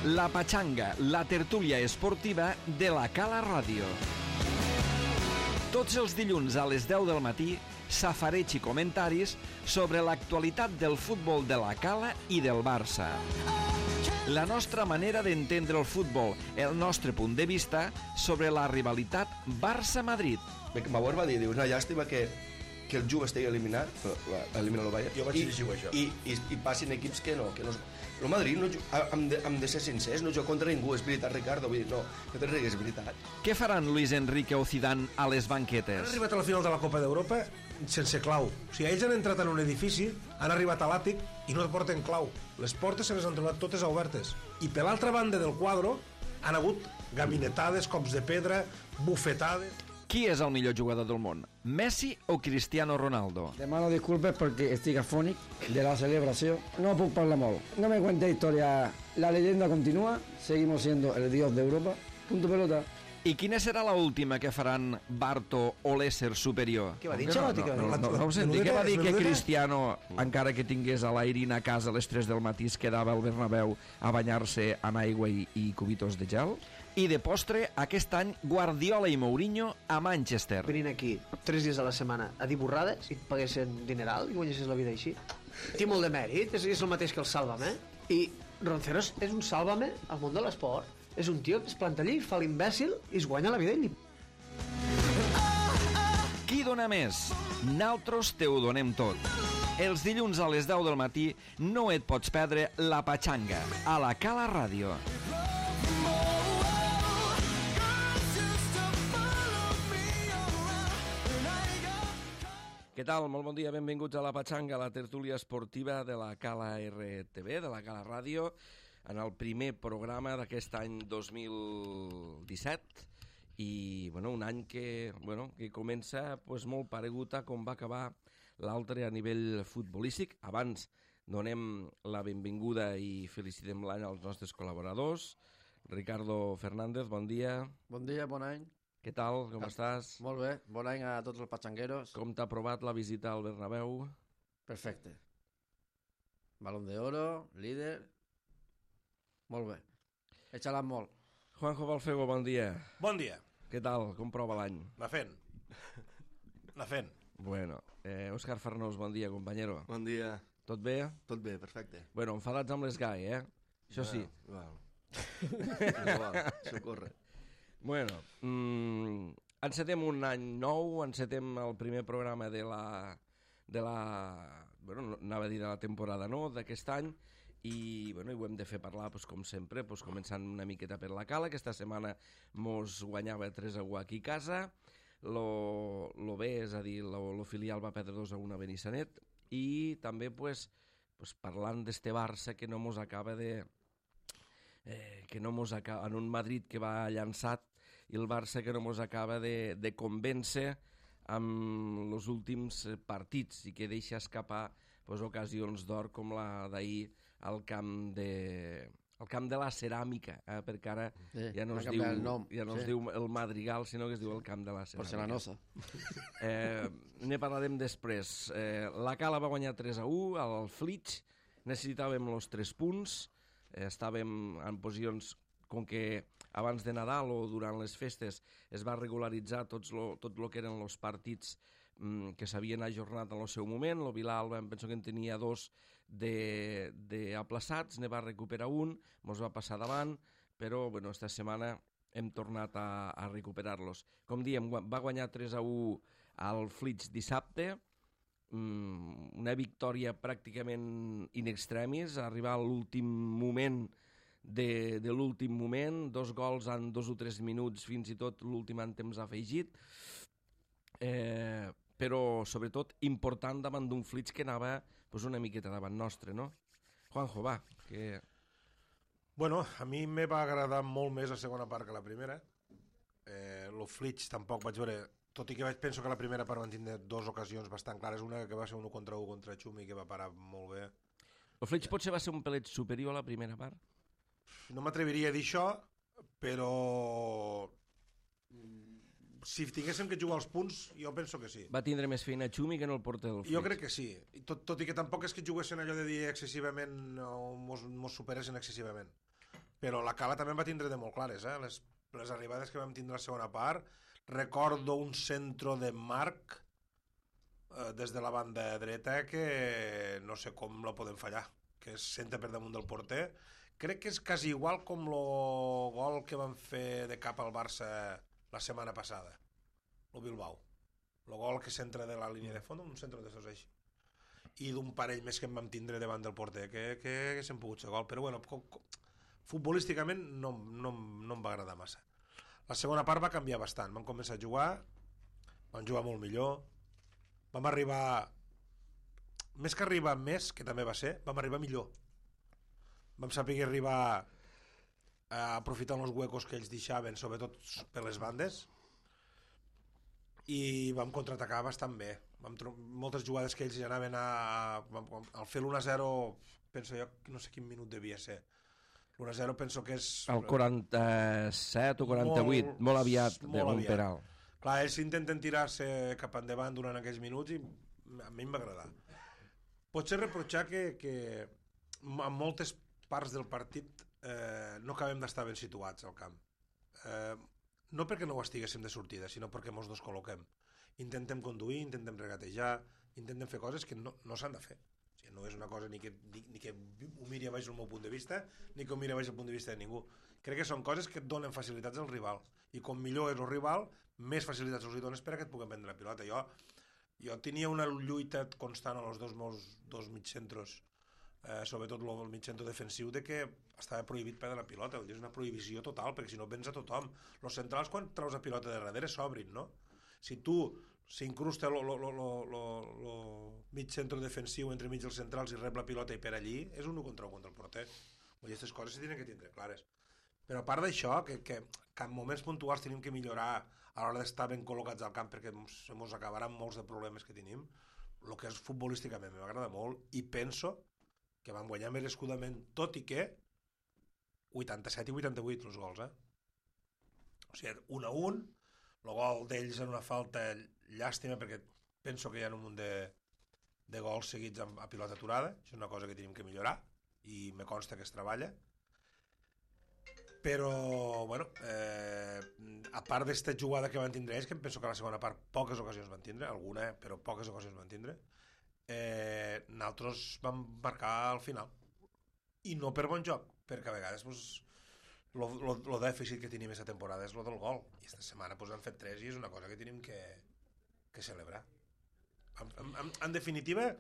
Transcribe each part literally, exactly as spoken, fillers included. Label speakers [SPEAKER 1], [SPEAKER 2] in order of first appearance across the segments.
[SPEAKER 1] La Patxanga, la tertúlia esportiva de la Cala Ràdio. Tots els dilluns a les deu del matí, safareig i comentaris sobre l'actualitat del futbol de la Cala i del Barça. La nostra manera d'entendre el futbol, el nostre punt de vista sobre la rivalitat Barça-Madrid.
[SPEAKER 2] Bauer va dir, diu, una llàstima que, que el Juve estigui eliminat, elimina el Bayern,
[SPEAKER 3] jo vaig llegir això.
[SPEAKER 2] I, i, i passin equips que no, que no... El Madrid, no, hem, de, hem de ser sincers, no juga contra ningú, és veritat, Ricardo, vull dir, no, no te rigues, és veritat.
[SPEAKER 1] Què faran Luis Enrique o Zidane a les banquetes?
[SPEAKER 3] Han arribat a la final de la Copa d'Europa sense clau. O sigui, ells han entrat en un edifici, han arribat a l'àtic i no porten clau. Les portes se les han trobat totes obertes. I per l'altra banda del quadre han hagut gabinetades, cops de pedra, bufetades...
[SPEAKER 1] Qui és el millor jugador del món? Messi o Cristiano Ronaldo?
[SPEAKER 4] Demano disculpes perquè estic afònic de la celebració. No puc parlar molt. No me cuente historia. La leyenda continúa. Seguimos siendo el dios de Europa. Punto pelota.
[SPEAKER 1] I quina serà la última que faran Barto o l'ésser superior?
[SPEAKER 5] Què va dir?
[SPEAKER 1] No, no, no, no, no ho senti. Què va dir que Cristiano, encara que tingués a l'Airin a casa a les tres del matí, es quedava al Bernabéu a banyar-se amb aigua i, i cubitos de gel? I de postre, aquest any, Guardiola i Mourinho a Manchester.
[SPEAKER 5] Venint aquí tres dies a la setmana a dir borrades i et paguessin dineral i guanyessis la vida així. Té molt de mèrit, és, és el mateix que el Sálvame. I Ronceros és un Sálvame al món de l'esport. És un tio que es planta allí, fa l'imbècil i es guanya la vida i li...
[SPEAKER 1] Qui dona més? Naltros te ho donem tot. Els dilluns a les deu del matí no et pots perdre La Patxanga a la Cala Ràdio. Què tal? Molt bon dia, benvinguts a La Patxanga, la tertúlia esportiva de la Cala R T V, de la Cala Ràdio, en el primer programa d'aquest any dos mil disset, i bueno, un any que, bueno, que comença pues, molt paregut a com va acabar l'altre a nivell futbolístic. Abans donem la benvinguda i felicitem l'any als nostres col·laboradors. Ricardo Fernández, bon dia.
[SPEAKER 4] Bon dia, bon any.
[SPEAKER 1] Què tal? Com ah, estàs?
[SPEAKER 4] Molt bé, bon any a tots els patxangueros.
[SPEAKER 1] Com t'ha provat la visita al Bernabéu?
[SPEAKER 4] Perfecte. Balón de oro, líder... Molt bé. He xalat molt.
[SPEAKER 1] Juanjo Balfego, bon dia.
[SPEAKER 3] Bon dia.
[SPEAKER 1] Què tal? Com prova l'any?
[SPEAKER 3] Va fent. Va fent.
[SPEAKER 1] Bueno, eh, Òscar Farnós, bon dia, companyero.
[SPEAKER 2] Bon dia.
[SPEAKER 1] Tot bé?
[SPEAKER 2] Tot bé, perfecte.
[SPEAKER 1] Bueno, enfadats amb l'Esgai, eh? Això sí.
[SPEAKER 2] Val. Igual, això corre.
[SPEAKER 1] Bueno, mmm, encetem un any nou, encetem el primer programa de la, de la, bueno, anava a dir de la temporada, no?, d'aquest any, i, bueno, i ho hem de fer parlar, pues, com sempre, pues, començant una miqueta per la Cala. Aquesta setmana mos guanyava tres a u aquí a casa, lo, lo B, és a dir, lo, lo filial va perdre dos a un a Benissanet, i també, pues, pues, parlant d'este Barça que no mos acaba de... Eh, que no mos acaba, en un Madrid que va llançat, i el Barça que no mos acaba de, de convèncer amb els últims partits i que deixa escapar pues, ocasions d'or com la d'ahir al camp de al camp de la Ceràmica, eh? Perquè ara
[SPEAKER 4] sí,
[SPEAKER 1] ja no, es diu, ja no sí. es diu el Madrigal, sinó que es diu el camp de la Ceràmica.
[SPEAKER 4] Porcelanosa.
[SPEAKER 1] Eh, ne parlarem després. Eh, la Cala va guanyar tres a u al Flix, necessitàvem els tres punts, eh, estàvem en posicions com que abans de Nadal o durant les festes es va regularitzar tots lo, tot el que eren els partits mm, que s'havien ajornat en el seu moment. El Bilal, em penso que en tenia dos d'aplaçats, ne va recuperar un, mos va passar davant, però bueno, esta setmana hem tornat a, a recuperar-los. Com diem, va guanyar tres a u al Flix dissabte, mm, una victòria pràcticament in extremis, arribar a l'últim moment de, de l'últim moment, dos gols en dos o tres minuts, fins i tot l'últim en temps afegit, eh, però sobretot important davant d'un Flix que anava pues, una miqueta davant nostre, no? Juanjo, va, que...
[SPEAKER 3] Bueno, a mi me va agradar molt més la segona part que la primera. Eh, lo Flix tampoc vaig veure, tot i que vaig, penso que la primera part van tindre dues ocasions bastant clares, una que va ser un contra un contra Xumi que va parar molt bé.
[SPEAKER 1] El Flix potser va ser un pelet superior a la primera part?
[SPEAKER 3] No m'atreviria a dir això, però si tinguéssim que jugar els punts, jo penso que sí.
[SPEAKER 1] Va tindre més feina Xumi que no el porter del Flix.
[SPEAKER 3] Jo crec que sí, tot, tot i que tampoc és que juguessin allò de dir excessivament o mos, mos superessin excessivament. però la Cala també va tindre de molt clares, eh? Les, les arribades que vam tindre a la segona part. Recordo un centro de Marc eh, des de la banda dreta que no sé com la podem fallar, que es senta per damunt del porter. Crec que és quasi igual com el gol que van fer de cap al Barça la setmana passada, el Bilbao. El gol que centra de la línia de fons, un centre de dos així. I d'un parell més que em vam tindre davant del porter, que, que haguéssim pogut ser gol. Però bueno, com, com, futbolísticament no, no, no em va agradar massa. La segona part va canviar bastant. Vam començar a jugar, vam jugar molt millor, vam arribar, més que arribar més, que també va ser, vam arribar millor. Vam saber arribar a aprofitar els huecos que ells deixaven, sobretot per les bandes, i vam contraatacar bastant bé. Vam moltes jugades que ells ja anaven a... Al fer l'u a zero, penso jo, no sé quin minut devia ser. l'u a zero penso que és...
[SPEAKER 1] El quaranta-set o quaranta-vuit, molt, molt aviat,
[SPEAKER 3] molt
[SPEAKER 1] d'un
[SPEAKER 3] aviat.
[SPEAKER 1] penal.
[SPEAKER 3] Clar, ells intenten tirar-se cap endavant durant aquells minuts i a mi em va agradar. Potser reprotxar que, que en moltes parts del partit eh, no acabem d'estar ben situats al camp. Eh, no perquè no ho estiguéssim de sortida, sinó perquè mos descol·loquem. Intentem conduir, intentem regatejar, intentem fer coses que no, no s'han de fer. O sigui, no és una cosa ni que, ni, ni que ho miri a baix el meu punt de vista, ni que ho miri a baix el punt de vista de ningú. Crec que són coses que et donen facilitats al rival. I com millor és el rival, més facilitats els hi dones per a que et puguem prendre la pilota. Jo, jo tenia una lluita constant als dos meus dos mitjcentros, eh, sobretot el mitjentro defensiu, de que estava prohibit perdre la pilota. És una prohibició total, perquè si no vens a tothom. Els centrals, quan treus la pilota de darrere, s'obrin, no? Si tu s'incrusta el mig centre defensiu entre mig dels centrals i rep la pilota i per allí, és un u contra un contra el porter. I aquestes coses s'hi tenen que tindre clares. Però a part d'això, que, que, que en moments puntuals tenim que millorar a l'hora d'estar ben col·locats al camp, perquè se mos acabaran molts de problemes que tenim, el que és futbolísticament m'agrada molt i penso que van guanyar merescudament, tot i que vuitanta-set i vuitanta-vuit els gols, eh? O sigui, un a un, el gol d'ells en una falta llàstima, perquè penso que hi ha un munt de, de gols seguits a, a pilota aturada. Això és una cosa que tenim que millorar i me consta que es treballa. Però, bueno, eh, a part d'esta jugada que van tindre ells, que em penso que a la segona part poques ocasions van tindre, alguna, però poques ocasions van tindre, eh, nosaltres vam marcar al final. I no per bon joc, perquè a vegades pues, lo, lo, lo dèficit que tenim aquesta temporada és lo del gol. I aquesta setmana pues, han fet tres i és una cosa que tenim que, que celebrar. En, en, en definitiva,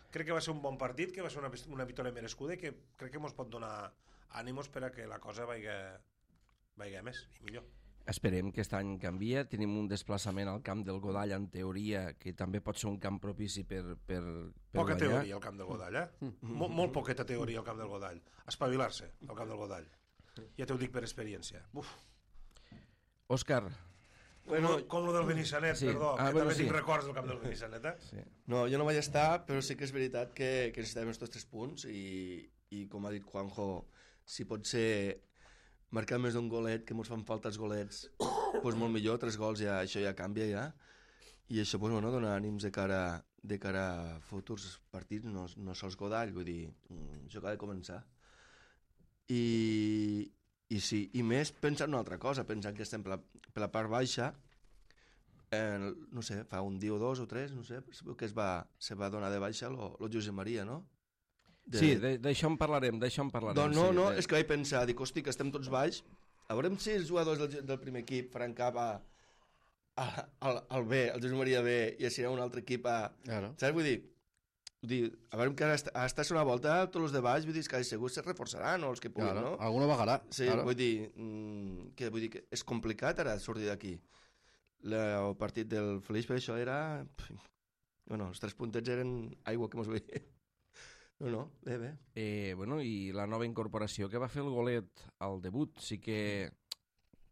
[SPEAKER 3] crec que va ser un bon partit, que va ser una, una victòria merescuda i que crec que ens pot donar ànimos per a que la cosa vagi, vagi més i millor.
[SPEAKER 1] Esperem que aquest any canvia. Tenim un desplaçament al camp del Godall, en teoria, que també pot ser un camp propici per, per, per
[SPEAKER 3] poca
[SPEAKER 1] guanyar.
[SPEAKER 3] Teoria al camp del Godall, eh? Mol, molt poqueta teoria al camp del Godall. Espavilar-se al camp del Godall. Ja t'ho dic per experiència. Uf.
[SPEAKER 1] Òscar.
[SPEAKER 2] Bueno,
[SPEAKER 3] com, com lo del Benissanet,
[SPEAKER 1] sí.
[SPEAKER 3] perdó,
[SPEAKER 1] Ah,
[SPEAKER 3] que
[SPEAKER 1] bueno,
[SPEAKER 3] també
[SPEAKER 1] sí.
[SPEAKER 3] tinc records del camp del Benissanet, eh?
[SPEAKER 1] Sí.
[SPEAKER 2] no, jo no vaig estar, però sí que és veritat que, que necessitem estos tres punts i, i com ha dit Juanjo, si pot ser marcar més d'un golet, que ens fan falta els golets, doncs molt millor, tres gols ja, això ja canvia ja, i això doncs, bueno, dona ànims de cara, de cara a futurs partits, no, no sols Godall, vull dir, això acaba de començar. I, i sí, i més pensant una altra cosa, pensant que estem per la, per la part baixa, eh, no sé, fa un dia o dos o tres, no sé, que es va, se va donar de baixa lo, lo Josep Maria, no? De...
[SPEAKER 1] Sí, d'això en parlarem, d'això en parlarem.
[SPEAKER 2] Doncs no,
[SPEAKER 1] sí,
[SPEAKER 2] no,
[SPEAKER 1] de...
[SPEAKER 2] és que vaig pensar, dic, hosti, que estem tots baix, a veure si els jugadors del, del primer equip faran cap a, a, al, al B, al Josep Maria B, i així un altre equip a...
[SPEAKER 6] Claro.
[SPEAKER 2] Saps? Vull dir, vull dir, a veure que hasta, hasta una volta tots els de baix, vull dir, que segur se reforçaran, o els que puguin,
[SPEAKER 6] Claro.
[SPEAKER 2] no?
[SPEAKER 6] Alguno bajarà.
[SPEAKER 2] Sí,
[SPEAKER 6] claro.
[SPEAKER 2] vull dir, mm, que, vull dir que és complicat ara sortir d'aquí. La, el partit del Flix per això era... Bueno, els tres puntets eren aigua que mos veia. No, no, bé, bé.
[SPEAKER 1] Eh, bueno, i la nova incorporació que va fer el golet al debut, sí que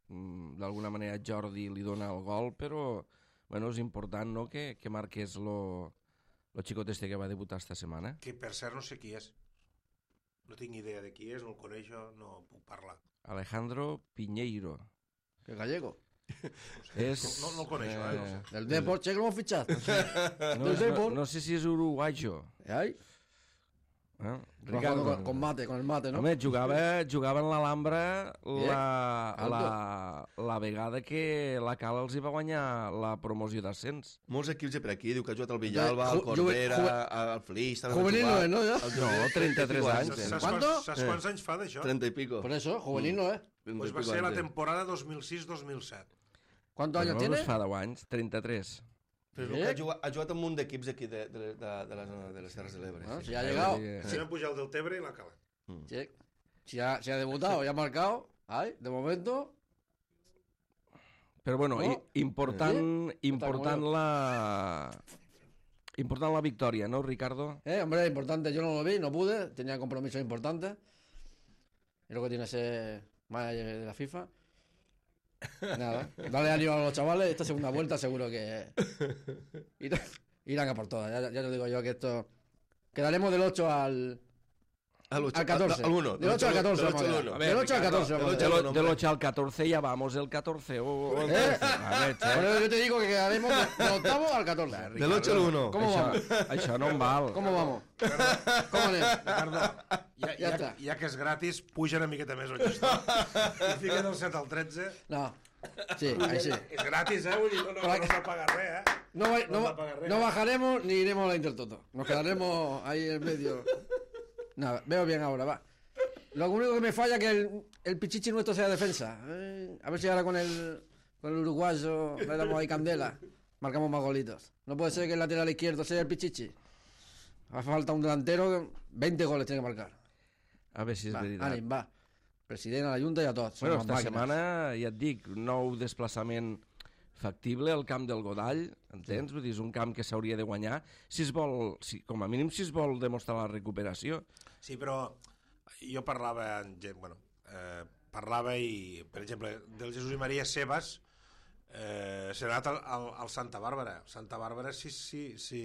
[SPEAKER 1] mm, d'alguna manera Jordi li dona el gol, però bueno, és important, no?, que, que marqués lo, lo xicot este que va debutar esta setmana.
[SPEAKER 3] Que per cert no sé qui és. No tinc idea de qui és, no el coneixo, no puc parlar.
[SPEAKER 1] Alejandro Piñeiro.
[SPEAKER 6] Que gallego.
[SPEAKER 1] És,
[SPEAKER 3] No, no el coneixo, eh, no sé.
[SPEAKER 6] Del Depor, che que l'hemos fichado.
[SPEAKER 1] No,
[SPEAKER 6] Del
[SPEAKER 1] és- no,
[SPEAKER 6] Depor.
[SPEAKER 1] no sé si és uruguayo.
[SPEAKER 6] Ai,
[SPEAKER 1] Eh?
[SPEAKER 4] Ricardo. Con, con mate, con el mate, no?
[SPEAKER 1] Home, jugava, jugava en l'Alhambra la,
[SPEAKER 4] Alto.
[SPEAKER 1] la, la vegada que la Cala els hi va guanyar la promoció d'ascens.
[SPEAKER 2] Molts equips de per aquí, diu que ha jugat al Villalba, al
[SPEAKER 4] Ju- ju-
[SPEAKER 2] Corbera,
[SPEAKER 4] ju-
[SPEAKER 2] al Flix... també
[SPEAKER 4] Juvenil
[SPEAKER 2] va
[SPEAKER 4] no
[SPEAKER 2] jugar.
[SPEAKER 4] és, no, ja?
[SPEAKER 2] Al
[SPEAKER 1] No,
[SPEAKER 2] Juvenil,
[SPEAKER 1] trenta-tres
[SPEAKER 2] trenta
[SPEAKER 1] anys.
[SPEAKER 2] i
[SPEAKER 3] Saps
[SPEAKER 2] pico.
[SPEAKER 3] quants,
[SPEAKER 4] ¿Cuánto?
[SPEAKER 3] saps quants anys fa d'això?
[SPEAKER 2] trenta i pico.
[SPEAKER 4] Por eso, juvenil no, ¿eh?
[SPEAKER 2] trenta
[SPEAKER 3] Pues
[SPEAKER 2] y
[SPEAKER 3] va
[SPEAKER 2] pico
[SPEAKER 3] ser la
[SPEAKER 2] antes.
[SPEAKER 3] temporada dos mil sis dos mil set.
[SPEAKER 4] ¿Cuántos años
[SPEAKER 1] no,
[SPEAKER 4] tiene?
[SPEAKER 1] Pues fa deu anys, trenta-tres.
[SPEAKER 2] Però
[SPEAKER 4] Eh?
[SPEAKER 2] que ha jugat, ha jugat amb un munt d'equips d'aquí de, de, de, de, la zona de les Terres de l'Ebre.
[SPEAKER 4] Ah,
[SPEAKER 2] sí.
[SPEAKER 4] si ha llegado,
[SPEAKER 1] Sí.
[SPEAKER 3] Sí. Van pujar el del Tebre i la Cala.
[SPEAKER 4] sí. si, ha, si ha debutado y ha marcado, ay, de momento,
[SPEAKER 1] Però bueno,
[SPEAKER 4] No?
[SPEAKER 1] i, important, important
[SPEAKER 4] como
[SPEAKER 1] la... Important la victòria, no, Ricardo?
[SPEAKER 4] eh, hombre, importante, yo no lo vi, no pude, tenía compromisos importantes. Es lo que tiene ser manager de la FIFA. Nada, dale ánimo a los chavales, esta segunda vuelta seguro que irán, irán a por todas. Ya, ya te digo yo que esto... Quedaremos del ocho al,
[SPEAKER 2] Al, ocho,
[SPEAKER 4] al catorce.
[SPEAKER 2] Al uno.
[SPEAKER 4] Del ocho al catorce.
[SPEAKER 2] Del
[SPEAKER 4] vamos
[SPEAKER 2] ocho
[SPEAKER 4] a
[SPEAKER 2] al
[SPEAKER 4] ver.
[SPEAKER 2] uno.
[SPEAKER 4] Del ocho al catorce.
[SPEAKER 2] Del
[SPEAKER 4] vamos a
[SPEAKER 2] ocho
[SPEAKER 4] ver.
[SPEAKER 2] al uno.
[SPEAKER 1] Del ocho al catorce ya vamos el catorce. O, o el
[SPEAKER 4] ¿Eh?
[SPEAKER 1] A ver,
[SPEAKER 4] Por
[SPEAKER 1] che.
[SPEAKER 4] eso yo te digo que quedaremos del octavo al catorce.
[SPEAKER 2] Del ocho al uno.
[SPEAKER 4] ¿Cómo
[SPEAKER 1] això,
[SPEAKER 4] vamos?
[SPEAKER 1] això no em val.
[SPEAKER 4] ¿Cómo vamos? ¿Cómo anem?
[SPEAKER 3] Ricardo, ja,
[SPEAKER 4] Ja
[SPEAKER 3] ja,
[SPEAKER 4] està.
[SPEAKER 3] ja que és gratis, puja una miqueta més el gestor. I fica del set al tretze.
[SPEAKER 4] No. Sí, ahí sí.
[SPEAKER 3] És gratis, eh? Vull dir, no, no, no s'ha pagat res, eh?
[SPEAKER 4] No, va- no,
[SPEAKER 3] No
[SPEAKER 4] va-
[SPEAKER 3] va pagar res.
[SPEAKER 4] no bajaremos ni iremos a la Intertoto. Nos quedaremos ahí en medio. Nada, veo bien ahora, va. Lo único que me falla es que el, el pichichi nuestro sea defensa. Eh, a ver si ahora con el, con el uruguayo le damos ahí candela. Marcamos más golitos. No puede ser que el lateral izquierdo sea el pichichi. Hace falta un delantero, veinte goles tiene que marcar.
[SPEAKER 1] A veure si és
[SPEAKER 4] Va,
[SPEAKER 1] veritat.
[SPEAKER 4] ànim, va. President, a la Junta i a tots. Som
[SPEAKER 1] Bueno,
[SPEAKER 4] unes
[SPEAKER 1] esta
[SPEAKER 4] màquines.
[SPEAKER 1] setmana, ja et dic, nou desplaçament factible al camp del Godall, entens? Vull dir, és un camp que s'hauria de guanyar, si es vol, si, com a mínim si es vol demostrar la recuperació.
[SPEAKER 3] Sí, però jo parlava amb gent, bueno, eh, parlava i, per exemple, del Jesús i Maria Sebas, eh, s'ha anat al, al, al Santa Bàrbara. Santa Bàrbara, si, si, si,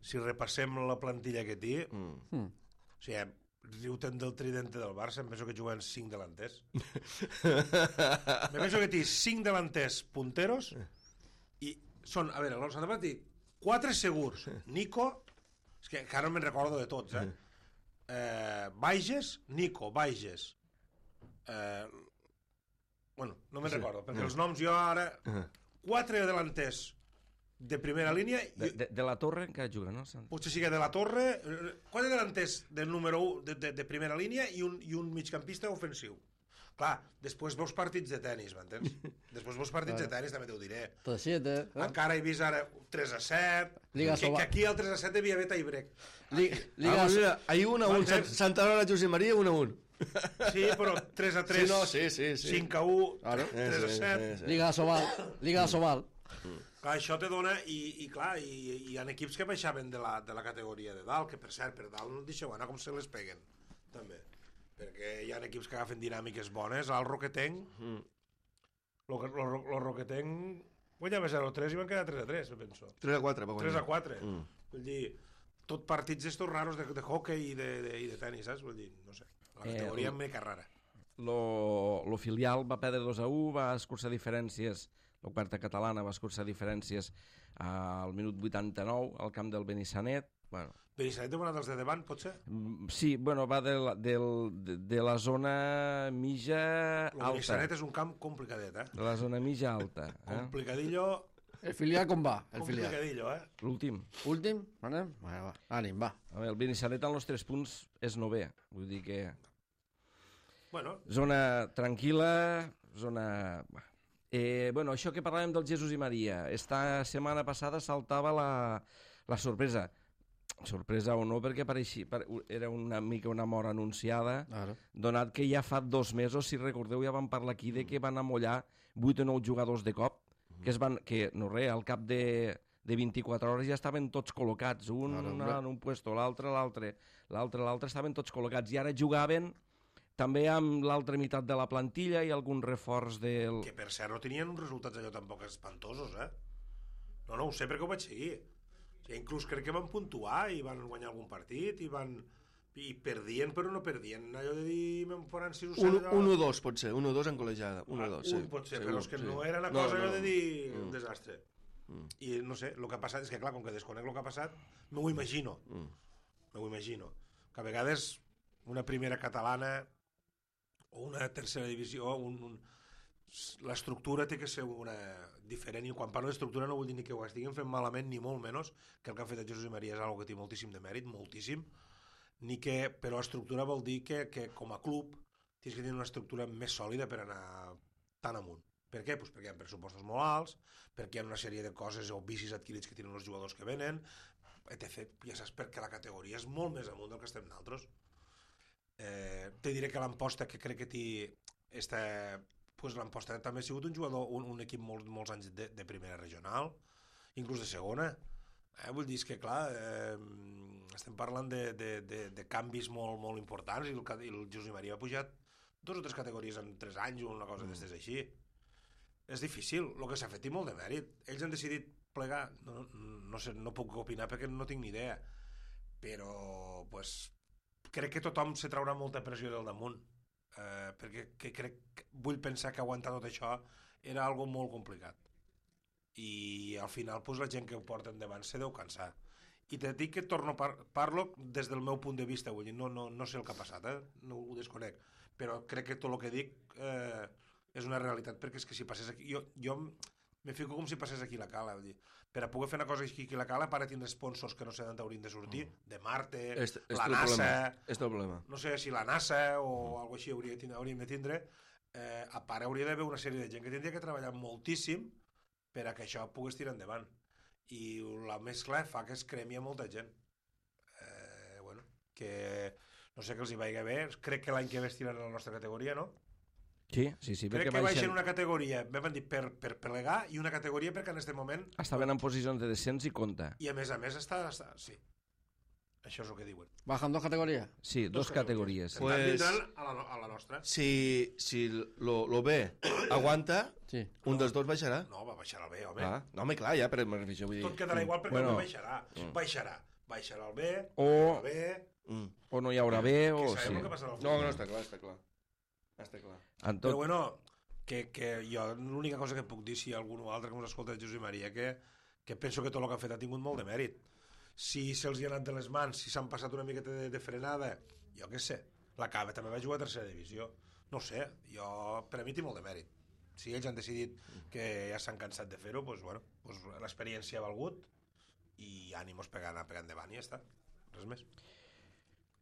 [SPEAKER 3] si repassem la plantilla que té, mm.
[SPEAKER 4] Mm.
[SPEAKER 3] o sigui, riu-te'n del tridente del Barça, em penso que juguen cinc delanters. em penso que té cinc delanters punteros i són, a veure, el Santa Bàrbara té quatre segurs. Nico, és que encara no me'n recordo de tots, eh? Eh, Baiges, Nico, Baiges. Eh, bueno, no me'n recordo, perquè els noms jo ara... Quatre delanters de primera línia
[SPEAKER 1] De,
[SPEAKER 3] i
[SPEAKER 1] de, de la Torre encara juga, no? Sant-
[SPEAKER 3] potser sí que de la Torre, eh, quatre delanters del número u de, de, de primera línia i un, i un migcampista ofensiu. Clar, després veus partits de tennis, m'entens? Després veus partits de tennis, també t'ho diré.
[SPEAKER 4] Tot siete. Eh?
[SPEAKER 3] Encara he vist ara tres a set,
[SPEAKER 4] Liga
[SPEAKER 3] que,
[SPEAKER 4] Soba-
[SPEAKER 3] que aquí el tres a set devia haver tie-break.
[SPEAKER 4] Liga,
[SPEAKER 2] Ah,
[SPEAKER 4] Liga,
[SPEAKER 2] pues mira, hay uno a un.
[SPEAKER 3] Vale.
[SPEAKER 2] Santa Bárbara, José María, uno a un.
[SPEAKER 3] Sí, però tres a tres,
[SPEAKER 2] Sí, no, sí, sí, sí.
[SPEAKER 3] cinc a u,
[SPEAKER 4] Claro.
[SPEAKER 3] tres a
[SPEAKER 2] Sí,
[SPEAKER 3] set...
[SPEAKER 2] sí, sí.
[SPEAKER 4] Liga Sobal. Liga Sobal.
[SPEAKER 3] Clar, això te dona, i, i clar, i, i hi ha equips que baixaven de la, de la categoria de dalt, que per cert, per dalt no et deixeu anar com se les peguen, també. Perquè hi ha equips que agafen dinàmiques bones, al Roquetenc, mm. lo, lo, lo Roquetenc guanyava zero a tres i van quedar tres a tres, me penso.
[SPEAKER 2] tres a quatre, va guanyar.
[SPEAKER 3] tres a quatre.
[SPEAKER 2] Mm.
[SPEAKER 3] Vull dir, tot partits estos raros de, de hockey i de, de, i de tenis, saps? Vull dir, no sé, la categoria
[SPEAKER 1] Eh,
[SPEAKER 3] eh, mica rara.
[SPEAKER 1] Lo, lo filial va perdre dos a u, va escurçar diferències, la quarta catalana va escurçar diferències al minut vuitanta-nou al camp del Benissanet. Bueno,
[SPEAKER 3] Benissanet heu anat els de davant, potser?
[SPEAKER 1] mm, sí, bueno, va de la, del, de, de la zona mitja
[SPEAKER 3] El
[SPEAKER 1] alta.
[SPEAKER 3] Benissanet és un camp complicadet, eh?
[SPEAKER 1] De la zona mitja alta. Eh?
[SPEAKER 3] Complicadillo,
[SPEAKER 4] El filial com va? El filial.
[SPEAKER 3] complicadillo, eh?
[SPEAKER 1] L'últim.
[SPEAKER 4] Últim? Anem? Va, va. Ànim, va.
[SPEAKER 1] A veure, el Benissanet en els tres punts és novè. Vull dir que
[SPEAKER 3] Bueno,
[SPEAKER 1] zona tranquil·la, zona... Eh, bueno, això que parlàvem del Jesús i Maria, esta setmana passada saltava la, la sorpresa. Sorpresa o no, perquè pareixia, era una mica una mort anunciada,
[SPEAKER 4] Claro.
[SPEAKER 1] donat que ja fa dos mesos, si recordeu, ja vam parlar aquí de que van amollar vuit o nou jugadors de cop, que es van, que no res, al cap de, de vint-i-quatre hores ja estaven tots col·locats, un
[SPEAKER 4] Claro,
[SPEAKER 1] en
[SPEAKER 4] hombre.
[SPEAKER 1] un puesto, l'altre, l'altre, l'altre, l'altre, estaven tots col·locats, i ara jugaven també amb l'altra meitat de la plantilla i algun reforç del...
[SPEAKER 3] que per cert no tenien uns resultats allò tampoc espantosos, eh? No, no ho sé perquè ho vaig seguir. O sigui, inclús crec que van puntuar i van guanyar algun partit i van... i perdien però no perdien. Allò de dir, me'n faran sis o set...
[SPEAKER 2] Un, un o dos, pot ser. Un o dos en col·legiada. Un o dos, sí.
[SPEAKER 3] Un pot ser,
[SPEAKER 2] Segur,
[SPEAKER 3] però és que
[SPEAKER 2] sí.
[SPEAKER 3] no era una
[SPEAKER 2] No,
[SPEAKER 3] cosa allò
[SPEAKER 2] no.
[SPEAKER 3] de dir
[SPEAKER 2] Mm.
[SPEAKER 3] un desastre.
[SPEAKER 2] Mm.
[SPEAKER 3] I no sé, el que ha passat és que clar, com que desconec el que ha passat, no ho imagino.
[SPEAKER 2] Mm.
[SPEAKER 3] No ho imagino. que a vegades una primera catalana o una tercera divisió, un, un, l'estructura té que ser una diferent, i quan parlo d'estructura no vull dir ni que ho estiguin fent malament ni molt menys, que el que ha fet el Jesús i Maria és una que té moltíssim de mèrit, moltíssim, ni que, però estructura vol dir que, que com a club tens que tenir una estructura més sòlida per anar tan amunt. Per què? Pues perquè hi ha pressupostos molt alts, perquè hi ha una sèrie de coses o vicis adquirits que tenen els jugadors que venen, etcètera. Ja saps perquè la categoria és molt més amunt del que estem nosaltres. Eh, te diré que l'Amposta, que crec que té esta, pues l'Amposta també ha sigut un jugador, un, un equip molt, molts anys de, de primera regional, inclús de segona. Eh, vull dir que, clar, eh, estem parlant de, de, de, de canvis molt, molt importants, i el, i el Josep Maria ha pujat dos o tres categories en tres anys o una cosa mm. d'estes així. És difícil, el que s'ha fet té molt de mèrit. Ells han decidit plegar, no, no, sé, no puc opinar perquè no tinc ni idea, però pues, crec que tothom se traurà molta pressió del damunt, eh, perquè que crec, vull pensar que aguantar tot això era algo molt complicat, i al final pues, la gent que ho porta endavant se deu cansar. I te dic que torno par parlo des del meu punt de vista, vull dir, no, no, no sé el que ha passat, eh? No ho desconec, però crec que tot el que dic eh, és una realitat, perquè és que si passés aquí, jo, jo me fico com si passés aquí la cala, vull dir, per a poder fer una cosa aquí a la cala, para tindre sponsors que no sé d'on haurien de sortir, mm. de Marte,
[SPEAKER 1] este, este
[SPEAKER 3] la NASA,
[SPEAKER 1] este problema.
[SPEAKER 3] No sé si la NASA o mm. alguna així hauria, hauríem de tindre, eh, a part hauria d'haver una sèrie de gent que tindria que treballar moltíssim per a que això pogués tirar endavant, i la mescla fa que es cremi a molta gent. Eh, bueno, que no sé que els hi vagi bé, crec que l'any que ve estiran a la nostra categoria, no?
[SPEAKER 1] Sí, sí, sí.
[SPEAKER 3] Crec que baixen una categoria, vam dir, per, per plegar, i una categoria perquè en aquest moment...
[SPEAKER 1] Estaven en posicions de descens i compta.
[SPEAKER 3] I a més a més està... està sí. Això és el que diuen.
[SPEAKER 4] Bajan dos categories?
[SPEAKER 1] Sí, dos, dos categories.
[SPEAKER 3] categories. Pues... Estan a la, a la nostra.
[SPEAKER 2] Si, si lo, lo B aguanta,
[SPEAKER 4] sí.
[SPEAKER 2] un dels dos baixarà.
[SPEAKER 3] No, va baixar el B, home.
[SPEAKER 2] Ah, no, home, clar, ja, però vull dir...
[SPEAKER 3] Tot quedarà igual perquè
[SPEAKER 1] bueno,
[SPEAKER 3] no baixarà. Mm. Baixarà. Baixarà el B,
[SPEAKER 1] o...
[SPEAKER 3] el B...
[SPEAKER 1] Mm. O no hi haurà B, o...
[SPEAKER 3] Que sabem
[SPEAKER 1] sí.
[SPEAKER 3] el que passarà al
[SPEAKER 2] No, no, està clar, està clar. Està clar.
[SPEAKER 1] En tot...
[SPEAKER 3] Però bueno, que, que jo l'única cosa que puc dir, si algú o altre que ens escolta, Josep Maria, que, que penso que tot el que ha fet ha tingut molt de mèrit. Si se'ls hi ha anat de les mans, si s'han passat una miqueta de, de frenada, jo què sé, la Cava també va jugar a tercera divisió, no sé, jo, per a mi té molt de mèrit. Si ells han decidit que ja s'han cansat de fer-ho, doncs, bueno, doncs l'experiència ha valgut, i ànimos pegant, pegant endavant i ja està, res més.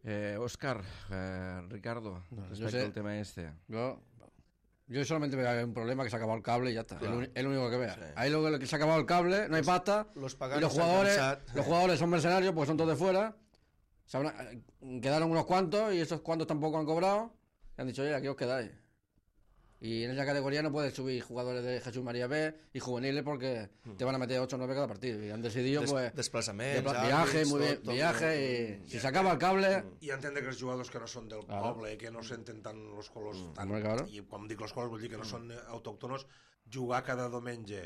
[SPEAKER 1] Eh, Òscar, eh, Ricardo,
[SPEAKER 4] no,
[SPEAKER 1] respecte
[SPEAKER 4] sé,
[SPEAKER 1] al tema este.
[SPEAKER 4] Yo, yo solamente veo un problema que se ha acabado el cable y ya está. Claro. Es lo único que veo. Sí. Ahí lo que se ha acabado el cable, no hay pasta.
[SPEAKER 2] Los,
[SPEAKER 4] y los jugadores, los jugadores son mercenarios porque son todos de fuera. Se habrá, quedaron unos cuantos y esos cuantos tampoco han cobrado. Y han dicho, oye, aquí os quedáis. Y en esa categoría no puedes subir jugadores de Jesús María B y juveniles porque mm. te van a meter ocho o nueve cada partido. Y han decidido, Des, pues...
[SPEAKER 2] Desplazamientos,
[SPEAKER 4] de, viaje, muy bien, tot, viaje, tot, i si s'acaba el cable...
[SPEAKER 3] I entendre que els jugadors que no són del claro. poble, que no senten tant els colors...
[SPEAKER 4] Mm.
[SPEAKER 3] Tant,
[SPEAKER 4] claro.
[SPEAKER 3] I quan dic els colors vull dir que no són autòctonos, jugar cada diumenge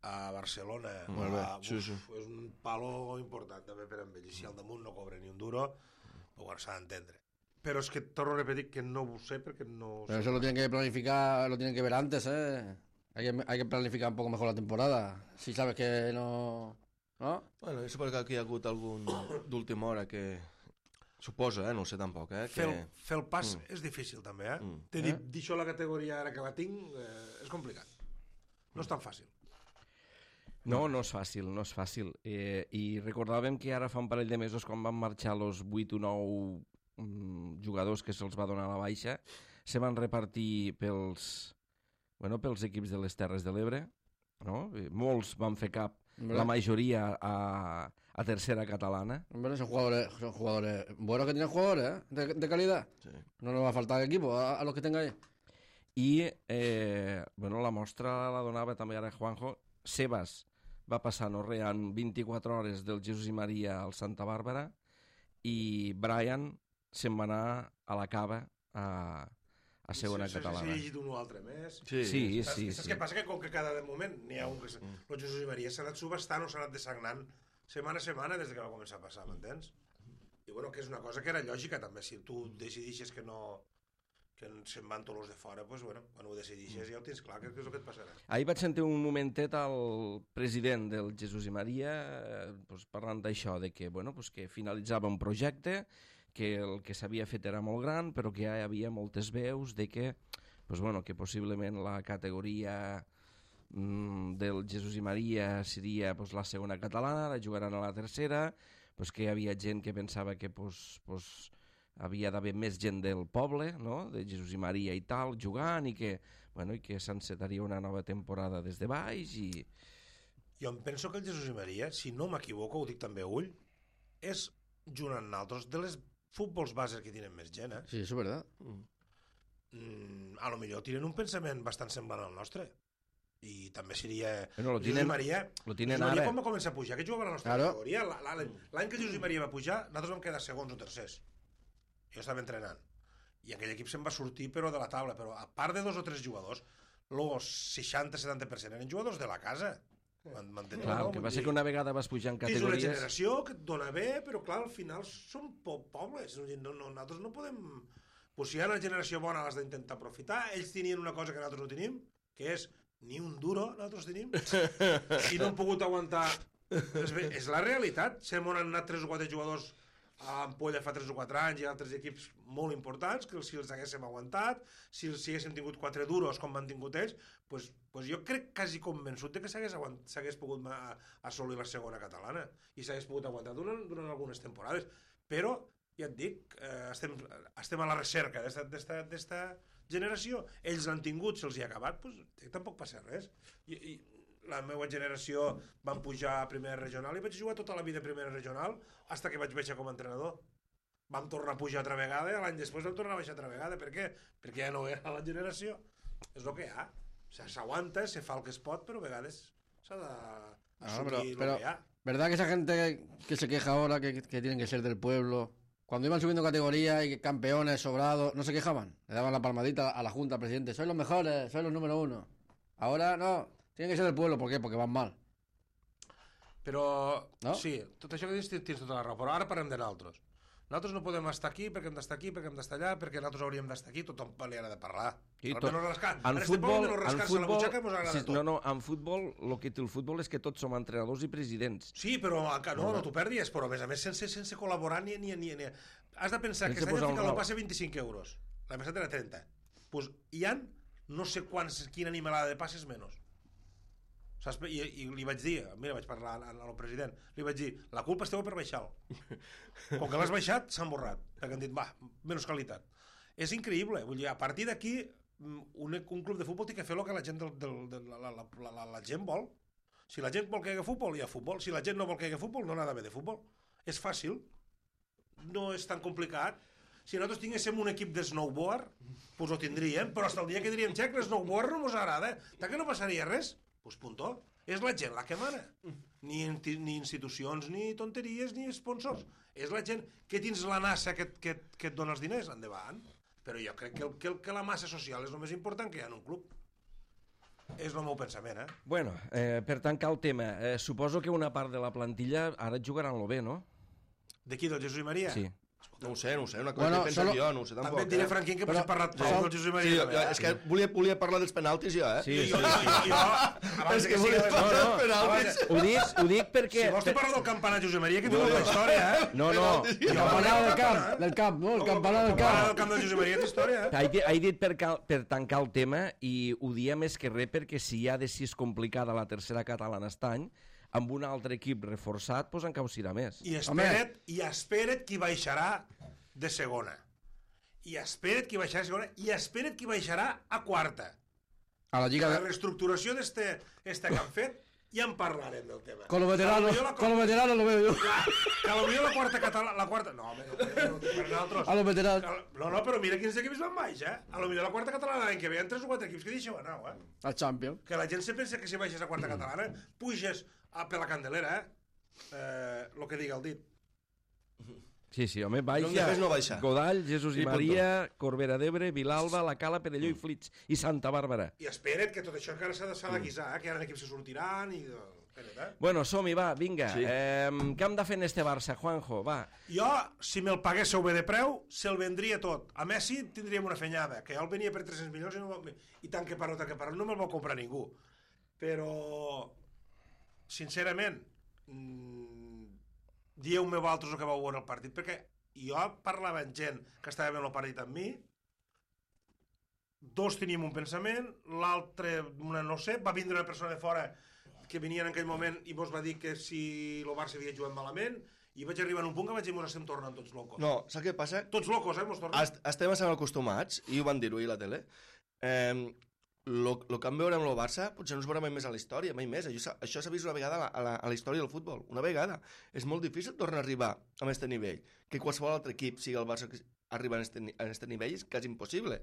[SPEAKER 3] a Barcelona
[SPEAKER 2] mm.
[SPEAKER 3] a,
[SPEAKER 2] uf, sí, sí.
[SPEAKER 3] és un palo important també per a ells. I si al damunt no cobra ni un duro, bueno, s'ha d'entendre. Pero es que torno a repetir que no lo sé porque no...
[SPEAKER 4] Pero eso lo tienen que planificar, lo tienen que ver antes, ¿eh? Hay que, hay que planificar un poco mejor la temporada. Si sabes que no... ¿No?
[SPEAKER 2] Bueno, jo suposo que aquí hi ha hagut algun d'última hora que... Suposa, eh? No ho sé tampoc, eh?
[SPEAKER 3] Fer,
[SPEAKER 2] que...
[SPEAKER 3] el, fer el pas mm. és difícil també, eh? Mm. T'he dit, eh? D'això la categoria ara que la tinc eh, és complicat. No és tan fàcil.
[SPEAKER 1] No, no és fàcil, no és fàcil. Eh, I recordàvem que ara fa un parell de mesos quan van marxar els vuit o nou jugadors que se'ls va donar a la baixa, se van repartir pels, bueno, pels equips de les Terres de l'Ebre, no? Molts van fer cap, ¿verdad? La majoria a, a tercera catalana.
[SPEAKER 4] Bueno, son jugadores, son jugadores buenos que tienen jugadores, ¿eh? de, de calidad. Sí. No nos va a faltar equipo a, a los que tenga ahí.
[SPEAKER 1] I eh, bueno, la mostra la donava també ara Juanjo. Sebas va passar no res en vint-i-quatre hores del Jesús i Maria al Santa Bàrbara, i Brian se'n va anar a la Cava a, a segona
[SPEAKER 3] sí,
[SPEAKER 1] catalana.
[SPEAKER 3] Sí, sí, llegit un o altre més.
[SPEAKER 1] Sí, sí, sí.
[SPEAKER 3] Saps,
[SPEAKER 1] sí,
[SPEAKER 3] saps
[SPEAKER 1] sí.
[SPEAKER 3] què passa? Que com que cada moment n'hi ha un que... Mm. El Jesús i Maria s'ha anat subestant o s'ha anat desagnant setmana a setmana des que va començar a passar, m'entens? I bueno, que és una cosa que era lògica també. Si tu decidixes que no... que se'n van tots els de fora, doncs, bueno, quan ho decidixes ja ho tens clar, que és el que et passarà.
[SPEAKER 1] Ahir vaig sentir un momentet al president del Jesús i Maria eh, pues, parlant d'això, de que, bueno, pues, que finalitzava un projecte, que el que s'havia fet era molt gran, però que ja hi havia moltes veus de que, pues bueno, que possiblement la categoria mm, del Jesús i Maria seria pues, la segona catalana, la jugaran a la tercera, pues, que hi havia gent que pensava que pues, pues, havia d'haver més gent del poble, no? De Jesús i Maria i tal, jugant, i que, bueno, i que s'encetaria una nova temporada des de baix i...
[SPEAKER 3] Jo em penso que el Jesús i Maria, si no m'equivoco, ho dic també a ull, és, junt amb nosaltres, de les futbols bases que tenen més gent, eh?
[SPEAKER 4] Sí, eso es verdad.
[SPEAKER 3] Mm, a lo millor tenen un pensament bastant semblant al nostre. I també seria...
[SPEAKER 1] Bueno, lo
[SPEAKER 3] Jesús
[SPEAKER 1] tienen-
[SPEAKER 3] i Maria...
[SPEAKER 1] lo tienen
[SPEAKER 3] Jesús i Maria
[SPEAKER 1] ara.
[SPEAKER 3] quan va començar a pujar, que jugava a la nostra
[SPEAKER 4] Claro.
[SPEAKER 3] categoria, la- la- l'any que Jesús i Maria va pujar, nosaltres vam quedar segons o tercers. Jo estava entrenant. I aquell equip se'n va sortir, però de la taula. Però a part de dos o tres jugadors, el seixanta setanta per cent eren jugadors de la casa. Man- m'entens,
[SPEAKER 1] Clar,
[SPEAKER 3] no?
[SPEAKER 1] el que
[SPEAKER 3] Vull
[SPEAKER 1] va ser
[SPEAKER 3] dir,
[SPEAKER 1] que una vegada vas pujar en
[SPEAKER 3] és una
[SPEAKER 1] categories...
[SPEAKER 3] generació que et dona bé, però clar, al final són po pobles. No, no, nosaltres no podem... Pues si hi ha una generació bona, l'has d'intentar aprofitar. Ells tenien una cosa que nosaltres no tenim, que és ni un duro, nosaltres tenim, i no hem pogut aguantar... És, bé, és la realitat. Sem on han anat tres o quatre jugadors a l'Ampolla fa tres o quatre anys i altres equips molt importants, que si els haguéssim aguantat, si, si haguéssim tingut quatre duros com van tingut ells, pues, pues jo crec quasi convençut de que s'hagués pogut ma- assolir la segona catalana i s'hagués pogut aguantar durant, durant algunes temporades. Però, ja et dic, eh, estem, estem a la recerca d'esta generació. Ells l'han tingut, se'ls hi ha acabat, pues, tampoc passa res. I, i la meva generació van pujar a primera regional i vaig jugar tota la vida a primera regional fins que vaig baixar com a entrenador. Vam tornar a pujar altra vegada i l'any després vam tornar a baixar altra vegada. Per què? Perquè ja no era la generació. És el que hi ha. O sea, s'aguanta, se fa el que es pot, però a vegades s'ha d'assumir el
[SPEAKER 4] pero,
[SPEAKER 3] que hi ha.
[SPEAKER 4] ¿verdad que esa gente que se queja ahora que, que tienen que ser del pueblo, cuando iban subiendo categoría y campeones, sobrados, no se quejaban? Le daban la palmadita a la Junta, al presidente, sois los mejores, sois los número uno. Ahora no, tienen que ser del pueblo, ¿por qué? Porque van mal.
[SPEAKER 3] Però,
[SPEAKER 4] No?
[SPEAKER 3] sí, tot això que dius tens tens tota la raó, però ara parlem de nosaltres. Nosaltres no podem estar aquí perquè hem d'estar aquí, perquè hem d'estar allà, perquè nosaltres hauríem d'estar aquí, tothom li ha de parlar.
[SPEAKER 1] Sí,
[SPEAKER 3] Però
[SPEAKER 1] tot-
[SPEAKER 3] menos rascar.
[SPEAKER 1] En
[SPEAKER 3] En este
[SPEAKER 1] futbol,
[SPEAKER 3] poble, menos
[SPEAKER 1] en
[SPEAKER 3] rascar-se la
[SPEAKER 1] futbol,
[SPEAKER 3] butxaca mos agrada
[SPEAKER 1] sí,
[SPEAKER 3] tot.
[SPEAKER 1] no, no, en futbol, el que té el futbol és que tots som entrenadors i presidents.
[SPEAKER 3] Sí, però encara- no, no t'ho perdis, però a més a més sense, sense col·laborar ni, ni, ni, ni... Has de pensar
[SPEAKER 1] Sense
[SPEAKER 3] que aquest any
[SPEAKER 1] posar
[SPEAKER 3] han
[SPEAKER 1] un
[SPEAKER 3] ficat el
[SPEAKER 1] rol.
[SPEAKER 3] passe vint-i-cinc euros. L'any passat era trenta. Pues hi han no sé quants, quina animalada de passes menys. Saps? I, I li vaig dir, mira, vaig parlar al president, li vaig dir, la culpa és teva per baixar-lo. Com que l'has baixat, s'han borrat. Perquè han dit, va, menys qualitat. És increïble. Vull dir, a partir d'aquí, un, un club de futbol té que fer el que la gent, del, del, del, la, la, la, la, la gent vol. Si la gent vol que hi hagi futbol, hi ha futbol. Si la gent no vol que hi hagi futbol, no n'ha d'haver de futbol. És fàcil. No és tan complicat. Si nosaltres tinguéssim un equip de snowboard, doncs ho tindríem, però fins el dia que diríem, xec, l'snowboard no mos agrada. Tant que no passaria res. Doncs puntó. És la gent la que mana. Ni, ni institucions, ni tonteries, ni sponsors. És la gent que tens la NASA que, que, que et dona els diners, endavant. Però jo crec que, el, que, el, que la massa social és el més important que hi ha en un club. És el meu pensament, eh?
[SPEAKER 1] Bueno, eh, per tancar el tema, eh, suposo que una part de la plantilla ara jugaran lo bé, no?
[SPEAKER 3] D'aquí, del Jesús i Maria?
[SPEAKER 1] Sí.
[SPEAKER 2] No ho sé, no ho sé, una cosa
[SPEAKER 4] Bueno,
[SPEAKER 2] que he pensat
[SPEAKER 4] solo-
[SPEAKER 2] jo, no ho sé
[SPEAKER 3] També
[SPEAKER 2] tampoc.
[SPEAKER 3] et diré,
[SPEAKER 2] eh?
[SPEAKER 3] Franquín, que
[SPEAKER 4] Però-
[SPEAKER 3] potser parlat
[SPEAKER 4] no.
[SPEAKER 3] prou del Jesús i
[SPEAKER 2] Sí,
[SPEAKER 3] Maria.
[SPEAKER 2] jo,
[SPEAKER 3] també,
[SPEAKER 2] jo,
[SPEAKER 3] eh?
[SPEAKER 2] és que volia, volia parlar dels penaltis jo, eh?
[SPEAKER 1] Sí,
[SPEAKER 3] Jo,
[SPEAKER 1] sí,
[SPEAKER 3] jo,
[SPEAKER 1] sí.
[SPEAKER 3] jo, abans
[SPEAKER 2] És
[SPEAKER 3] de
[SPEAKER 2] que
[SPEAKER 3] que
[SPEAKER 2] volia
[SPEAKER 3] sigui...
[SPEAKER 2] parlar
[SPEAKER 1] no,
[SPEAKER 2] dels penaltis.
[SPEAKER 1] Ho dic, ho dic perquè...
[SPEAKER 3] Si vols te parlo del campanar Josep Maria, que té molta història, eh?
[SPEAKER 1] No, no,
[SPEAKER 2] Penaltis.
[SPEAKER 4] El campanario del camp, del camp, no, el campanario del
[SPEAKER 3] El campanar del
[SPEAKER 4] camp.
[SPEAKER 3] camp del Josep Maria té història, eh?
[SPEAKER 1] he, di- he dit per, cal, per tancar el tema i ho dia més que res perquè si ja de si és complicada la tercera catalana aquest any, amb un altre equip reforçat, doncs encara ho serà més.
[SPEAKER 3] I espera't, i espera't qui baixarà de segona. I espera't qui baixarà de segona, i espera't qui baixarà a quarta.
[SPEAKER 4] A la
[SPEAKER 3] Que
[SPEAKER 4] Liga
[SPEAKER 3] la
[SPEAKER 4] de...
[SPEAKER 3] reestructuració d'este este que han fet, ja en parlarem del tema.
[SPEAKER 4] Con los veteranos,
[SPEAKER 3] Que a lo millor la-
[SPEAKER 4] con los veteranos lo veo yo.
[SPEAKER 3] Que a lo millor la quarta catalana... La quarta... No, home, no, no, per nosaltres.
[SPEAKER 4] A los veteranos.
[SPEAKER 3] Que- No, no, però mira quins equips van baix, eh? A lo millor la quarta catalana l'any que ve hi ha tres o quatre equips que deixeu anar, eh?
[SPEAKER 4] Al Champions.
[SPEAKER 3] Que la gent se pensa que si baixes a quarta catalana, puges a per la Candelera, eh? Eh, lo que diga el dit.
[SPEAKER 1] Sí, sí, home,
[SPEAKER 2] No em
[SPEAKER 1] baixa.
[SPEAKER 2] deixes no baixar.
[SPEAKER 1] Godall, Jesús i
[SPEAKER 2] I
[SPEAKER 1] Maria, Corbera d'Ebre, Vilalba, La Cala, Perelló i Flix i Santa Bàrbara.
[SPEAKER 3] I espera't que tot això encara s'ha de, s'ha de guisar, eh? Que hi ha equips que sortiran i... Espera't, eh?
[SPEAKER 1] Bueno, som-hi, va, vinga.
[SPEAKER 2] Sí.
[SPEAKER 1] Eh, què hem de fer en este Barça, Juanjo? Va.
[SPEAKER 3] Jo, si me'l paguéssiu bé de preu, se'l vendria tot. A Messi tindríem una fenyada, que jo el venia per tres-cents milions i, no me'l- i tant que parlo, tant que parlo, no me'l va comprar ningú. Però, sincerament, mmm, dieu-me vosaltres el que vau veure el partit, perquè i jo parlava amb gent que estava veient el partit amb mi, dos teníem un pensament, l'altre, una no sé, va vindre una persona de fora que venia en aquell moment i mos va dir que si el Barça havia jugat malament, i vaig arribar a un punt que vaig dir, mos estem tornant tots locos.
[SPEAKER 2] No, saps què passa?
[SPEAKER 3] Tots locos, eh, mos tornem.
[SPEAKER 2] Est estem bastant acostumats, i ho van dir-ho ahir a la tele, eh, lo, lo que vam veure amb el Barça potser no es veurà mai més a la història, mai més. Això, això s'ha vist una vegada a la, a, la, a la història del futbol, una vegada. És molt difícil tornar a arribar a aquest nivell. Que qualsevol altre equip, sigui el Barça, que arriba a aquest nivell és quasi impossible.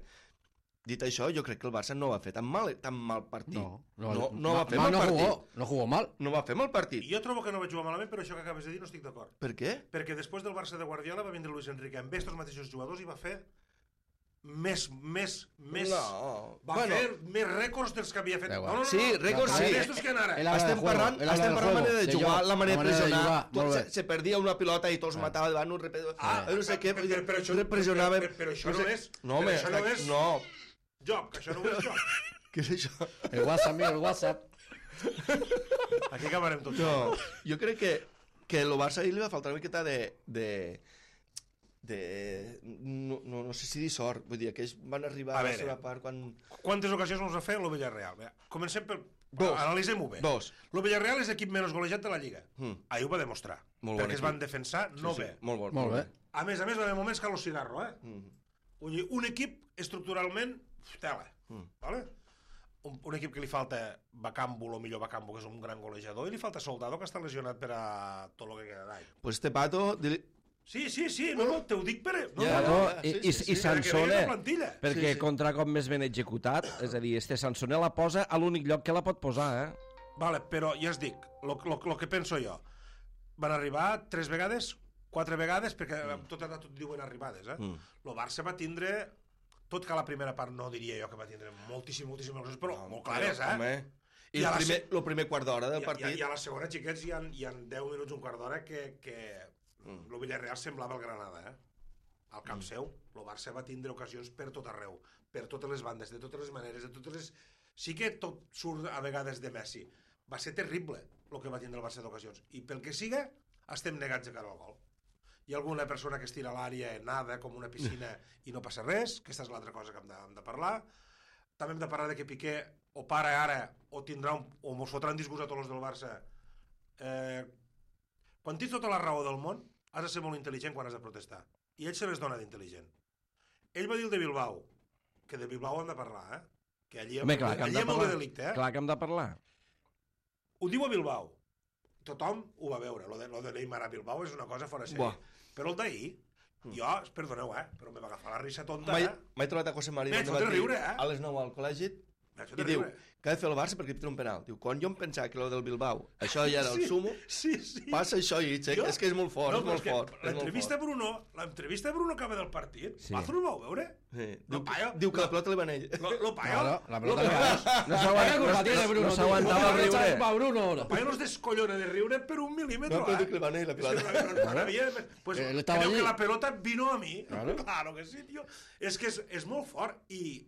[SPEAKER 2] Dit això, jo crec que el Barça no va fer tan mal, tan mal partit.
[SPEAKER 4] No, no,
[SPEAKER 2] no,
[SPEAKER 4] no,
[SPEAKER 2] no va fer
[SPEAKER 4] mal
[SPEAKER 2] mal
[SPEAKER 4] no
[SPEAKER 2] partit.
[SPEAKER 4] Jugó, no jugó mal.
[SPEAKER 2] No va fer mal partit.
[SPEAKER 3] I jo trobo que no vaig jugar malament, però això que acabes de dir no estic d'acord.
[SPEAKER 2] Per què?
[SPEAKER 3] Perquè després del Barça de Guardiola va vindre Luis Enrique amb estos mateixos jugadors i va fer més, més, més...
[SPEAKER 2] No.
[SPEAKER 3] Va
[SPEAKER 2] Bueno.
[SPEAKER 3] fer més rècords dels que havia fet.
[SPEAKER 4] Da
[SPEAKER 3] No,
[SPEAKER 4] igual.
[SPEAKER 3] no, no,
[SPEAKER 2] Sí,
[SPEAKER 3] no.
[SPEAKER 2] rècords
[SPEAKER 3] Més
[SPEAKER 2] sí.
[SPEAKER 3] d'estos que han ara.
[SPEAKER 4] El habla
[SPEAKER 2] Estem
[SPEAKER 4] del juego,
[SPEAKER 2] parlant,
[SPEAKER 4] el habla
[SPEAKER 2] estem
[SPEAKER 4] del
[SPEAKER 2] parlant
[SPEAKER 4] juego,
[SPEAKER 2] manera de
[SPEAKER 4] de
[SPEAKER 2] jugar,
[SPEAKER 4] joc,
[SPEAKER 2] la manera de
[SPEAKER 4] la manera de
[SPEAKER 2] pressionar,
[SPEAKER 4] jugar,
[SPEAKER 2] tot
[SPEAKER 4] molt
[SPEAKER 2] se,
[SPEAKER 4] bé.
[SPEAKER 2] se perdia una pilota i tots matava davant, un repet...
[SPEAKER 3] Ah,
[SPEAKER 2] no sé què,
[SPEAKER 3] però- però això-
[SPEAKER 2] pressionava...
[SPEAKER 3] però- però això
[SPEAKER 2] sé-
[SPEAKER 3] no és-
[SPEAKER 2] No,
[SPEAKER 3] però
[SPEAKER 2] home,
[SPEAKER 3] això no és-
[SPEAKER 2] no.
[SPEAKER 3] Joc, això no ho és joc.
[SPEAKER 2] Què és això?
[SPEAKER 4] El WhatsApp, mira, el WhatsApp.
[SPEAKER 3] Aquí acabarem tots.
[SPEAKER 2] No, jo crec que, que el Barça ahir li va faltar una miqueta de... de de... No, no, no sé si dir sort, vull dir, que ells van arribar
[SPEAKER 3] A
[SPEAKER 2] a, la
[SPEAKER 3] veure.
[SPEAKER 2] seva part quan...
[SPEAKER 3] Quantes ocasions ens va fer el Villarreal? Bé, comencem pel...
[SPEAKER 2] Dos.
[SPEAKER 3] Analitzem-ho bé.
[SPEAKER 2] Dos.
[SPEAKER 3] El Villarreal és l'equip menys golejat de la Lliga.
[SPEAKER 2] Mm.
[SPEAKER 3] Ahir ho va demostrar.
[SPEAKER 2] Molt bon
[SPEAKER 3] perquè es
[SPEAKER 2] equip.
[SPEAKER 3] van defensar no
[SPEAKER 2] sí,
[SPEAKER 3] bé.
[SPEAKER 2] Sí, molt, bon,
[SPEAKER 4] Molt bé.
[SPEAKER 3] A més a més, va haver moments que a lo cigarro, eh?
[SPEAKER 2] Mm.
[SPEAKER 3] Vull dir, un equip estructuralment... Tela.
[SPEAKER 2] Mm.
[SPEAKER 3] Vale? Un, un equip que li falta Bacambo, o millor Bacambo, que és un gran golejador, i li falta Soldado, que està lesionat per a tot el que queda d'any.
[SPEAKER 2] Pues este pato... Dili...
[SPEAKER 3] Sí, sí, sí, no, no, te ho dic per... No,
[SPEAKER 2] Ja,
[SPEAKER 3] no, no,
[SPEAKER 2] no,
[SPEAKER 1] I,
[SPEAKER 2] sí,
[SPEAKER 1] i,
[SPEAKER 2] sí,
[SPEAKER 1] i
[SPEAKER 2] sí,
[SPEAKER 3] perquè
[SPEAKER 1] Sansone,
[SPEAKER 3] veiem la plantilla.
[SPEAKER 1] perquè
[SPEAKER 2] Sí, sí.
[SPEAKER 1] contra cop més ben executat, és a dir, este Sansone la posa a l'únic lloc que la pot posar, eh?
[SPEAKER 3] Vale, però ja es dic, el que penso jo, van arribar tres vegades, quatre vegades, perquè mm. tot, tot diuen arribades, eh?
[SPEAKER 2] Mm.
[SPEAKER 3] El Barça va tindre, tot que a la primera part no diria jo que va tindre moltíssim, moltíssimes coses, però
[SPEAKER 2] No,
[SPEAKER 3] molt clares, eh?
[SPEAKER 2] Home. I,
[SPEAKER 3] I a
[SPEAKER 2] el
[SPEAKER 3] la
[SPEAKER 2] primer,
[SPEAKER 3] se-
[SPEAKER 2] el primer quart d'hora del
[SPEAKER 3] I,
[SPEAKER 2] partit...
[SPEAKER 3] i, I a la segona, xiquets, hi ha, hi ha deu minuts, un quart d'hora, que, que
[SPEAKER 2] Mm.
[SPEAKER 3] el Villarreal semblava el Granada, eh? Al camp seu, el Barça va tindre ocasions per tot arreu, per totes les bandes, de totes les maneres, de totes les... Sí que tot surt a vegades de Messi. Va ser terrible el que va tindre el Barça d'ocasions. I pel que siga, estem negats de cara al gol. Hi ha alguna persona que es tira a l'àrea, nada, com una piscina, i no passa res, que aquesta és l'altra cosa que hem de, hem de parlar. També hem de parlar de que Piqué o para ara, o tindrà un, o mos fotran disgust a tots els del Barça. Eh, quan tens tota la raó del món, has de ser molt intel·ligent quan has de protestar. I ell se les dona d'intel·ligent. Ell va dir el de Bilbao, que de Bilbao hem de parlar, eh? Que allí,
[SPEAKER 1] Home, clar, que hem
[SPEAKER 3] allí
[SPEAKER 1] de
[SPEAKER 3] hi ha molt
[SPEAKER 1] parlar.
[SPEAKER 3] de delicte, eh?
[SPEAKER 1] Clar que hem de parlar.
[SPEAKER 3] Ho diu a Bilbao. Tothom ho va veure. Lo de, lo de Neymar a Bilbao és una cosa fora sèrie.
[SPEAKER 2] Buah.
[SPEAKER 3] Però el d'ahir, jo, perdoneu, eh? Però me va agafar la risa tonta,
[SPEAKER 2] Mai,
[SPEAKER 3] eh?
[SPEAKER 2] mai trobat a José María
[SPEAKER 3] M'he
[SPEAKER 2] al
[SPEAKER 3] fet
[SPEAKER 2] dematí,
[SPEAKER 3] riure, eh?
[SPEAKER 2] a les nou al col·legi
[SPEAKER 3] M'ha fet
[SPEAKER 2] i diu
[SPEAKER 3] riure.
[SPEAKER 2] que ha de fer el Barça perquè li tira un penal. Diu, quan jo em pensava que el del Bilbao, això ja era el
[SPEAKER 3] Sí,
[SPEAKER 2] sumo,
[SPEAKER 3] Sí, sí.
[SPEAKER 2] passa això i
[SPEAKER 3] Jo-
[SPEAKER 2] és que és molt fort,
[SPEAKER 3] No,
[SPEAKER 2] és
[SPEAKER 3] però
[SPEAKER 2] molt
[SPEAKER 3] que
[SPEAKER 2] fort. és molt
[SPEAKER 3] L'entrevista a
[SPEAKER 2] fort.
[SPEAKER 3] Bruno, l'entrevista a Bruno acaba del partit.
[SPEAKER 1] Sí.
[SPEAKER 3] Sí. Pazo no ho vau veure?
[SPEAKER 2] Sí.
[SPEAKER 3] Lo
[SPEAKER 2] Diu,
[SPEAKER 3] paio-
[SPEAKER 2] diu que la pelota li va a ell.
[SPEAKER 3] Lo, lo paio,
[SPEAKER 4] Claro, la pelota
[SPEAKER 3] lo
[SPEAKER 4] le
[SPEAKER 3] paio-
[SPEAKER 4] va.
[SPEAKER 1] No
[SPEAKER 4] ¿Qué
[SPEAKER 1] s'aguanta-
[SPEAKER 4] culpa
[SPEAKER 1] no-
[SPEAKER 4] tiene
[SPEAKER 1] no-
[SPEAKER 4] Bruno?
[SPEAKER 1] no
[SPEAKER 4] tío?
[SPEAKER 1] s'aguantava
[SPEAKER 4] ¿Cómo
[SPEAKER 1] el
[SPEAKER 4] le echas
[SPEAKER 1] riure.
[SPEAKER 4] culpa a Bruno ahora?
[SPEAKER 3] El paio no es descollona de riure per un milímetro,
[SPEAKER 2] No, però
[SPEAKER 3] eh?
[SPEAKER 2] diu que li va a ell la
[SPEAKER 3] Es que
[SPEAKER 2] pilota.
[SPEAKER 3] no- no- no había- pues,
[SPEAKER 4] Él estaba
[SPEAKER 3] creo
[SPEAKER 4] allí.
[SPEAKER 3] que la pelota vino a mí.
[SPEAKER 4] Claro.
[SPEAKER 3] Claro que sí, tío. És que és, és molt fort. I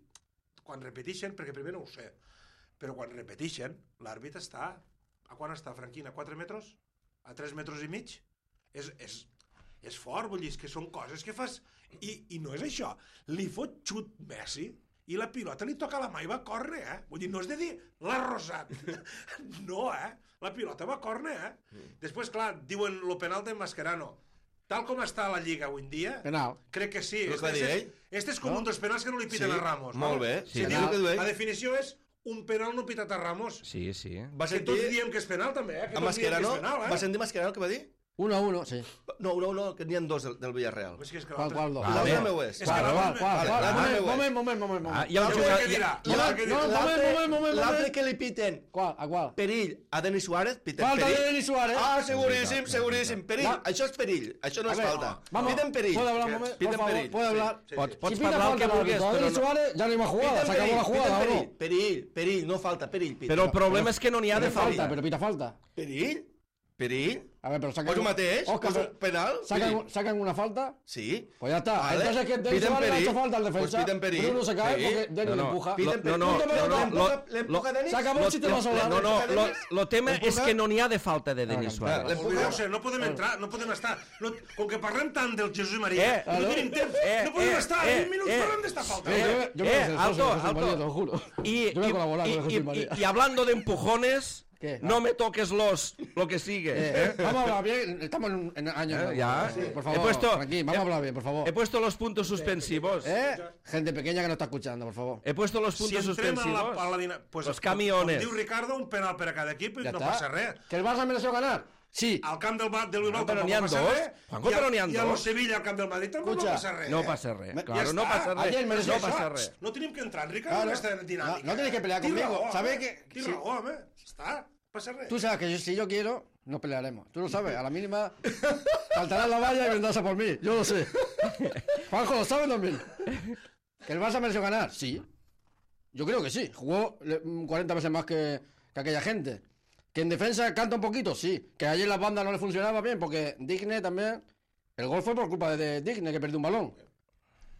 [SPEAKER 3] quan repeteixen, perquè primer no ho sé, però quan repeteixen, l'àrbit està... A quan està, Franquina? A quatre metres? A tres metres i mig? És, és, és fort, vull dir, és que són coses que fas... I, i no és això. Li fot xut Messi i la pilota li toca a la mà i va córrer, eh? Vull dir, no és de dir l'ha rosat. No, eh? La pilota va córrer, eh? Després, clar, diuen lo penal de Mascherano. Tal com està la Lliga avui en dia,
[SPEAKER 4] Penal.
[SPEAKER 3] crec que sí.
[SPEAKER 2] Però
[SPEAKER 3] Este,
[SPEAKER 2] què va dir
[SPEAKER 3] este,
[SPEAKER 2] ell?
[SPEAKER 3] este és com
[SPEAKER 4] No?
[SPEAKER 3] un dels penals que no li piten
[SPEAKER 2] Sí,
[SPEAKER 3] a Ramos.
[SPEAKER 2] molt
[SPEAKER 3] vale?
[SPEAKER 2] bé.
[SPEAKER 1] Sí,
[SPEAKER 3] Se
[SPEAKER 1] sí,
[SPEAKER 3] diu,
[SPEAKER 2] el que diu ell.
[SPEAKER 3] la definició és un penal no pitat a Ramos.
[SPEAKER 1] Sí, sí.
[SPEAKER 2] Va
[SPEAKER 3] Que tots
[SPEAKER 2] sentir,
[SPEAKER 3] diem que és penal, també, eh? Que
[SPEAKER 2] a
[SPEAKER 3] tots diem que
[SPEAKER 2] Mascherano,
[SPEAKER 3] és penal, eh?
[SPEAKER 2] va sentir Mascherano el que va dir?
[SPEAKER 4] Uno a uno, sí.
[SPEAKER 2] No, no, no, que n'hi ha dos del, del Villarreal.
[SPEAKER 3] Pues que és que
[SPEAKER 4] ¿Cuál,
[SPEAKER 3] l'altre-
[SPEAKER 4] cuál dos?
[SPEAKER 2] I l'altre
[SPEAKER 1] Vale.
[SPEAKER 2] meu és.
[SPEAKER 3] És que
[SPEAKER 4] ¿Cuál,
[SPEAKER 3] l'altre-
[SPEAKER 4] cuál, cuál,
[SPEAKER 2] vale,
[SPEAKER 4] cuál?
[SPEAKER 2] l'altre
[SPEAKER 4] Moment,
[SPEAKER 2] meu és.
[SPEAKER 4] moment, moment, moment,
[SPEAKER 1] Ah,
[SPEAKER 4] moment.
[SPEAKER 1] hi ha un
[SPEAKER 3] Ja
[SPEAKER 1] jugador...
[SPEAKER 3] sé què
[SPEAKER 1] hi ha-
[SPEAKER 3] dirà.
[SPEAKER 1] hi ha-
[SPEAKER 3] Ja sé què dirà.
[SPEAKER 4] No, moment, moment, moment,
[SPEAKER 2] L'altre
[SPEAKER 4] moment.
[SPEAKER 2] que li piten
[SPEAKER 4] ¿Cuál? ¿A cuál?
[SPEAKER 2] perill a Denis Suárez, piten
[SPEAKER 4] Falta de
[SPEAKER 2] perill.
[SPEAKER 4] Denis Suárez.
[SPEAKER 2] Ah, seguríssim, seguríssim. Perill,
[SPEAKER 4] Va.
[SPEAKER 2] això és perill, això no
[SPEAKER 4] A
[SPEAKER 2] és
[SPEAKER 4] ver,
[SPEAKER 2] falta.
[SPEAKER 4] vamos,
[SPEAKER 2] Piten perill.
[SPEAKER 4] ¿puedo hablar un momento?
[SPEAKER 2] Piten
[SPEAKER 4] Por favor,
[SPEAKER 2] perill.
[SPEAKER 4] ¿puedo hablar?
[SPEAKER 3] Sí,
[SPEAKER 1] Pots,
[SPEAKER 3] sí.
[SPEAKER 1] pots
[SPEAKER 4] Si pita
[SPEAKER 1] parlar el
[SPEAKER 4] falta
[SPEAKER 1] que
[SPEAKER 4] el
[SPEAKER 1] vulguis,
[SPEAKER 4] árbitro a
[SPEAKER 1] però
[SPEAKER 4] Denis
[SPEAKER 1] no...
[SPEAKER 4] Suárez, ya no hay más jugada,
[SPEAKER 2] Piten
[SPEAKER 4] se acabó
[SPEAKER 2] perill,
[SPEAKER 4] la jugada,
[SPEAKER 2] piten
[SPEAKER 4] ¿o
[SPEAKER 2] perill,
[SPEAKER 4] no?
[SPEAKER 2] perill, perill, no falta, perill. piten.
[SPEAKER 1] Però el problema és que no n'hi ha de
[SPEAKER 4] Pita falta,
[SPEAKER 1] falta.
[SPEAKER 4] pero pita falta.
[SPEAKER 2] Perill? Perill?
[SPEAKER 4] A ver, pero sacan...
[SPEAKER 2] Pues el mateix,
[SPEAKER 4] Oscar,
[SPEAKER 2] pues penal.
[SPEAKER 4] ¿Sacan,
[SPEAKER 2] Sí.
[SPEAKER 4] ¿Sacan una falta?
[SPEAKER 2] Sí.
[SPEAKER 4] Pues ya está.
[SPEAKER 2] Vale.
[SPEAKER 4] Entonces que Denis
[SPEAKER 2] Piden
[SPEAKER 4] Suárez le ha
[SPEAKER 2] perill.
[SPEAKER 4] hecho falta al defensa.
[SPEAKER 2] Pues piden perill.
[SPEAKER 4] Bruno se cae
[SPEAKER 2] Sí.
[SPEAKER 4] porque Denis
[SPEAKER 1] No,
[SPEAKER 4] le
[SPEAKER 1] no.
[SPEAKER 4] empuja.
[SPEAKER 1] Lo-
[SPEAKER 2] Piden
[SPEAKER 1] no, no,
[SPEAKER 2] perill.
[SPEAKER 1] no, no,
[SPEAKER 2] L'empuja-
[SPEAKER 1] lo-
[SPEAKER 2] l'empuja
[SPEAKER 1] lo-
[SPEAKER 2] Denis.
[SPEAKER 4] Se acabó el chiste más
[SPEAKER 1] No,
[SPEAKER 4] hablado.
[SPEAKER 1] no, lo, lo tema
[SPEAKER 2] L'empuja-
[SPEAKER 1] és que no n'hi ha de falta de Denis
[SPEAKER 4] Ah,
[SPEAKER 1] Suárez.
[SPEAKER 2] l'empuja-
[SPEAKER 3] Oblideu-se, no podem entrar, no podem estar. No, com que parlem tant del Jesús i Maria,
[SPEAKER 1] Eh,
[SPEAKER 3] no tenim temps,
[SPEAKER 1] eh,
[SPEAKER 3] no podem
[SPEAKER 1] eh,
[SPEAKER 3] estar.
[SPEAKER 1] eh,
[SPEAKER 3] vint minuts
[SPEAKER 1] eh.
[SPEAKER 3] parlem d'esta falta.
[SPEAKER 4] Yo, yo,
[SPEAKER 1] Eh,
[SPEAKER 4] yo voy a
[SPEAKER 1] eh,
[SPEAKER 4] ser
[SPEAKER 1] alto,
[SPEAKER 4] socio de Jesús
[SPEAKER 1] alto.
[SPEAKER 4] María, te lo juro.
[SPEAKER 1] Y,
[SPEAKER 4] Yo voy a
[SPEAKER 1] y-
[SPEAKER 4] colaborar
[SPEAKER 1] y-
[SPEAKER 4] con Jesús
[SPEAKER 1] y-
[SPEAKER 4] María.
[SPEAKER 1] y hablando de empujones,
[SPEAKER 4] ¿Qué?
[SPEAKER 1] no me toques los, lo que sigue.
[SPEAKER 4] Eh, vamos a hablar bien, estamos en, un- en año
[SPEAKER 1] Eh,
[SPEAKER 4] nuevo.
[SPEAKER 1] ya.
[SPEAKER 4] Sí. Por
[SPEAKER 1] He
[SPEAKER 4] favor,
[SPEAKER 1] puesto-
[SPEAKER 4] tranquilo, vamos a hablar bien, por favor.
[SPEAKER 1] He puesto los puntos suspensivos.
[SPEAKER 4] ¿Eh? Gente pequeña que no está escuchando, por favor.
[SPEAKER 1] He puesto los
[SPEAKER 3] Si
[SPEAKER 1] puntos
[SPEAKER 3] entrem a la,
[SPEAKER 1] suspensivos.
[SPEAKER 3] a la dina... pues,
[SPEAKER 1] Los camiones.
[SPEAKER 3] Com diu Ricardo, un penal per a cada equip i
[SPEAKER 4] Ya
[SPEAKER 3] no
[SPEAKER 4] está.
[SPEAKER 3] passa res.
[SPEAKER 4] ¿Que el Barça mereció ganar? Sí.
[SPEAKER 3] Al camp del, Ba- del Bilbao
[SPEAKER 1] Ah, però
[SPEAKER 3] tampoc
[SPEAKER 1] n'hi ha
[SPEAKER 3] passa
[SPEAKER 1] dos.
[SPEAKER 3] res.
[SPEAKER 1] Juanjo,
[SPEAKER 3] I a-
[SPEAKER 1] però n'hi ha
[SPEAKER 3] I a lo
[SPEAKER 1] dos.
[SPEAKER 3] Sevilla, al camp del Madrid, tampoc
[SPEAKER 4] Escucha,
[SPEAKER 3] no passa res.
[SPEAKER 1] No
[SPEAKER 3] eh?
[SPEAKER 1] passa res.
[SPEAKER 3] Ja
[SPEAKER 1] Claro, no
[SPEAKER 3] està.
[SPEAKER 1] passa res.
[SPEAKER 4] Ayer mereció
[SPEAKER 1] No
[SPEAKER 3] Això,
[SPEAKER 1] passa res.
[SPEAKER 3] No tenim que entrar en Ricardo
[SPEAKER 4] Claro.
[SPEAKER 3] en aquesta dinàmica.
[SPEAKER 4] No, no tienes que pelear
[SPEAKER 3] Tens
[SPEAKER 4] conmigo.
[SPEAKER 3] raó,
[SPEAKER 4] ¿Sabes
[SPEAKER 3] home.
[SPEAKER 4] que-
[SPEAKER 3] Tens
[SPEAKER 4] sí.
[SPEAKER 3] raó, home. Està, passa res.
[SPEAKER 4] Tú sabes que yo- si yo quiero, nos pelearemos. Tú lo sabes, a la mínima saltarás la valla y vendrás a por mí. Yo lo sé. Juanjo, ¿lo sabes también? ¿Que el Barça mereció ganar? Sí. Yo creo que sí. Jugó le- cuarenta veces más que, que aquella gente. ¿Que en defensa canta un poquito? Sí. ¿Que ayer las bandas no le funcionaba bien? Porque Digne también... El gol fue por culpa de, de Digne, que perdió un balón.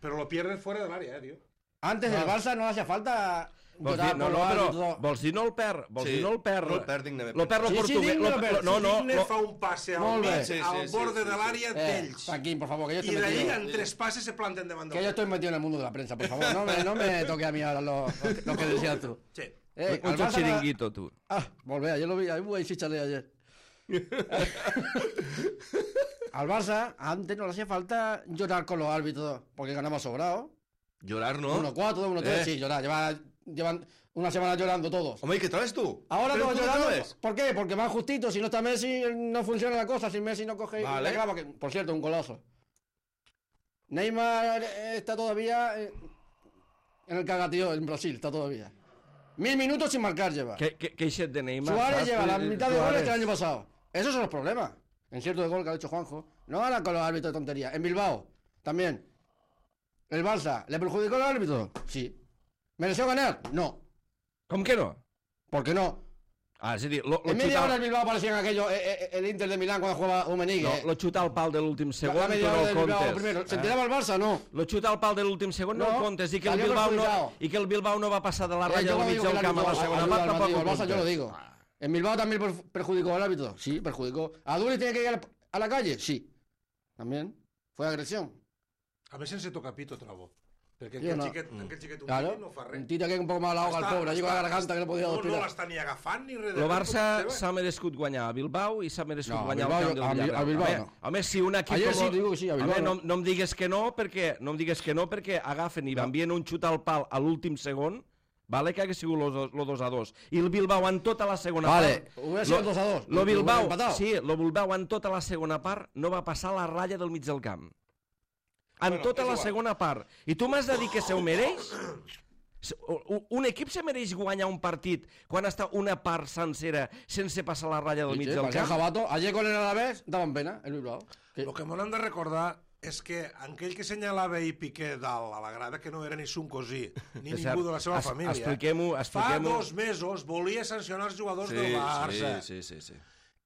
[SPEAKER 3] Pero lo pierdes fuera del área, eh, tío.
[SPEAKER 4] Antes el Barça no le hacía falta...
[SPEAKER 1] Vols
[SPEAKER 4] llorar
[SPEAKER 1] dir, no,
[SPEAKER 4] por
[SPEAKER 1] no,
[SPEAKER 4] los
[SPEAKER 1] però
[SPEAKER 4] árbitros.
[SPEAKER 1] vols dir no el perd, vols
[SPEAKER 2] Sí,
[SPEAKER 1] dir no el perd.
[SPEAKER 2] no el perd dignament.
[SPEAKER 1] Lo perd lo
[SPEAKER 4] Sí, sí,
[SPEAKER 1] portuguès.
[SPEAKER 4] digne
[SPEAKER 1] lo-
[SPEAKER 4] el perd.
[SPEAKER 1] lo- no, no,
[SPEAKER 3] Digne
[SPEAKER 1] lo-
[SPEAKER 3] fa un passe al
[SPEAKER 4] Molt bé.
[SPEAKER 3] mig,
[SPEAKER 2] Sí, sí,
[SPEAKER 3] al
[SPEAKER 2] sí,
[SPEAKER 3] borde
[SPEAKER 2] sí,
[SPEAKER 3] de
[SPEAKER 2] sí.
[SPEAKER 3] l'àrea
[SPEAKER 4] Eh,
[SPEAKER 3] d'ells.
[SPEAKER 4] Joaquín, por favor, que yo
[SPEAKER 3] I
[SPEAKER 4] estoy
[SPEAKER 3] d'ahí
[SPEAKER 4] metido...
[SPEAKER 3] en tres passes se planten davant
[SPEAKER 4] Que
[SPEAKER 3] del
[SPEAKER 4] yo estoy metido en el mundo de la prensa, por favor. No me, no me toques a mí ahora lo, lo que decías tú.
[SPEAKER 3] Sí.
[SPEAKER 4] Eh, al
[SPEAKER 1] Mucho
[SPEAKER 4] Barça-
[SPEAKER 1] chiringuito, tú.
[SPEAKER 4] Ah, volvé, ayer lo vi, ahí voy chicharle ayer. Al Barça antes no le hacía falta llorar con los árbitros porque ganamos sobrado.
[SPEAKER 2] Llorar, no?
[SPEAKER 4] uno cuatro, uno tres,
[SPEAKER 2] Eh.
[SPEAKER 4] sí, llorar. Llevan, llevan una semana llorando todos.
[SPEAKER 2] Home, i què trobes tu?
[SPEAKER 4] Ahora
[SPEAKER 2] Però
[SPEAKER 4] todos
[SPEAKER 2] tu què
[SPEAKER 4] llorando.
[SPEAKER 2] trobes?
[SPEAKER 4] ¿Por qué? Porque van justito. Si no está Messi, no funciona la cosa. Si Messi no coge
[SPEAKER 2] Vale.
[SPEAKER 4] la clava, que por cierto, un golazo. Neymar eh, está todavía eh, en el cagatío en Brasil, está todavía. Mil minutos sin marcar lleva.
[SPEAKER 1] Que, que, queixet de Neymar.
[SPEAKER 4] Suárez
[SPEAKER 1] saps?
[SPEAKER 4] lleva la
[SPEAKER 1] Eh,
[SPEAKER 4] mitad de goles
[SPEAKER 1] Suárez.
[SPEAKER 4] que el año pasado. Esos son los problemas. En cierto de gol que ha hecho Juanjo. No ahora con los árbitros de tontería. En Bilbao, también. El Barça, ¿le perjudicó el árbitro? Sí. ¿Mereció ganar? No.
[SPEAKER 1] Com que no?
[SPEAKER 4] ¿Por qué no?
[SPEAKER 1] Ah, és a dir, lo, lo,
[SPEAKER 4] En media hora
[SPEAKER 1] xutar,
[SPEAKER 4] el Bilbao parecía en aquello, eh, eh, el Inter de Milán cuando jugaba Umenigue.
[SPEAKER 1] no, lo xutar al pal de l'últim
[SPEAKER 4] la,
[SPEAKER 1] segon,
[SPEAKER 4] la
[SPEAKER 1] tu
[SPEAKER 4] media
[SPEAKER 1] no
[SPEAKER 4] hora
[SPEAKER 1] el
[SPEAKER 4] del Bilbao
[SPEAKER 1] comptes.
[SPEAKER 4] primero. ¿Se
[SPEAKER 1] eh?
[SPEAKER 4] enteraba el Barça? No.
[SPEAKER 1] Lo xutar al pal de l'últim segon no,
[SPEAKER 4] No,
[SPEAKER 1] el comptes i que, el
[SPEAKER 4] salió
[SPEAKER 1] Bilbao no,
[SPEAKER 4] perjudicado.
[SPEAKER 1] i que el Bilbao no va passar de la
[SPEAKER 4] Eh,
[SPEAKER 1] ratlla
[SPEAKER 4] yo
[SPEAKER 1] del
[SPEAKER 4] lo
[SPEAKER 1] mig
[SPEAKER 4] digo que
[SPEAKER 1] del
[SPEAKER 4] el
[SPEAKER 1] camp a la
[SPEAKER 4] árbitro
[SPEAKER 1] segona
[SPEAKER 4] ayuda
[SPEAKER 1] part,
[SPEAKER 4] al
[SPEAKER 1] tampoc
[SPEAKER 4] Madrid,
[SPEAKER 1] ho
[SPEAKER 4] el Barça yo lo
[SPEAKER 1] comptes.
[SPEAKER 4] digo. En Bilbao también per- perjudicó al árbitro. Sí, perjudicó. ¿A Duri tiene que ir a la- a la calle? Sí. También. Fue agresión.
[SPEAKER 3] A més sense tocar pito, trobo. Perquè
[SPEAKER 4] Jo
[SPEAKER 3] aquell
[SPEAKER 4] no.
[SPEAKER 3] xiquet, aquell xiquet un
[SPEAKER 4] Claro.
[SPEAKER 3] tiri no fa res.
[SPEAKER 4] Un tira que un poco más la ahoga al
[SPEAKER 3] Està-
[SPEAKER 4] pobre. Llegó a la
[SPEAKER 3] està-
[SPEAKER 4] garganta que no podía
[SPEAKER 3] No, no
[SPEAKER 4] respirar.
[SPEAKER 3] l'està ni agafant ni res. de
[SPEAKER 1] El
[SPEAKER 3] res,
[SPEAKER 1] Barça
[SPEAKER 3] tot
[SPEAKER 1] s'ha merescut guanyar a Bilbao i s'ha merescut
[SPEAKER 4] No, a
[SPEAKER 1] guanyar
[SPEAKER 4] Bilbao
[SPEAKER 1] al camp
[SPEAKER 4] jo-
[SPEAKER 1] del
[SPEAKER 4] a Bil-
[SPEAKER 1] Villarreal.
[SPEAKER 4] a Bilbao
[SPEAKER 1] home,
[SPEAKER 4] no.
[SPEAKER 1] home, si un equip
[SPEAKER 4] Ayer
[SPEAKER 1] com...
[SPEAKER 4] sí, digo que sí, a Bilbao
[SPEAKER 1] home, no,
[SPEAKER 4] no.
[SPEAKER 1] no em digues que no, perquè no em digues que no perquè agafen i envien un xut al pal a l'últim segon, vale, que hagués sigut lo dos a dos. I el Bilbao en tota la segona
[SPEAKER 4] Vale,
[SPEAKER 1] part...
[SPEAKER 4] hubiera sido
[SPEAKER 1] lo-
[SPEAKER 4] dos a dos.
[SPEAKER 1] Lo
[SPEAKER 4] Lo hubieran
[SPEAKER 1] Bilbao,
[SPEAKER 4] empatado.
[SPEAKER 1] sí, lo Bilbao en tota la segona part no va passar la ratlla del mig del camp. En
[SPEAKER 3] Bueno,
[SPEAKER 1] tota
[SPEAKER 3] és
[SPEAKER 1] la
[SPEAKER 3] igual.
[SPEAKER 1] segona part. I tu m'has de dir que se ho mereix? Se- u- Un equip se mereix guanyar un partit quan està una part sencera sense passar la ratlla del
[SPEAKER 4] Sí,
[SPEAKER 1] mig
[SPEAKER 4] sí,
[SPEAKER 1] del
[SPEAKER 4] parecía
[SPEAKER 1] camp?
[SPEAKER 4] jabato. Ayer con el Alavés daban pena, el Bilbao. Que-
[SPEAKER 3] El que m'han de recordar és que aquell que senyalava i Piqué dalt a la grada, que no era ni son cosí, ni
[SPEAKER 1] És
[SPEAKER 3] ningú
[SPEAKER 1] cert.
[SPEAKER 3] de la seva
[SPEAKER 1] Es-
[SPEAKER 3] família,
[SPEAKER 1] expliquem-ho,
[SPEAKER 3] fa
[SPEAKER 1] expliquem-ho.
[SPEAKER 3] dos mesos volia sancionar els jugadors
[SPEAKER 2] Sí,
[SPEAKER 3] del Barça.
[SPEAKER 2] sí, sí, sí, sí.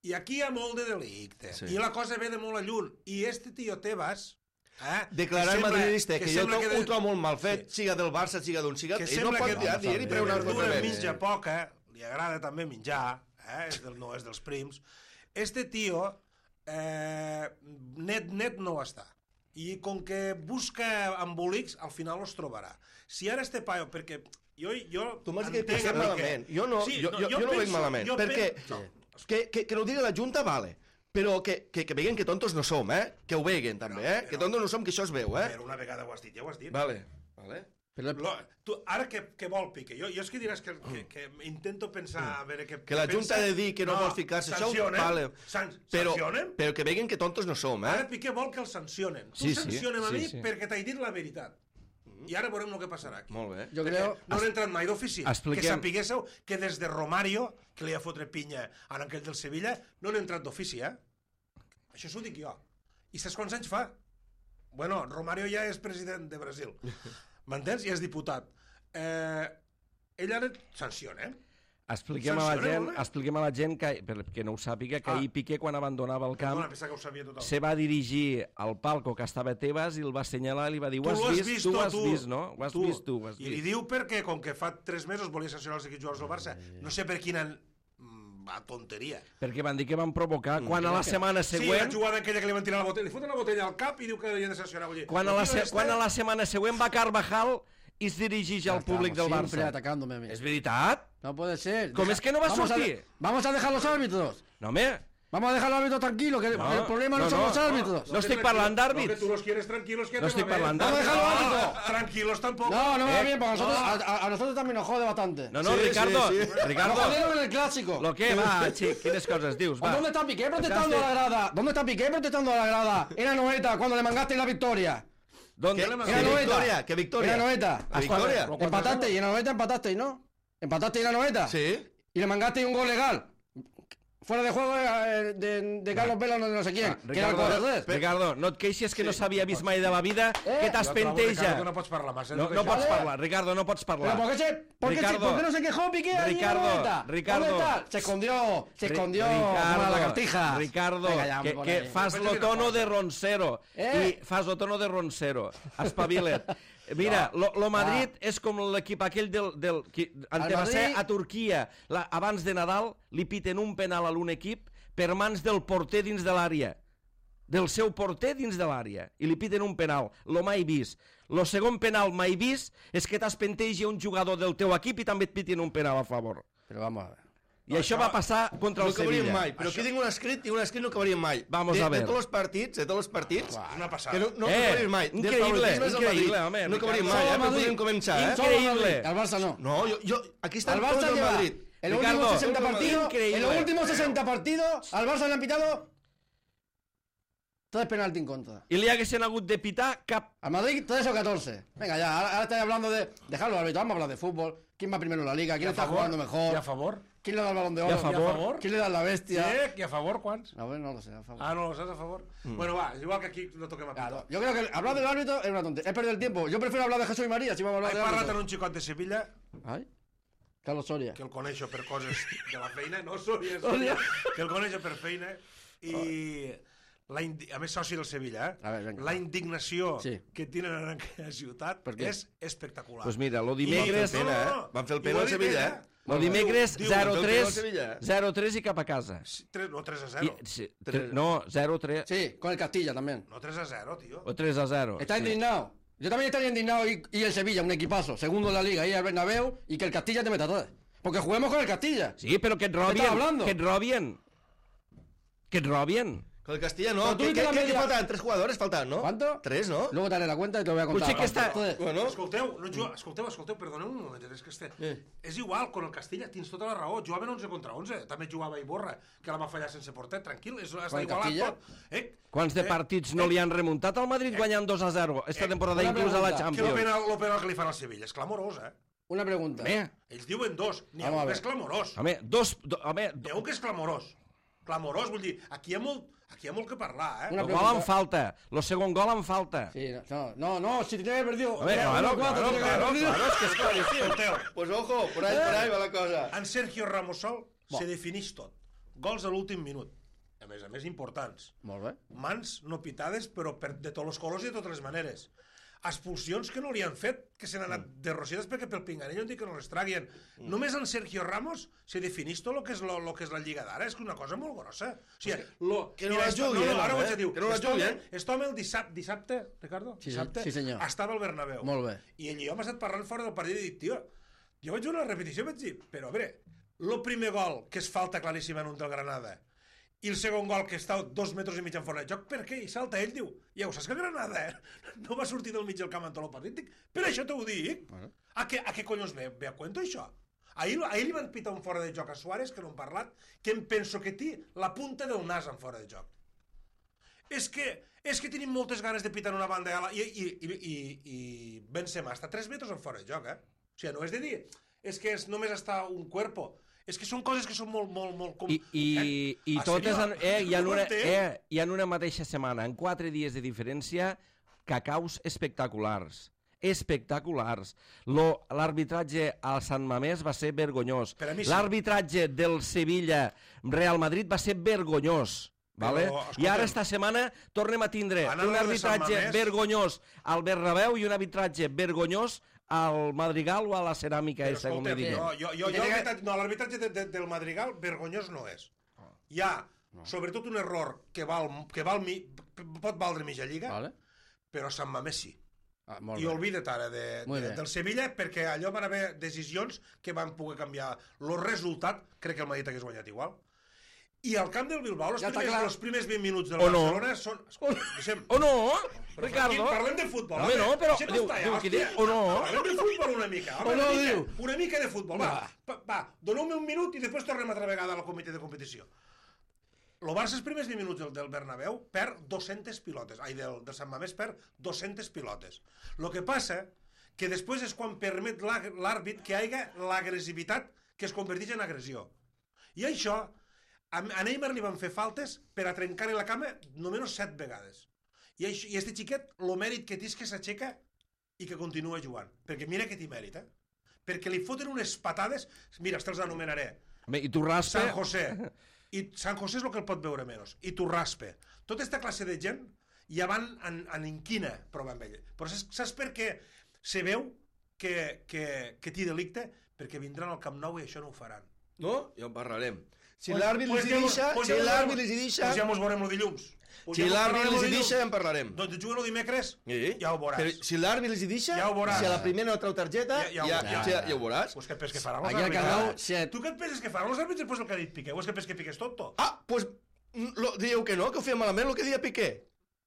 [SPEAKER 3] I aquí hi ha molt de delicte.
[SPEAKER 2] Sí.
[SPEAKER 3] I la cosa ve de molt a lluny. I este tio Tebas... Eh,
[SPEAKER 2] Declarar
[SPEAKER 3] sembla-
[SPEAKER 2] madridista, que, jo
[SPEAKER 3] sembla
[SPEAKER 2] to-
[SPEAKER 3] de-
[SPEAKER 2] ho trobo molt mal fet,
[SPEAKER 3] Sí.
[SPEAKER 2] siga del Barça, siga d'on siga,
[SPEAKER 3] que
[SPEAKER 2] ell no
[SPEAKER 3] sembla
[SPEAKER 2] pot
[SPEAKER 3] que
[SPEAKER 2] dir, dir i
[SPEAKER 3] de
[SPEAKER 2] preure una
[SPEAKER 3] verdura
[SPEAKER 2] cosa
[SPEAKER 3] mitja poca, li agrada també menjar, eh? és del, no és dels prims. Este tio, eh, net, net no ho està. I com que busca embolics, al final els trobarà. Si ara este paio, perquè jo... jo
[SPEAKER 2] Tu m'has dit que
[SPEAKER 3] entenc
[SPEAKER 2] pensem
[SPEAKER 3] a mi
[SPEAKER 2] malament. Jo no, jo, jo, jo, no ho veig malament.
[SPEAKER 3] jo
[SPEAKER 2] Perquè
[SPEAKER 3] penso-
[SPEAKER 2] que, que, que no ho digui la Junta, vale. Però que, que, que veguen que tontos no som, eh? Que ho veguen, també, eh?
[SPEAKER 3] Però-
[SPEAKER 2] Que tontos no som, que això es veu, eh?
[SPEAKER 3] Però una vegada ho has dit, ja ho has dit.
[SPEAKER 2] Vale, vale.
[SPEAKER 4] Pero el-
[SPEAKER 3] Lo, tu, ara què, què vol Piqué? Jo, jo és que diràs que, que, que intento pensar a veure què
[SPEAKER 2] Que la
[SPEAKER 3] què
[SPEAKER 2] Junta ha
[SPEAKER 3] pensa.
[SPEAKER 2] de dir que no, vol ficar-se això,
[SPEAKER 3] sancionen,
[SPEAKER 2] vale.
[SPEAKER 3] San,
[SPEAKER 2] Però,
[SPEAKER 3] sancionen.
[SPEAKER 2] però que veguen que tontos no som,
[SPEAKER 3] Ara
[SPEAKER 2] eh?
[SPEAKER 3] Piqué vol que el sancionen. Tu
[SPEAKER 1] Sí, sí,
[SPEAKER 3] sancionem a
[SPEAKER 1] sí,
[SPEAKER 3] mi
[SPEAKER 1] sí.
[SPEAKER 3] perquè t'he dit la veritat. I ara veurem el que passarà aquí.
[SPEAKER 2] Molt bé.
[SPEAKER 4] Yo creo...
[SPEAKER 3] No han entrat mai d'ofici.
[SPEAKER 1] Expliquem-
[SPEAKER 3] Que sapiguéssiu que des de Romario, que li ha fotre pinya a aquell del Sevilla, no han entrat d'ofici, eh? Això s'ho dic jo. I saps quants anys fa? Bueno, Romario ja és president de Brasil. M'entens? I és diputat. Eh, ell ara sanciona, eh?
[SPEAKER 1] Expliquem a la gent, expliquem a la gent que, perquè no ho sàpiga, que ahir Piqué, quan abandonava el camp, se va dirigir al palco que estava a Tebas i el va assenyalar i li va dir, ho has vist, tu ho has vist, no? Ho has vist, tu ho has vist.
[SPEAKER 3] I li diu perquè, com que fa tres mesos volia sancionar els equips jugadors del Barça, no sé per quina tonteria.
[SPEAKER 1] Perquè van dir que van provocar, quan a la setmana següent...
[SPEAKER 3] Sí, la jugada aquella que li van tirar la botella, li foten la botella al cap i diu que li han de sancionar.
[SPEAKER 1] Quan a la setmana següent va Carvajal i es dirigeix al públic del Barça.
[SPEAKER 4] Siempre atacándome a mí.
[SPEAKER 1] ¿Es veritat?
[SPEAKER 4] No puede ser.
[SPEAKER 1] ¿Cómo es que no va a sortir?
[SPEAKER 4] Vamos a dejar los árbitros.
[SPEAKER 1] No, me...
[SPEAKER 4] Vamos a dejar los árbitros tranquilos, que
[SPEAKER 1] no,
[SPEAKER 4] el problema no,
[SPEAKER 1] no
[SPEAKER 4] son
[SPEAKER 1] no,
[SPEAKER 4] los árbitros.
[SPEAKER 1] No, no estoy parlando d'àrbits.
[SPEAKER 3] No, que tú los quieres tranquilos, que
[SPEAKER 1] no estoy parlando
[SPEAKER 3] d'àrbits.
[SPEAKER 4] Vamos a dejar los árbitros.
[SPEAKER 3] Tranquilos tampoco.
[SPEAKER 4] No, no me va
[SPEAKER 1] eh,
[SPEAKER 4] bien, porque a nosotros,
[SPEAKER 3] no.
[SPEAKER 4] a, a nosotros también nos jode bastante.
[SPEAKER 1] No, no,
[SPEAKER 2] sí,
[SPEAKER 1] Ricardo,
[SPEAKER 2] sí, sí.
[SPEAKER 1] Ricardo.
[SPEAKER 4] Nos jodieron en el clásico.
[SPEAKER 1] Lo que va, chic, quines coses dius, va.
[SPEAKER 4] ¿Dónde está Piqué protestando a la grada? ¿Dónde está Piqué protestando a la grada? Era Noeta cuando le mangaste la victoria.
[SPEAKER 1] ¿Dónde?
[SPEAKER 2] ¿Qué,
[SPEAKER 1] le
[SPEAKER 2] ¿Qué
[SPEAKER 4] Era
[SPEAKER 2] victoria? ¿Qué victoria?
[SPEAKER 4] Era Noeta.
[SPEAKER 2] ¿La victoria?
[SPEAKER 4] Empataste y en la Noeta empataste, ¿no? Empataste y en la Noeta.
[SPEAKER 2] Sí.
[SPEAKER 4] Y le mangaste un gol legal. Fuera de juego eh, de, de Carlos Vela, no, no sé quién.
[SPEAKER 1] Ah,
[SPEAKER 4] que era el corredor.
[SPEAKER 1] Ricardo, no et queixes que no s'havia vist mai de la vida,
[SPEAKER 4] Eh?
[SPEAKER 1] que t'espenteja.
[SPEAKER 3] Ricardo, no pots parlar massa.
[SPEAKER 1] No, no pots parlar, Ricardo, no pots
[SPEAKER 4] ¿Pero
[SPEAKER 1] parlar.
[SPEAKER 4] por qué, se, por, qué se-
[SPEAKER 1] Ricardo.
[SPEAKER 4] por qué no se quejó Piqué ahí en la
[SPEAKER 1] Ricardo,
[SPEAKER 4] Noeta?
[SPEAKER 1] Ricardo.
[SPEAKER 4] ¿Dónde está? Se escondió, se
[SPEAKER 1] Ri-
[SPEAKER 4] escondió
[SPEAKER 1] Ricardo,
[SPEAKER 4] como la lagartija.
[SPEAKER 1] Ricardo,
[SPEAKER 4] Venga, ya,
[SPEAKER 1] que,
[SPEAKER 4] por
[SPEAKER 1] que
[SPEAKER 4] ahí.
[SPEAKER 1] fas lo tono de roncero.
[SPEAKER 4] Eh?
[SPEAKER 1] I fas lo tono de roncero. Espavila't. Mira, lo, lo Madrid
[SPEAKER 4] Ah.
[SPEAKER 1] és com l'equip aquell del... del qui, ante va ser
[SPEAKER 4] Madrid-
[SPEAKER 1] a Turquia, la, abans de Nadal, li piten un penal a un equip per mans del porter dins de l'àrea. Del seu porter dins de l'àrea. I li piten un penal. Lo mai vist. Lo segon penal mai vist és que t'espentegi un jugador del teu equip i també et pitin un penal a favor.
[SPEAKER 4] Pero vamos a ver.
[SPEAKER 1] I no, això va passar contra
[SPEAKER 2] No
[SPEAKER 1] el
[SPEAKER 2] acabaríem
[SPEAKER 1] Sevilla.
[SPEAKER 2] mai, però aquí tinc un escrit i un escrit no acabaríem mai.
[SPEAKER 1] Vamos
[SPEAKER 2] de,
[SPEAKER 1] a ver.
[SPEAKER 2] De tots els partits, de tots els partits,
[SPEAKER 3] Una passada.
[SPEAKER 2] que no, no
[SPEAKER 1] Eh,
[SPEAKER 2] acabaríem mai. Del
[SPEAKER 1] increïble,
[SPEAKER 2] favoritisme del
[SPEAKER 1] increïble,
[SPEAKER 2] Madrid.
[SPEAKER 1] home,
[SPEAKER 2] No acabaríem
[SPEAKER 1] Ricardo.
[SPEAKER 2] mai, eh,
[SPEAKER 4] Solo
[SPEAKER 2] però
[SPEAKER 4] Madrid.
[SPEAKER 2] podem començar, eh?
[SPEAKER 4] Solo
[SPEAKER 1] Increíble.
[SPEAKER 4] Madrid, al Barça no.
[SPEAKER 2] No, yo, yo, aquí está
[SPEAKER 4] Al
[SPEAKER 2] el
[SPEAKER 4] Barça
[SPEAKER 2] del
[SPEAKER 4] lleva
[SPEAKER 2] Madrid.
[SPEAKER 4] en los
[SPEAKER 1] Ricardo,
[SPEAKER 4] últimos sesenta
[SPEAKER 2] todo el
[SPEAKER 4] partidos,
[SPEAKER 1] Madrid.
[SPEAKER 4] en los últimos sesenta partidos, al Barça le han pitado tres penaltis en contra.
[SPEAKER 1] I li haguessin hagut de pitar cap...
[SPEAKER 4] Al Madrid tres o catorce. Venga ya, ahora, ahora estáis hablando de dejar los árbitros, vamos a hablar de fútbol. ¿Quién va primero en la liga? ¿Quién está jugando mejor?
[SPEAKER 3] ¿Y a favor?
[SPEAKER 4] ¿Quién le da el balón de
[SPEAKER 1] I
[SPEAKER 4] oro?
[SPEAKER 1] a favor?
[SPEAKER 4] ¿Quién le da la bestia?
[SPEAKER 3] Sí, ¿y a favor quants?
[SPEAKER 4] A ver, no lo sé, a favor.
[SPEAKER 3] Ah, no lo sabes a favor. Bueno, va, igual que aquí no toquem a
[SPEAKER 4] Claro,
[SPEAKER 3] pito.
[SPEAKER 4] yo creo que hablar del árbitro es una tontería. Es perder el tiempo. Yo prefiero hablar de Jesús y María si vamos a hablar
[SPEAKER 3] He
[SPEAKER 4] de
[SPEAKER 3] parlat
[SPEAKER 4] árbitro.
[SPEAKER 3] amb un xicot de Sevilla
[SPEAKER 4] Ay, Carlos Soria.
[SPEAKER 3] que el coneixo per coses de la feina, no Soria, Soria, que el coneixo per feina i la indi... a més soci del Sevilla, eh?
[SPEAKER 4] A ver, venga.
[SPEAKER 3] La indignació
[SPEAKER 4] Sí.
[SPEAKER 3] que tenen en aquella ciutat
[SPEAKER 4] Per què?
[SPEAKER 3] és espectacular.
[SPEAKER 1] Pues mira, lo
[SPEAKER 3] I-
[SPEAKER 1] dimecres...
[SPEAKER 2] Van fer el pena, eh? Van fer el pena
[SPEAKER 3] I
[SPEAKER 2] al
[SPEAKER 3] ho ha dit
[SPEAKER 2] Sevilla,
[SPEAKER 3] ell,
[SPEAKER 2] eh?
[SPEAKER 1] Lo dimecres
[SPEAKER 3] Diu- diu-
[SPEAKER 1] zero
[SPEAKER 2] del
[SPEAKER 1] tres,
[SPEAKER 2] Sevilla.
[SPEAKER 1] zero tres i cap a casa.
[SPEAKER 3] Tres, no, tres a
[SPEAKER 1] I,
[SPEAKER 3] zero.
[SPEAKER 1] sí, tre- no, zero tres
[SPEAKER 4] Sí, con el Castilla también.
[SPEAKER 3] No, tres a zero, tío.
[SPEAKER 1] o tres a zero.
[SPEAKER 4] Está
[SPEAKER 1] Sí.
[SPEAKER 4] indignado. Yo también estaría indignado y, y el Sevilla, un equipazo, segundo en la liga, ahí al Bernabéu, y que el Castilla te meta tres. Porque juguemos con el Castilla.
[SPEAKER 1] Sí, però que et
[SPEAKER 4] estàs
[SPEAKER 1] robien,
[SPEAKER 4] hablando?
[SPEAKER 1] que et robien. Que et robien.
[SPEAKER 2] Con el Castilla no.
[SPEAKER 4] Pero tú
[SPEAKER 2] ¿Qué,
[SPEAKER 4] dices
[SPEAKER 2] qué,
[SPEAKER 4] la
[SPEAKER 2] qué,
[SPEAKER 4] media-
[SPEAKER 2] qué faltan? Tres jugadores faltan, ¿no?
[SPEAKER 4] ¿Cuánto?
[SPEAKER 2] Tres, ¿no?
[SPEAKER 4] Luego te haré la cuenta y te lo voy a contar.
[SPEAKER 1] Potser que està-
[SPEAKER 4] Entonces,
[SPEAKER 2] Bueno,
[SPEAKER 3] Escolteu, no juga... escolteu, escolteu, perdoneu un moment, és que este...
[SPEAKER 2] Eh.
[SPEAKER 3] És igual, con el Castilla tens tota la raó, jugaven onze contra onze, també jugava Iborra, que la va fallar sense porter, tranquil, és, està
[SPEAKER 4] Con el
[SPEAKER 3] igualat
[SPEAKER 4] Castilla?
[SPEAKER 3] tot. Eh?
[SPEAKER 1] Quants de
[SPEAKER 3] Eh,
[SPEAKER 1] partits no li han remuntat al Madrid guanyant dos a zero esta temporada,
[SPEAKER 4] una
[SPEAKER 1] inclús a la
[SPEAKER 4] pregunta.
[SPEAKER 3] Que el
[SPEAKER 1] Champions?
[SPEAKER 3] penal, lo penal que li fan al Sevilla és clamorós, eh?
[SPEAKER 4] una pregunta.
[SPEAKER 1] Home,
[SPEAKER 3] Ells diuen dos, n'hi ha
[SPEAKER 4] Vamos a
[SPEAKER 3] un que
[SPEAKER 4] ver.
[SPEAKER 3] és clamorós.
[SPEAKER 1] home, dos... Do, home,
[SPEAKER 3] N'hi ha un que és clamorós. Clamorós, vull dir, aquí hi ha molt, aquí hi ha molt que parlar, eh?
[SPEAKER 4] Una
[SPEAKER 1] el
[SPEAKER 4] pregunta.
[SPEAKER 1] gol en falta. Lo segon gol en falta.
[SPEAKER 4] Sí, no, no, no, si te haber perdido.
[SPEAKER 1] Home,
[SPEAKER 4] Era
[SPEAKER 1] claro,
[SPEAKER 4] uno cuatro,
[SPEAKER 1] claro,
[SPEAKER 4] tenía que haber
[SPEAKER 1] claro,
[SPEAKER 4] perdido.
[SPEAKER 1] claro, és que és claríssim.
[SPEAKER 3] Escolteu,
[SPEAKER 2] pues ojo, por ahí, por ahí va la cosa.
[SPEAKER 3] en Sergio Ramos sol
[SPEAKER 4] Bo.
[SPEAKER 3] se defineix tot. Gols a l'últim minut. A més a més, importants.
[SPEAKER 4] Molt bé.
[SPEAKER 3] Mans no pitades, però per, de tots els colors i de totes les maneres. Expulsions que no li han fet, que se n'han anat
[SPEAKER 2] Mm.
[SPEAKER 3] de rocides perquè pel pinganillo han dit que no les traguien. Només en Sergio Ramos se defineix tot el que és, lo, lo que és la Lliga d'ara. És que una cosa molt grossa. O sigui, lo,
[SPEAKER 2] que no
[SPEAKER 3] mira,
[SPEAKER 2] la
[SPEAKER 3] esto-
[SPEAKER 2] jugui,
[SPEAKER 3] no,
[SPEAKER 2] eh,
[SPEAKER 3] no, ara ho
[SPEAKER 2] eh?
[SPEAKER 3] vaig a dir.
[SPEAKER 2] Que no la
[SPEAKER 3] Este home-
[SPEAKER 2] jugui, eh?
[SPEAKER 3] este home el dissabte, dissabte, Ricardo?
[SPEAKER 4] Sí,
[SPEAKER 3] dissabte,
[SPEAKER 4] sí, senyor.
[SPEAKER 3] estava al Bernabéu.
[SPEAKER 4] Molt bé.
[SPEAKER 3] I ell i jo hem estat parlant fora del partit i dic, tio, jo vaig veure la repetició i vaig dir, però a veure, el primer gol, que és falta claríssima en un del Granada, i el segon gol, que està dos metres i mig en fora de joc, per què? I salta ell, diu, ja ho saps que el Granada eh? no va sortir del mig del camp en tot el partit? Dic, per això t'ho dic. A què, a què collons ve, ve a cuento, això? Ahir, ahir li van pitar un fora de joc a Suárez, que no hem parlat, que em penso que té la punta del nas en fora de joc. És que, és que tenim moltes ganes de pitar en una banda i, a la- i, i, i, i, i Benzema està a tres metres en fora de joc, eh? O sigui, no és de dir, és que és, només està un cuerpo. És que són coses que són molt, molt, molt... Com...
[SPEAKER 1] I, i, i
[SPEAKER 3] Ah,
[SPEAKER 1] totes
[SPEAKER 3] seriós?
[SPEAKER 1] en, eh, hi, ha
[SPEAKER 3] No ho
[SPEAKER 1] una,
[SPEAKER 3] entenc.
[SPEAKER 1] eh, hi ha una mateixa setmana, en quatre dies de diferència, cacaus espectaculars. espectaculars. Lo- L'arbitratge al Sant Mamés va ser vergonyós.
[SPEAKER 3] Per a mi sí.
[SPEAKER 1] L'arbitratge del Sevilla-Real Madrid va ser vergonyós. Vale?
[SPEAKER 3] Però,
[SPEAKER 1] I ara
[SPEAKER 3] escolta'm,
[SPEAKER 1] esta setmana tornem a tindre
[SPEAKER 3] Anant
[SPEAKER 1] un
[SPEAKER 3] a lo de Sant
[SPEAKER 1] arbitratge
[SPEAKER 3] Mamés-
[SPEAKER 1] vergonyós al Bernabéu i un arbitratge vergonyós al Madrigal o a la ceràmica,
[SPEAKER 3] Però
[SPEAKER 1] esa, com li
[SPEAKER 3] escolta'm,
[SPEAKER 1] diguem.
[SPEAKER 3] jo, jo, jo, jo l'arbitratge- no, l'arbitratge de, de, del Madrigal vergonyós no és. Hi ha, sobretot, un error que, val, que val mi, pot valdre mitja lliga,
[SPEAKER 4] Vale.
[SPEAKER 3] però Sant Mamés sí.
[SPEAKER 4] Ah, molt
[SPEAKER 3] I
[SPEAKER 4] bé.
[SPEAKER 3] oblida't ara de,
[SPEAKER 4] Muy
[SPEAKER 3] de,
[SPEAKER 4] bé.
[SPEAKER 3] del Sevilla, perquè allò van haver decisions que van poder canviar el resultat. Crec que el Madrid hagués guanyat igual. I al camp del Bilbao, els,
[SPEAKER 4] Ja està
[SPEAKER 3] primers,
[SPEAKER 4] clar.
[SPEAKER 3] els primers vint minuts del
[SPEAKER 1] O no.
[SPEAKER 3] Barcelona són... Deixem,
[SPEAKER 1] O no,
[SPEAKER 3] Però,
[SPEAKER 1] Ricardo?
[SPEAKER 3] Joaquín, parlem de futbol.
[SPEAKER 1] Home, no, però
[SPEAKER 3] Deixem
[SPEAKER 1] diu-
[SPEAKER 3] estar
[SPEAKER 1] diu
[SPEAKER 3] ja,
[SPEAKER 1] que
[SPEAKER 3] hòstia.
[SPEAKER 1] diu, o no.
[SPEAKER 3] Parlem de futbol una mica. Home,
[SPEAKER 4] O no,
[SPEAKER 3] una, mica
[SPEAKER 4] diu.
[SPEAKER 3] una mica de futbol. Va,
[SPEAKER 4] Va.
[SPEAKER 3] va, va doneu-me un minut i després tornem altra vegada al comitè de competició. El Barça, els primers vint minuts del, del Bernabéu, perd dues-centes pilotes. Ai, del, del Sant Mamés perd dues-centes pilotes. El que passa que després és quan permet l'à- l'àrbit que hi hagi l'agressivitat que es converteix en agressió. I això, a, a Neymar li van fer faltes per a trencar-li la cama només set vegades. I, això, i este xiquet, el mèrit que té és que s'aixeca i que continua jugant. Perquè mira que té mèrit, eh? Perquè li foten unes patades... Mira, te'ls anomenaré.
[SPEAKER 1] Bé, i tu raspe...
[SPEAKER 3] San José. I San José és el que el pot veure menys. I Turraspe. Tota aquesta classe de gent ja van en, en inquina provar amb ell. Però saps, saps per què se veu que, que, que té delicte? Perquè vindran al Camp Nou i això no ho faran.
[SPEAKER 2] No? Ja en parlarem. Si
[SPEAKER 3] Pues-
[SPEAKER 2] l'àrbit
[SPEAKER 3] pues
[SPEAKER 2] els hi
[SPEAKER 3] ja mos-
[SPEAKER 2] deixa,
[SPEAKER 3] pues
[SPEAKER 2] si
[SPEAKER 3] ja mos
[SPEAKER 2] l'àrbit
[SPEAKER 3] veurem-
[SPEAKER 2] els hi deixa...
[SPEAKER 3] Pues ja mos veurem el dilluns. Pues
[SPEAKER 2] Si
[SPEAKER 3] ja mos
[SPEAKER 2] l'àrbit
[SPEAKER 3] parlarem
[SPEAKER 2] els
[SPEAKER 3] el
[SPEAKER 2] hi
[SPEAKER 3] dilluns.
[SPEAKER 2] deixa, ja en parlarem.
[SPEAKER 3] Doncs juguen el dimecres,
[SPEAKER 2] Sí.
[SPEAKER 3] ja ho veuràs.
[SPEAKER 2] Però si l'àrbit els hi deixa,
[SPEAKER 3] Ja ho veuràs.
[SPEAKER 2] si a la primera no trau targeta,
[SPEAKER 3] Ja-
[SPEAKER 2] ja,
[SPEAKER 3] ja
[SPEAKER 2] ja,
[SPEAKER 3] ho-
[SPEAKER 2] ja,
[SPEAKER 3] ja-
[SPEAKER 2] ja, ho veuràs.
[SPEAKER 3] Pues què et penses que faran els
[SPEAKER 4] Aquí al
[SPEAKER 3] àrbitres?
[SPEAKER 4] Camp Nou, si-
[SPEAKER 3] Tu què et penses que faran els àrbitres després el que ha dit Piqué? O és que penses que Piqué és tonto?
[SPEAKER 2] Ah, doncs pues, lo, dieu que no, que ho feia malament el que deia Piqué.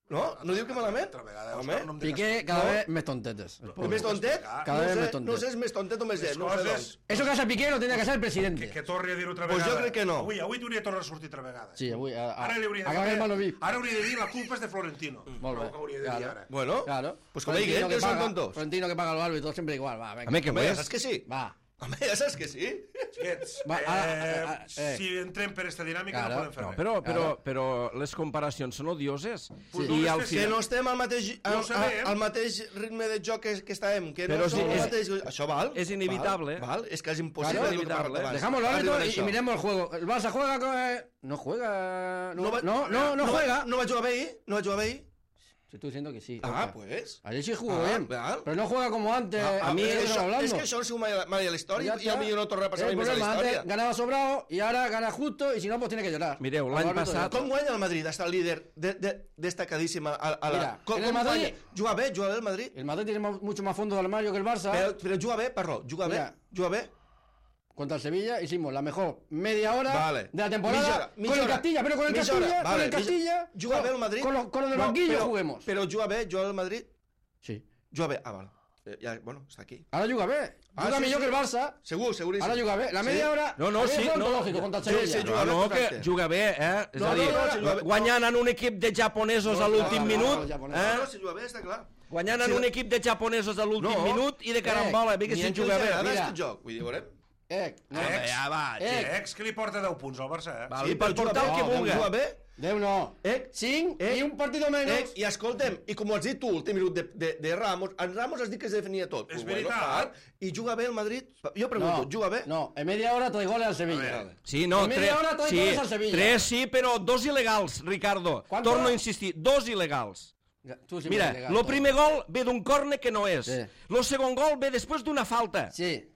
[SPEAKER 2] No? No diu que malament?
[SPEAKER 3] Altra vegada,
[SPEAKER 2] Home,
[SPEAKER 3] Òscar, no em digues-
[SPEAKER 4] Piqué cada
[SPEAKER 2] No.
[SPEAKER 4] vez més tontetes. el
[SPEAKER 2] és
[SPEAKER 4] pobre.
[SPEAKER 2] més tontet?
[SPEAKER 4] Cada
[SPEAKER 2] no
[SPEAKER 4] vez
[SPEAKER 2] sé,
[SPEAKER 4] més tontet.
[SPEAKER 2] No sé, és més tontet o més
[SPEAKER 3] Les
[SPEAKER 2] llet, no ho sé
[SPEAKER 3] coses...
[SPEAKER 2] doncs.
[SPEAKER 4] Eso que hace Piqué lo tendría que hacer el presidente.
[SPEAKER 3] Que, que torni a dir altra
[SPEAKER 2] Pues
[SPEAKER 3] vegada.
[SPEAKER 2] jo crec que no.
[SPEAKER 3] Avui, avui t'hauria de tornar a sortir altra vegada.
[SPEAKER 4] Sí, avui... A, a,
[SPEAKER 3] Ara li hauria de
[SPEAKER 4] acaba el malo
[SPEAKER 3] dir...
[SPEAKER 4] VIP.
[SPEAKER 3] Ara hauria de dir la culpa és de Florentino.
[SPEAKER 4] Molt bé.
[SPEAKER 3] Ho hauria de dir
[SPEAKER 4] Claro.
[SPEAKER 3] ara.
[SPEAKER 2] Bueno,
[SPEAKER 4] Claro.
[SPEAKER 2] pues como hay que
[SPEAKER 4] Florentino
[SPEAKER 2] que son
[SPEAKER 4] paga-
[SPEAKER 2] tontos.
[SPEAKER 4] Florentino que paga los árbitros siempre igual. Va, venga.
[SPEAKER 1] Home, que
[SPEAKER 2] Home, ja
[SPEAKER 1] pues...
[SPEAKER 2] saps que sí.
[SPEAKER 4] Va.
[SPEAKER 2] Home, ja saps que sí.
[SPEAKER 3] Xiquets,
[SPEAKER 4] Va,
[SPEAKER 3] eh,
[SPEAKER 4] ara, ara, ara, eh.
[SPEAKER 3] si entrem per esta dinàmica
[SPEAKER 4] Claro.
[SPEAKER 3] no podem fer
[SPEAKER 1] No,
[SPEAKER 3] res.
[SPEAKER 1] però, però, però les comparacions són odioses.
[SPEAKER 3] Pues
[SPEAKER 1] I
[SPEAKER 3] no
[SPEAKER 1] al
[SPEAKER 3] les
[SPEAKER 2] Que
[SPEAKER 1] final...
[SPEAKER 2] no estem al mateix, al,
[SPEAKER 3] ho sabem.
[SPEAKER 2] al, al mateix ritme de joc que, que estàvem, que no
[SPEAKER 1] Però
[SPEAKER 2] som
[SPEAKER 1] sí,
[SPEAKER 2] al
[SPEAKER 1] és-
[SPEAKER 2] mateix... Això val.
[SPEAKER 1] és inevitable.
[SPEAKER 2] Val, val, és que és impossible.
[SPEAKER 1] Claro,
[SPEAKER 2] el que
[SPEAKER 1] inevitable.
[SPEAKER 2] hem parlat abans.
[SPEAKER 4] Dejamos los
[SPEAKER 2] Arriba
[SPEAKER 4] árbitros y,
[SPEAKER 2] d'això.
[SPEAKER 4] y miremos el juego. El Barça juega con... eh, No juega... No,
[SPEAKER 2] va-
[SPEAKER 4] no, no, no
[SPEAKER 2] va-
[SPEAKER 4] juega.
[SPEAKER 2] No va jugar bé ahir? No va jugar bé ahir?
[SPEAKER 4] Te estoy diciendo que sí.
[SPEAKER 2] Ah,
[SPEAKER 4] Oscar.
[SPEAKER 2] pues...
[SPEAKER 4] Ayer sí jugó
[SPEAKER 2] Ah,
[SPEAKER 4] bien.
[SPEAKER 2] val.
[SPEAKER 4] Pero no juega como antes.
[SPEAKER 2] A,
[SPEAKER 4] a mí
[SPEAKER 2] és,
[SPEAKER 4] eso
[SPEAKER 2] això,
[SPEAKER 4] hablando.
[SPEAKER 2] és que això no sigut mai, mai a la història
[SPEAKER 4] Ya
[SPEAKER 2] i a
[SPEAKER 4] está.
[SPEAKER 2] mi no torna a passar
[SPEAKER 4] El
[SPEAKER 2] mai més a la
[SPEAKER 4] problema,
[SPEAKER 2] història.
[SPEAKER 4] antes ganaba sobrado y ahora gana justo y si no, pues tiene que llorar.
[SPEAKER 1] Mireu,
[SPEAKER 4] Como
[SPEAKER 1] l'any
[SPEAKER 4] árbitro
[SPEAKER 1] passat-
[SPEAKER 4] de-
[SPEAKER 2] Com guanya el Madrid? Està el líder de, de, destacadíssim a, a la...
[SPEAKER 4] Mira,
[SPEAKER 2] com,
[SPEAKER 4] en el
[SPEAKER 2] com
[SPEAKER 4] Madrid-
[SPEAKER 2] guanya? Juga bé, juga bé el Madrid.
[SPEAKER 4] El Madrid tiene mo- mucho más fondo del armario que el Barça.
[SPEAKER 2] Però, però juga bé, Parró, juga bé,
[SPEAKER 4] Mira.
[SPEAKER 2] juga bé.
[SPEAKER 4] Contra el Sevilla hicimos la mejor media hora
[SPEAKER 2] Vale.
[SPEAKER 4] de la temporada
[SPEAKER 2] Mitja hora, mitja
[SPEAKER 4] con el
[SPEAKER 2] hora.
[SPEAKER 4] Castilla, pero con el
[SPEAKER 2] Mitja
[SPEAKER 4] Castilla,
[SPEAKER 2] hora,
[SPEAKER 4] con
[SPEAKER 2] vale,
[SPEAKER 4] el Castilla,
[SPEAKER 2] mitja- Juga bé el Madrid?
[SPEAKER 4] con los, con los del
[SPEAKER 2] No,
[SPEAKER 4] banquillo
[SPEAKER 2] però,
[SPEAKER 4] juguemos.
[SPEAKER 2] Però juga bé, juga el Madrid?
[SPEAKER 4] Sí.
[SPEAKER 2] Juga bé, ah, val. Eh, Ja, bueno, està aquí.
[SPEAKER 4] Ahora juga bé.
[SPEAKER 2] Ah,
[SPEAKER 4] Juga
[SPEAKER 2] sí,
[SPEAKER 4] millor
[SPEAKER 2] sí.
[SPEAKER 4] que el Barça.
[SPEAKER 2] Segur, seguríssim.
[SPEAKER 4] Ahora juga bé. La media
[SPEAKER 2] Sí?
[SPEAKER 4] hora...
[SPEAKER 1] No, no,
[SPEAKER 4] a mí
[SPEAKER 1] sí,
[SPEAKER 4] fue
[SPEAKER 1] no.
[SPEAKER 4] ontológico contra el
[SPEAKER 2] Sí,
[SPEAKER 4] Sevilla.
[SPEAKER 2] sí, juga
[SPEAKER 1] No, no,
[SPEAKER 2] perfecte.
[SPEAKER 1] que juga bé, eh? És
[SPEAKER 2] No,
[SPEAKER 1] a dir,
[SPEAKER 2] no, no, si juga bé-
[SPEAKER 1] guanyant en un equip de japonesos a l'últim
[SPEAKER 4] no, no,
[SPEAKER 1] minut,
[SPEAKER 4] no, japonès.
[SPEAKER 2] No,
[SPEAKER 1] eh?
[SPEAKER 2] no, si juga bé, està clar.
[SPEAKER 1] Guanyant en un equip de japonesos a l'últim
[SPEAKER 2] No.
[SPEAKER 1] minut i de carambola, bé que
[SPEAKER 2] Ni
[SPEAKER 1] si
[SPEAKER 2] en què
[SPEAKER 1] juga
[SPEAKER 2] els
[SPEAKER 1] bé.
[SPEAKER 2] agrada
[SPEAKER 4] mira.
[SPEAKER 2] aquest joc. Vull dir, veurem.
[SPEAKER 4] Eh, no.
[SPEAKER 3] Ex,
[SPEAKER 1] Ja va,
[SPEAKER 4] Eh,
[SPEAKER 3] ex que li porta deu punts al Barça, eh?
[SPEAKER 1] Val,
[SPEAKER 2] Sí,
[SPEAKER 1] i per
[SPEAKER 2] però juga
[SPEAKER 1] portar el
[SPEAKER 2] bé,
[SPEAKER 1] que
[SPEAKER 2] no,
[SPEAKER 1] vulga.
[SPEAKER 2] Juga bé.
[SPEAKER 4] Déu no.
[SPEAKER 2] Eh,
[SPEAKER 4] Cinc
[SPEAKER 2] eh,
[SPEAKER 4] y un partido menos.
[SPEAKER 2] Eh, I escolta'm, i com ho has dit tu, l'últim minut de, de, de Ramos, en Ramos has dit que es definia tot.
[SPEAKER 3] És
[SPEAKER 2] Pues
[SPEAKER 3] veritat.
[SPEAKER 2] clar, I juga bé el Madrid? Jo pregunto,
[SPEAKER 4] No,
[SPEAKER 2] juga bé?
[SPEAKER 4] no, en media hora tres goles al Sevilla.
[SPEAKER 3] A
[SPEAKER 1] Sí, no,
[SPEAKER 4] En media
[SPEAKER 1] tres,
[SPEAKER 4] hora trae
[SPEAKER 1] sí,
[SPEAKER 4] goles al Sevilla.
[SPEAKER 1] tres sí, però dos il·legals, Ricardo.
[SPEAKER 4] ¿Cuánto?
[SPEAKER 1] Torno a insistir, dos il·legals.
[SPEAKER 4] Ya, tú sí me
[SPEAKER 1] Mira,
[SPEAKER 4] has llegado
[SPEAKER 1] lo
[SPEAKER 4] todo.
[SPEAKER 1] primer gol ve d'un córner que no és.
[SPEAKER 4] Sí.
[SPEAKER 1] Lo segon gol ve després d'una falta.
[SPEAKER 4] Sí.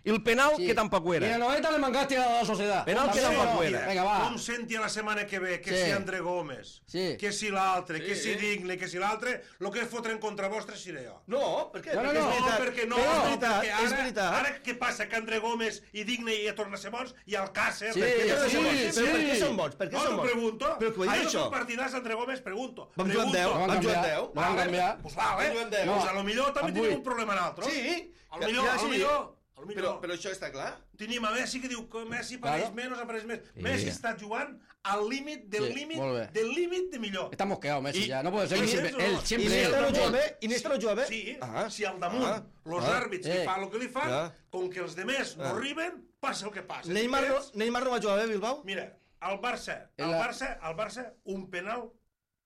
[SPEAKER 1] I el penal,
[SPEAKER 4] sí.
[SPEAKER 1] que tampoc ho
[SPEAKER 4] Y en el
[SPEAKER 1] era.
[SPEAKER 4] noventa le mancaste a la sociedad.
[SPEAKER 1] Penal que
[SPEAKER 4] También
[SPEAKER 1] tampoc
[SPEAKER 4] no.
[SPEAKER 1] ho era.
[SPEAKER 4] Venga, va.
[SPEAKER 3] Com senti la setmana que ve que
[SPEAKER 4] Sí.
[SPEAKER 3] si André Gómez,
[SPEAKER 4] Sí.
[SPEAKER 3] que si l'altre, que si Digne, que si l'altre, el que fotre en contra vostre seré jo.
[SPEAKER 2] No, per què?
[SPEAKER 4] No, no,
[SPEAKER 2] perquè
[SPEAKER 4] no.
[SPEAKER 2] és veritat.
[SPEAKER 3] perquè no,
[SPEAKER 2] és
[SPEAKER 3] no,
[SPEAKER 2] veritat,
[SPEAKER 3] perquè ara,
[SPEAKER 2] és veritat.
[SPEAKER 3] ara què passa? Que André Gómez i Digne ja tornen a ser bons i Alcácer...
[SPEAKER 4] Sí,
[SPEAKER 2] Per què tornen a ser
[SPEAKER 4] sí,
[SPEAKER 2] bons?
[SPEAKER 4] sí.
[SPEAKER 2] Però per què són bons? Per què
[SPEAKER 3] No,
[SPEAKER 2] són
[SPEAKER 3] t'ho
[SPEAKER 2] bons?
[SPEAKER 3] pregunto.
[SPEAKER 2] Però que ho he dit,
[SPEAKER 3] Ahir
[SPEAKER 2] això.
[SPEAKER 3] un partidàs d'André Gómez, pregunto.
[SPEAKER 2] Vam jugar amb
[SPEAKER 3] pregunto.
[SPEAKER 2] deu,
[SPEAKER 4] Van
[SPEAKER 2] vam jugar amb
[SPEAKER 4] canviar,
[SPEAKER 2] deu.
[SPEAKER 4] van
[SPEAKER 3] Vale,
[SPEAKER 4] canviar.
[SPEAKER 3] Pues vale.
[SPEAKER 2] Van jugar amb deu.
[SPEAKER 3] Pues a lo millor també
[SPEAKER 4] Amb
[SPEAKER 3] tenim
[SPEAKER 4] vuit.
[SPEAKER 3] un problema nosaltres.
[SPEAKER 2] Sí.
[SPEAKER 3] A lo millor,
[SPEAKER 2] Ja,
[SPEAKER 3] a lo
[SPEAKER 2] sí.
[SPEAKER 3] millor, a lo
[SPEAKER 2] Però,
[SPEAKER 3] millor.
[SPEAKER 2] però això està clar.
[SPEAKER 3] Tenim a Messi que diu que Messi pareix
[SPEAKER 4] Claro.
[SPEAKER 3] menys, apareix més. Messi està jugant al límit del
[SPEAKER 4] Sí,
[SPEAKER 3] límit
[SPEAKER 4] molt bé.
[SPEAKER 3] del límit de millor.
[SPEAKER 4] Está mosqueado Messi
[SPEAKER 2] Y-
[SPEAKER 4] ya. No puede ser.
[SPEAKER 3] y-
[SPEAKER 4] Él siempre,
[SPEAKER 3] y-
[SPEAKER 4] él,
[SPEAKER 2] I
[SPEAKER 4] siempre él.
[SPEAKER 2] Iniesta no
[SPEAKER 3] Sí.
[SPEAKER 2] juga bé? Iniesta no juga bé?
[SPEAKER 3] Sí,
[SPEAKER 2] Ah,
[SPEAKER 3] si al damunt,
[SPEAKER 2] ah,
[SPEAKER 3] los
[SPEAKER 2] ah,
[SPEAKER 3] àrbits
[SPEAKER 4] eh.
[SPEAKER 3] li fan el que li fan,
[SPEAKER 2] Ah.
[SPEAKER 3] com que els demés no
[SPEAKER 2] Ah.
[SPEAKER 3] arriben, passa el que passa.
[SPEAKER 2] Neymar no,
[SPEAKER 3] Ets-
[SPEAKER 2] Neymar no va jugar bé, Bilbao?
[SPEAKER 3] Mira, el Barça, el
[SPEAKER 4] En la-
[SPEAKER 3] Barça, el Barça, un penal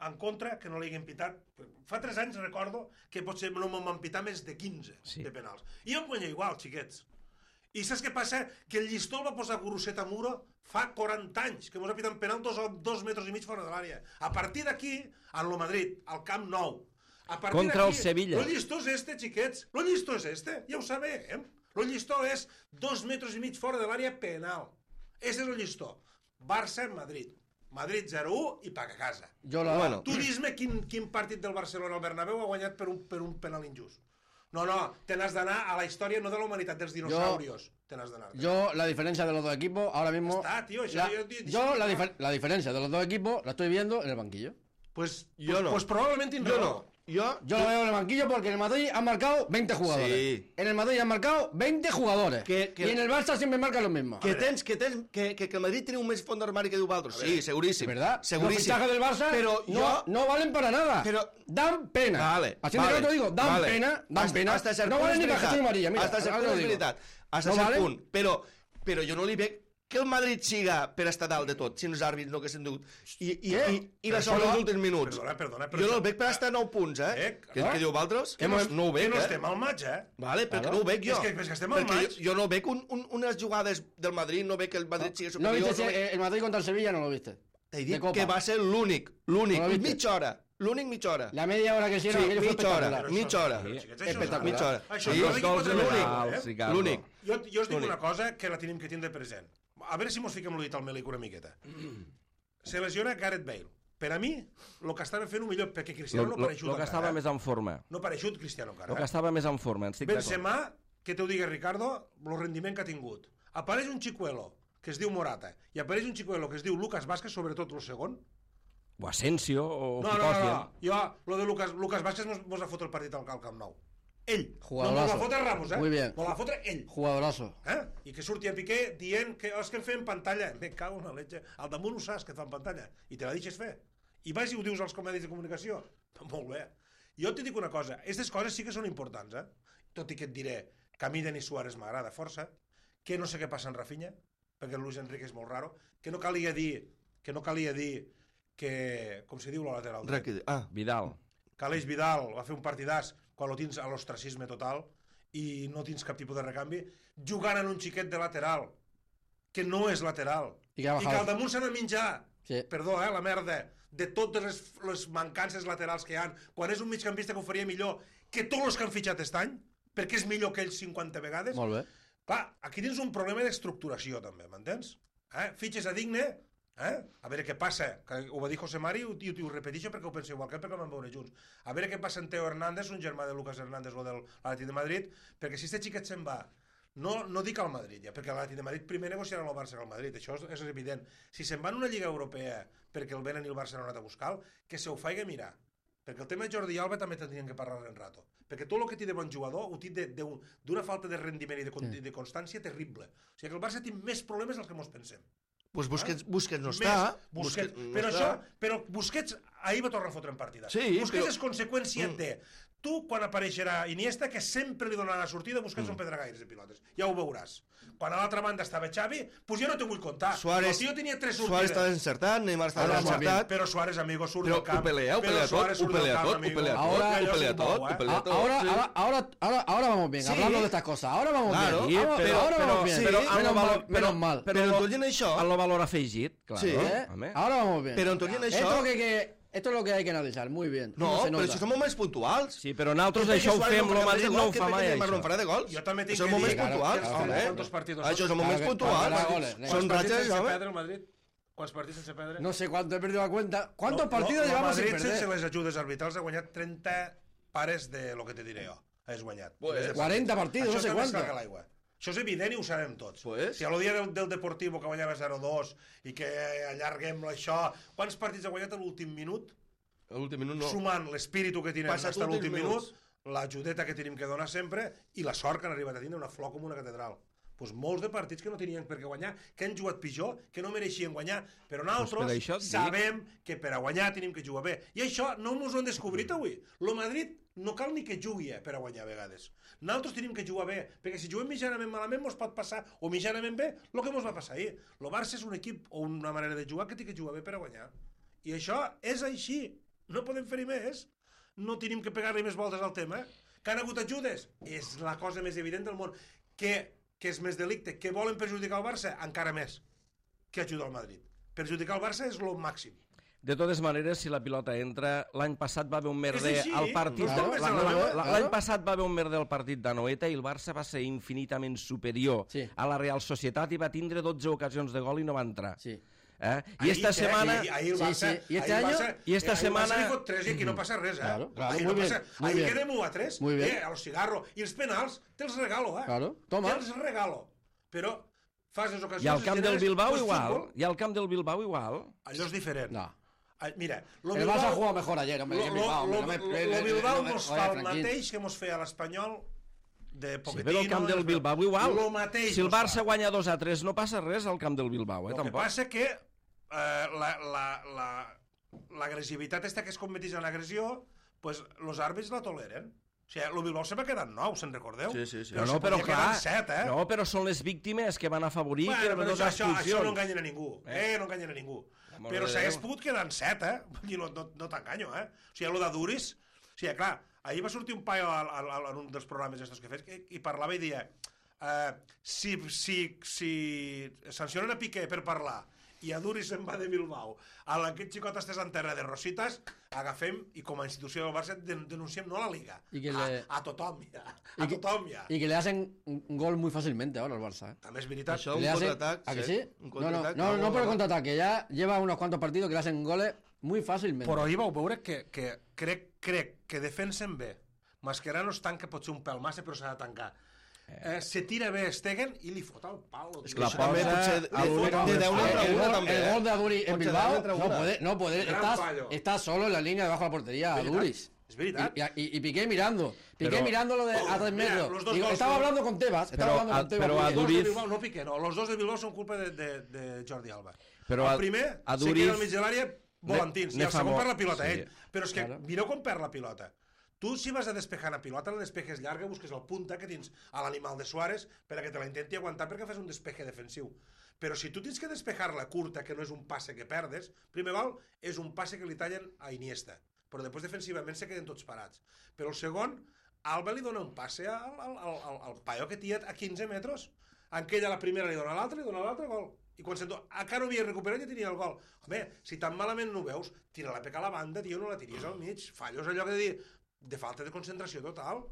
[SPEAKER 3] en contra que no li haguin pitat. Fa tres anys recordo que potser no m'han pitat més de quinze
[SPEAKER 1] Sí.
[SPEAKER 3] de penals. I em guanya igual, xiquets. I saps què passa? Que el llistó el va posar Guruceta Muro fa quaranta anys, que mos ha pitat un penal dos, dos metres i mig fora de l'àrea. A partir d'aquí, en lo Madrid, al Camp Nou, a partir
[SPEAKER 1] Contra el
[SPEAKER 3] d'aquí,
[SPEAKER 1] Sevilla.
[SPEAKER 3] el llistó és este, xiquets. El llistó és este, ja ho sabem. El llistó és dos metres i mig fora de l'àrea penal. Ese és el llistó. Barça-Madrid. Madrid zero u i paga a casa.
[SPEAKER 4] Jo la...
[SPEAKER 2] Bueno.
[SPEAKER 3] Tu dis-me quin, quin partit del Barcelona al Bernabéu ha guanyat per un, per un penal injust. No, no, te n'has d'anar a la història no de la humanitat dels dinosaurios. Te n'has d'anar.
[SPEAKER 4] Yo, la diferencia de los dos equipos, ahora mismo...
[SPEAKER 3] Está, tío, eso
[SPEAKER 4] la-
[SPEAKER 3] yo- yo-
[SPEAKER 4] yo la, difer- la diferencia de los dos equipos la estoy viendo en el banquillo.
[SPEAKER 3] Pues,
[SPEAKER 2] Jo
[SPEAKER 3] pues,
[SPEAKER 2] no.
[SPEAKER 3] pues probablemente tindrà
[SPEAKER 2] Jo
[SPEAKER 3] raó.
[SPEAKER 2] no. Jo...
[SPEAKER 4] Yo lo veo en el banquillo porque en el Madrid han marcado veinte jugadores.
[SPEAKER 2] Sí.
[SPEAKER 4] En el Madrid han marcado veinte jugadores.
[SPEAKER 2] Que- que-
[SPEAKER 4] Y en el Barça siempre marcan los mismos.
[SPEAKER 2] Que tens, que tens, que, que, que el Madrid tiene un més fons d'armari que diu Valtros. Sí, seguríssim.
[SPEAKER 4] ¿Verdad?
[SPEAKER 2] Seguríssim.
[SPEAKER 4] Los fichajes del Barça
[SPEAKER 2] Pero
[SPEAKER 4] no,
[SPEAKER 2] yo...
[SPEAKER 4] no valen para nada.
[SPEAKER 2] Pero-
[SPEAKER 4] Dan pena.
[SPEAKER 2] Vale,
[SPEAKER 4] Así
[SPEAKER 2] vale,
[SPEAKER 4] de claro te digo, dan
[SPEAKER 2] vale.
[SPEAKER 4] pena, dan
[SPEAKER 2] Hasta-
[SPEAKER 4] pena.
[SPEAKER 2] hasta cert
[SPEAKER 4] no
[SPEAKER 2] punt
[SPEAKER 4] valen
[SPEAKER 2] és
[SPEAKER 4] ni
[SPEAKER 2] veritat.
[SPEAKER 4] tarjeta amarilla, mira.
[SPEAKER 2] Hasta cert
[SPEAKER 4] ahora
[SPEAKER 2] punt
[SPEAKER 4] te
[SPEAKER 2] és
[SPEAKER 4] lo digo.
[SPEAKER 2] veritat. Hasta
[SPEAKER 4] No
[SPEAKER 2] cert
[SPEAKER 4] valen?
[SPEAKER 2] punt. Però, però jo no li veig que el Madrid siga per estar dalt de tot, si els àrbits no haguessin dut. I, i,
[SPEAKER 4] Què?
[SPEAKER 2] i, i la
[SPEAKER 3] Però
[SPEAKER 2] sort
[SPEAKER 3] això-
[SPEAKER 2] dels últims minuts.
[SPEAKER 3] Perdona, perdona, però
[SPEAKER 2] Jo no
[SPEAKER 3] això-
[SPEAKER 2] el veig per estar a nou punts, eh?
[SPEAKER 3] Eh,
[SPEAKER 2] Que,
[SPEAKER 4] clar.
[SPEAKER 2] que diu Valtros?
[SPEAKER 3] Que no,
[SPEAKER 2] no ho veig,
[SPEAKER 3] que no
[SPEAKER 2] eh?
[SPEAKER 3] estem al maig, eh?
[SPEAKER 2] Vale, però que
[SPEAKER 4] Claro.
[SPEAKER 2] no ho veig jo.
[SPEAKER 3] És que- és que estem al
[SPEAKER 2] Perquè
[SPEAKER 3] maig.
[SPEAKER 2] jo, jo no veig un, un, unes jugades del Madrid, no veig que el Madrid sigui
[SPEAKER 4] ¿No
[SPEAKER 2] superior.
[SPEAKER 4] viste
[SPEAKER 2] no
[SPEAKER 4] ese-
[SPEAKER 2] veig...
[SPEAKER 4] el Madrid contra el Sevilla? No lo viste.
[SPEAKER 2] T'he
[SPEAKER 4] de
[SPEAKER 2] dit
[SPEAKER 4] Copa.
[SPEAKER 2] que va ser l'únic, l'únic,
[SPEAKER 4] No lo viste.
[SPEAKER 2] mitja hora, l'únic mitja hora.
[SPEAKER 4] La media hora que hicieron,
[SPEAKER 2] Sí,
[SPEAKER 4] aquello fue
[SPEAKER 2] mitja hora,
[SPEAKER 4] espectacular.
[SPEAKER 2] mitja hora.
[SPEAKER 3] Però, xiquets, això
[SPEAKER 4] Espectacular.
[SPEAKER 2] Mitja hora.
[SPEAKER 3] Això
[SPEAKER 2] Sí,
[SPEAKER 3] no
[SPEAKER 1] Dos
[SPEAKER 3] digui
[SPEAKER 1] gols
[SPEAKER 3] quatre
[SPEAKER 1] il·legals,
[SPEAKER 3] gols, eh?
[SPEAKER 1] Ricardo.
[SPEAKER 2] L'únic.
[SPEAKER 3] Jo, jo us dic
[SPEAKER 2] L'únic.
[SPEAKER 3] una cosa que la tenim que tindre present. A veure si mos fiquem l'ull al melic una miqueta. Se lesiona Gareth Bale. Per a mi, el que estava fent ho millor, perquè Cristiano
[SPEAKER 1] Lo,
[SPEAKER 3] no
[SPEAKER 1] lo,
[SPEAKER 3] pareixut
[SPEAKER 1] lo que
[SPEAKER 3] encara.
[SPEAKER 1] estava
[SPEAKER 3] eh?
[SPEAKER 1] més en forma.
[SPEAKER 3] No pareixut Cristiano encara.
[SPEAKER 1] Lo que
[SPEAKER 3] Eh?
[SPEAKER 1] estava més en forma, en estic d'acord.
[SPEAKER 3] Benzema, que t'ho digui Ricardo, el rendiment que ha tingut. Apareix un xicuelo que es diu Morata i apareix un xicuelo que es diu Lucas Vázquez, sobretot el segon.
[SPEAKER 1] O Asensio, o
[SPEAKER 3] No, no, no,
[SPEAKER 1] Picòcia.
[SPEAKER 3] no. Jo, lo de Lucas, Lucas Vázquez mos, mos va fotre el partit al, al Camp Nou. Ell.
[SPEAKER 4] Jugadorazo.
[SPEAKER 3] No mos va fotre Ramos, eh?
[SPEAKER 4] Muy bien.
[SPEAKER 3] Mos va fotre ell.
[SPEAKER 4] Jugadorazo.
[SPEAKER 3] Eh? I que surti a Piqué dient que oh, és que em feien pantalla. Me cago en la leche. Al damunt ho saps que et fan pantalla. I te la deixes fer. I vas i ho dius als comedis de comunicació. Molt bé. Jo et dic una cosa. Aquestes coses sí que són importants, eh? Tot i que et diré que a mi Denis Suárez m'agrada força, que no sé què passa en Rafinha, perquè el Luis Enrique és molt raro, que no calia dir que no calia dir que, com se diu la lateral dret,
[SPEAKER 2] Ràquid. Ah,
[SPEAKER 1] Vidal.
[SPEAKER 3] que Aleix Vidal va fer un partidàs quan lo tens a l'ostracisme total i no tens cap tipus de recanvi, jugant en un xiquet de lateral, que no és lateral,
[SPEAKER 4] I que ha
[SPEAKER 3] i que
[SPEAKER 4] bajado.
[SPEAKER 3] al damunt s'ha de menjar,
[SPEAKER 4] Sí.
[SPEAKER 3] perdó, eh, la merda, de totes les, les mancances laterals que hi ha, quan és un migcampista que ho faria millor que tots els que han fitxat aquest any, perquè és millor que ells cinquanta vegades.
[SPEAKER 4] Molt bé.
[SPEAKER 3] Clar, aquí tens un problema d'estructuració, també, m'entens? Eh? Fitxes a Digne, eh? A veure què passa, que ho va dir José Mari i ho, i ho repeteixo perquè ho penso igual que ell, perquè ho vam veure junts. A veure què passa en Teo Hernández, un germà de Lucas Hernández o del Atlètic de Madrid, perquè si este xiquet se'n va, no, no dic al Madrid, ja, perquè l'Atlètic de Madrid primer negociarà amb el Barça que el Madrid, això és, és evident. Si se'n va en una lliga europea perquè el venen i el Barça no ha anat a buscar, que se ho faci mirar. Perquè el tema de Jordi Alba també tindrien que parlar en rato. Perquè tot el que té de bon jugador ho té d'una falta de rendiment i de, con de constància terrible. O sigui que el Barça té més problemes dels que mos pensem.
[SPEAKER 2] doncs Busquets, Busquets no
[SPEAKER 3] Més
[SPEAKER 2] està.
[SPEAKER 3] Busquets.
[SPEAKER 2] no
[SPEAKER 3] però,
[SPEAKER 2] està.
[SPEAKER 3] això, però Busquets ahir va tornar a fotre en partida.
[SPEAKER 2] Sí,
[SPEAKER 3] Busquets
[SPEAKER 2] però-
[SPEAKER 3] és conseqüència
[SPEAKER 2] Mm.
[SPEAKER 3] de... Tu, quan apareixerà Iniesta, que sempre li donaran la sortida, Busquets
[SPEAKER 2] Mm.
[SPEAKER 3] són pedragaires de pilotes. Ja ho veuràs. Quan a l'altra banda estava Xavi, doncs jo no te vull contar.
[SPEAKER 2] Suárez,
[SPEAKER 3] El tio tenia tres
[SPEAKER 2] Suárez
[SPEAKER 3] sortides.
[SPEAKER 2] està encertat, Neymar està
[SPEAKER 4] Ara,
[SPEAKER 2] encertat.
[SPEAKER 3] Però Suárez, amigo, surt
[SPEAKER 2] Però
[SPEAKER 3] del camp.
[SPEAKER 2] ho pelea, ho
[SPEAKER 3] Però
[SPEAKER 2] pelea tot,
[SPEAKER 3] Suárez
[SPEAKER 2] ho
[SPEAKER 3] surt del
[SPEAKER 2] pelea
[SPEAKER 3] camp,
[SPEAKER 2] tot, ho
[SPEAKER 3] amigo.
[SPEAKER 2] pelea
[SPEAKER 4] tot,
[SPEAKER 3] Allò
[SPEAKER 4] ho
[SPEAKER 3] és
[SPEAKER 2] pelea
[SPEAKER 3] un
[SPEAKER 2] tot,
[SPEAKER 3] bou,
[SPEAKER 2] ho
[SPEAKER 3] eh?
[SPEAKER 2] pelea
[SPEAKER 4] Ah,
[SPEAKER 2] todo,
[SPEAKER 4] ahora,
[SPEAKER 2] sí.
[SPEAKER 4] ahora, ahora, ahora, ahora vamos bien,
[SPEAKER 2] Sí.
[SPEAKER 4] hablando de estas cosas. Ahora vamos
[SPEAKER 2] Claro,
[SPEAKER 4] bien.
[SPEAKER 1] Sí,
[SPEAKER 4] Ahora,
[SPEAKER 1] però-
[SPEAKER 4] ahora
[SPEAKER 1] però-
[SPEAKER 4] vamos bien.
[SPEAKER 2] sí,
[SPEAKER 1] però
[SPEAKER 4] menos,
[SPEAKER 1] en lo
[SPEAKER 4] mal,
[SPEAKER 1] val-
[SPEAKER 4] menos
[SPEAKER 1] però-
[SPEAKER 4] mal.
[SPEAKER 2] Però en tot i en això...
[SPEAKER 1] En el valor afegit, clar.
[SPEAKER 2] Sí.
[SPEAKER 4] ¿Eh?
[SPEAKER 1] Home.
[SPEAKER 4] Ahora vamos bien.
[SPEAKER 2] Però en tot i en això...
[SPEAKER 4] Esto, que, que, esto es lo que hay que analizar, muy bien.
[SPEAKER 2] No,
[SPEAKER 4] se
[SPEAKER 2] però
[SPEAKER 4] nota.
[SPEAKER 2] això són moments puntuals.
[SPEAKER 1] Sí, però nosaltres
[SPEAKER 2] Perquè
[SPEAKER 1] això ho
[SPEAKER 2] Suárez
[SPEAKER 1] fem,
[SPEAKER 2] no farà
[SPEAKER 1] el Madrid
[SPEAKER 2] de
[SPEAKER 1] no ho
[SPEAKER 2] gol, que
[SPEAKER 1] fa
[SPEAKER 2] perquè
[SPEAKER 1] mai,
[SPEAKER 2] Neymar no
[SPEAKER 1] això.
[SPEAKER 2] farà de gols.
[SPEAKER 3] Jo també tinc
[SPEAKER 2] Són
[SPEAKER 3] que
[SPEAKER 2] moments
[SPEAKER 3] dir que-
[SPEAKER 2] puntuals.
[SPEAKER 3] que-
[SPEAKER 4] Claro,
[SPEAKER 3] que-
[SPEAKER 2] home.
[SPEAKER 3] quantos partidos
[SPEAKER 2] Això són moments
[SPEAKER 4] Claro que-
[SPEAKER 2] puntuals.
[SPEAKER 4] para goles,
[SPEAKER 3] Quants
[SPEAKER 2] Són
[SPEAKER 3] partits
[SPEAKER 2] ratxes,
[SPEAKER 3] sense
[SPEAKER 2] home.
[SPEAKER 3] perdre el Madrid? Quants partits sense perdre?
[SPEAKER 4] No sé cuánto, he perdido la cuenta. ¿Cuántos
[SPEAKER 3] No,
[SPEAKER 4] partidos
[SPEAKER 3] no,
[SPEAKER 4] llevamos
[SPEAKER 3] el
[SPEAKER 4] sin
[SPEAKER 3] Madrid,
[SPEAKER 4] perder?
[SPEAKER 3] sense les ajudes arbitrals, ha guanyat trenta pares de lo que te diré jo. Has guanyat.
[SPEAKER 2] Pues,
[SPEAKER 3] Des de
[SPEAKER 4] cuarenta partidos,
[SPEAKER 3] Això
[SPEAKER 4] no sé
[SPEAKER 3] està més
[SPEAKER 4] cuánto.
[SPEAKER 3] clar que l'aigua. Això és evident i ho sabem tots.
[SPEAKER 2] Pues.
[SPEAKER 3] Si a lo dia del, del Deportivo que guanyava zero dos i que allarguem això... Quants partits ha guanyat a l'últim minut?
[SPEAKER 2] A l'últim minut no.
[SPEAKER 3] Sumant l'espíritu que tenen
[SPEAKER 2] Passat
[SPEAKER 3] fins a l'últim
[SPEAKER 2] últims
[SPEAKER 3] minut,
[SPEAKER 2] minuts.
[SPEAKER 3] l'ajudeta que tenim que donar sempre i la sort que han arribat a tindre una flor com una catedral. Pues molts de partits que no tenien per què guanyar, que han jugat pitjor, que no mereixien guanyar, però nosaltres
[SPEAKER 1] Pues per això et dic.
[SPEAKER 3] sabem que per a guanyar tenim que jugar bé. I això no ens ho han descobrit avui. Lo Madrid no cal ni que jugui eh, per a guanyar a vegades. Nosaltres tenim que jugar bé, perquè si juguem mitjanament malament mos pot passar, o mitjanament bé, el que mos va passar ahir. Lo Barça és un equip o una manera de jugar que té que jugar bé per a guanyar. I això és així. no podem fer-hi més, no tenim que pegar-li més voltes al tema, que han hagut ajudes, és la cosa més evident del món, que, que és més delicte, que volen perjudicar el Barça, encara més que ajudar al Madrid. Perjudicar el Barça és lo màxim.
[SPEAKER 1] De totes maneres, si la pilota entra, l'any passat va haver un merder
[SPEAKER 3] així,
[SPEAKER 1] al partit...
[SPEAKER 3] no
[SPEAKER 1] de-
[SPEAKER 3] és
[SPEAKER 1] la-
[SPEAKER 3] la-
[SPEAKER 1] la-
[SPEAKER 3] la-
[SPEAKER 1] la- L'any passat va haver un merder al partit d'Anoeta i el Barça va ser infinitament superior
[SPEAKER 4] Sí.
[SPEAKER 1] a la Real Societat i va tindre dotze ocasions de gol i no va entrar.
[SPEAKER 4] Sí.
[SPEAKER 1] Eh? I
[SPEAKER 3] Ahí,
[SPEAKER 1] esta
[SPEAKER 3] eh,
[SPEAKER 1] setmana...
[SPEAKER 3] ahí- ahí el
[SPEAKER 4] Sí,
[SPEAKER 3] Barça-
[SPEAKER 4] sí. ¿Y este
[SPEAKER 3] ahí el
[SPEAKER 4] año?
[SPEAKER 3] Barça-
[SPEAKER 1] Y esta
[SPEAKER 3] ahí el Barça
[SPEAKER 1] semana-
[SPEAKER 3] li fot tres i aquí no passa res, eh?
[SPEAKER 4] Claro, claro,
[SPEAKER 3] ahí
[SPEAKER 4] muy
[SPEAKER 3] no
[SPEAKER 4] bien,
[SPEAKER 3] passa...
[SPEAKER 4] muy
[SPEAKER 3] ahí
[SPEAKER 4] bien.
[SPEAKER 3] quedem u a tres.
[SPEAKER 4] Muy bien.
[SPEAKER 3] Eh, a los cigarros. I els penals te'ls regalo, eh?
[SPEAKER 4] Claro, toma.
[SPEAKER 3] Te'ls regalo. Però fas les ocasions...
[SPEAKER 1] I al camp
[SPEAKER 3] les
[SPEAKER 1] del
[SPEAKER 3] generes,
[SPEAKER 1] Bilbao
[SPEAKER 3] pues,
[SPEAKER 1] igual.
[SPEAKER 3] futbol.
[SPEAKER 1] I al camp del Bilbao igual.
[SPEAKER 3] Allò és diferent.
[SPEAKER 4] No.
[SPEAKER 3] Ah, Mira, lo
[SPEAKER 4] El Barça jugó mejor ayer, hombre.
[SPEAKER 3] Lo,
[SPEAKER 4] que
[SPEAKER 3] lo,
[SPEAKER 4] Bilbao, hombre,
[SPEAKER 3] lo,
[SPEAKER 4] no me-
[SPEAKER 3] lo,
[SPEAKER 4] le-
[SPEAKER 3] lo
[SPEAKER 4] le-
[SPEAKER 3] Bilbao
[SPEAKER 4] no me-
[SPEAKER 3] mos
[SPEAKER 4] oye,
[SPEAKER 3] fa el
[SPEAKER 4] tranquil.
[SPEAKER 3] mateix que mos feia l'Espanyol de
[SPEAKER 1] Sí,
[SPEAKER 3] Pochettino...
[SPEAKER 1] però al camp del Bilbao igual.
[SPEAKER 3] Lo mateix
[SPEAKER 1] Si el
[SPEAKER 3] mos fa.
[SPEAKER 1] Barça guanya dos a tres no passa res al camp del Bilbao, eh,
[SPEAKER 3] El que
[SPEAKER 1] tampoc.
[SPEAKER 3] passa que eh, la, la, la, l'agressivitat esta que es converteix en agressió, pues, los àrbits la toleren. O sigui, el Bilbao se va quedar nou, se'n recordeu?
[SPEAKER 2] Sí, sí, sí.
[SPEAKER 1] No,
[SPEAKER 3] Però
[SPEAKER 1] no,
[SPEAKER 3] se
[SPEAKER 1] però
[SPEAKER 3] podia
[SPEAKER 1] clar,
[SPEAKER 3] quedar en set, eh?
[SPEAKER 1] no, però són les víctimes que van afavorir
[SPEAKER 3] Bueno,
[SPEAKER 1] que
[SPEAKER 3] però
[SPEAKER 1] no
[SPEAKER 3] això, això, això no
[SPEAKER 1] expulsions.
[SPEAKER 3] enganyen a ningú. Eh, no enganyen a ningú.
[SPEAKER 1] Amor
[SPEAKER 3] Però
[SPEAKER 1] de
[SPEAKER 3] s'hagués
[SPEAKER 1] Déu.
[SPEAKER 3] pogut quedar en set, eh? Vull dir, no, no, no t'enganyo, eh? O sigui, lo de Duris... O sigui, clar, ahir va sortir un paio al, al, al, en un dels programes estos que fes que, i parlava i dia uh, si, si, si sancionen a Piqué per parlar i a Duris se'n va de Bilbao a aquest xicot estés en terra de Rositas, agafem i com a institució del Barça den denunciem no a la Liga,
[SPEAKER 4] I que
[SPEAKER 3] a,
[SPEAKER 4] le-
[SPEAKER 3] a tothom ja,
[SPEAKER 4] Y
[SPEAKER 3] a
[SPEAKER 4] que,
[SPEAKER 3] tothom ja.
[SPEAKER 4] y que le hacen un un gol muy fácilmente ahora al Barça. ¿eh?
[SPEAKER 3] També és veritat.
[SPEAKER 2] Això,
[SPEAKER 4] Que
[SPEAKER 2] un
[SPEAKER 4] le hacen-
[SPEAKER 2] contraatac,
[SPEAKER 4] ¿A que
[SPEAKER 2] sí,
[SPEAKER 4] sí?
[SPEAKER 2] un
[SPEAKER 4] No, no,
[SPEAKER 2] contraatac,
[SPEAKER 4] no, no
[SPEAKER 2] vamos,
[SPEAKER 4] por el
[SPEAKER 2] vamos.
[SPEAKER 4] contraataque, ya lleva unos cuantos partidos que le hacen goles muy fácilmente.
[SPEAKER 3] Però ahir vau veure que, que crec, crec que defensen bé. Mascherano es tanca, pot ser un pèl massa, però s'ha de tancar. Eh, se tira bé Stegen i li fot el pal.
[SPEAKER 2] És que
[SPEAKER 1] La
[SPEAKER 2] això també
[SPEAKER 1] posa
[SPEAKER 2] potser
[SPEAKER 1] a
[SPEAKER 2] de,
[SPEAKER 1] l'únic-
[SPEAKER 2] de deu
[SPEAKER 4] el,
[SPEAKER 2] n'entra
[SPEAKER 4] el
[SPEAKER 2] una,
[SPEAKER 4] gol,
[SPEAKER 2] també.
[SPEAKER 4] el
[SPEAKER 2] eh?
[SPEAKER 4] gol de Aduri en
[SPEAKER 2] Potser
[SPEAKER 4] Bilbao
[SPEAKER 2] deu n'entra
[SPEAKER 4] no
[SPEAKER 2] una.
[SPEAKER 4] puede, no puede,
[SPEAKER 3] Gran
[SPEAKER 4] estás,
[SPEAKER 3] fallo.
[SPEAKER 4] estás solo en la línea debajo de la portería,
[SPEAKER 3] veritat.
[SPEAKER 4] Aduris.
[SPEAKER 3] És veritat.
[SPEAKER 4] Y, y, y Piqué mirando, Piqué
[SPEAKER 1] Pero-
[SPEAKER 4] mirándolo de, a tres
[SPEAKER 3] Mira,
[SPEAKER 4] metros.
[SPEAKER 3] los dos
[SPEAKER 4] Digo,
[SPEAKER 3] gols
[SPEAKER 4] estaba
[SPEAKER 3] son-
[SPEAKER 4] hablando con Tebas, estaba
[SPEAKER 1] Pero
[SPEAKER 4] hablando
[SPEAKER 1] a-
[SPEAKER 4] con Tebas.
[SPEAKER 1] pero
[SPEAKER 4] muy
[SPEAKER 1] a
[SPEAKER 4] bien.
[SPEAKER 3] Los de
[SPEAKER 1] Duriz-
[SPEAKER 3] Bilbao, no Piqué, no. Los dos de Bilbao són culpa de, de, de Jordi Alba.
[SPEAKER 1] Però
[SPEAKER 3] el
[SPEAKER 1] a-
[SPEAKER 3] primer
[SPEAKER 1] a
[SPEAKER 3] se
[SPEAKER 1] Duriz-
[SPEAKER 3] queda al mig de l'àrea volantins,
[SPEAKER 1] Ne-
[SPEAKER 3] i el
[SPEAKER 1] ne fa
[SPEAKER 3] segon
[SPEAKER 1] molt,
[SPEAKER 3] per la pilota
[SPEAKER 1] sí.
[SPEAKER 3] ell. Però és que
[SPEAKER 4] Claro.
[SPEAKER 3] mireu com perd la pilota. Tu, si vas a despejar una pilota, la despejes llarga, busques el punta que tens a l'animal de Suárez per a que te la intenti aguantar perquè fas un despeje defensiu. Però si tu tens que despejar-la curta, que no és un passe que perdes, primer val, és un passe que li tallen a Iniesta. Però després defensivament se queden tots parats. Però el segon, Alba li dona un passe al, al, al, al, al paio que tira a quinze metres. En que ella la primera li dona a l'altra, li dona a l'altra, gol. I quan sento, encara no havia recuperat ja tenia el gol. Home, si tan malament no ho veus, tira la peca a la banda, tio, no la tiris al mig. Fallos allò que de dir, de falta de concentració total.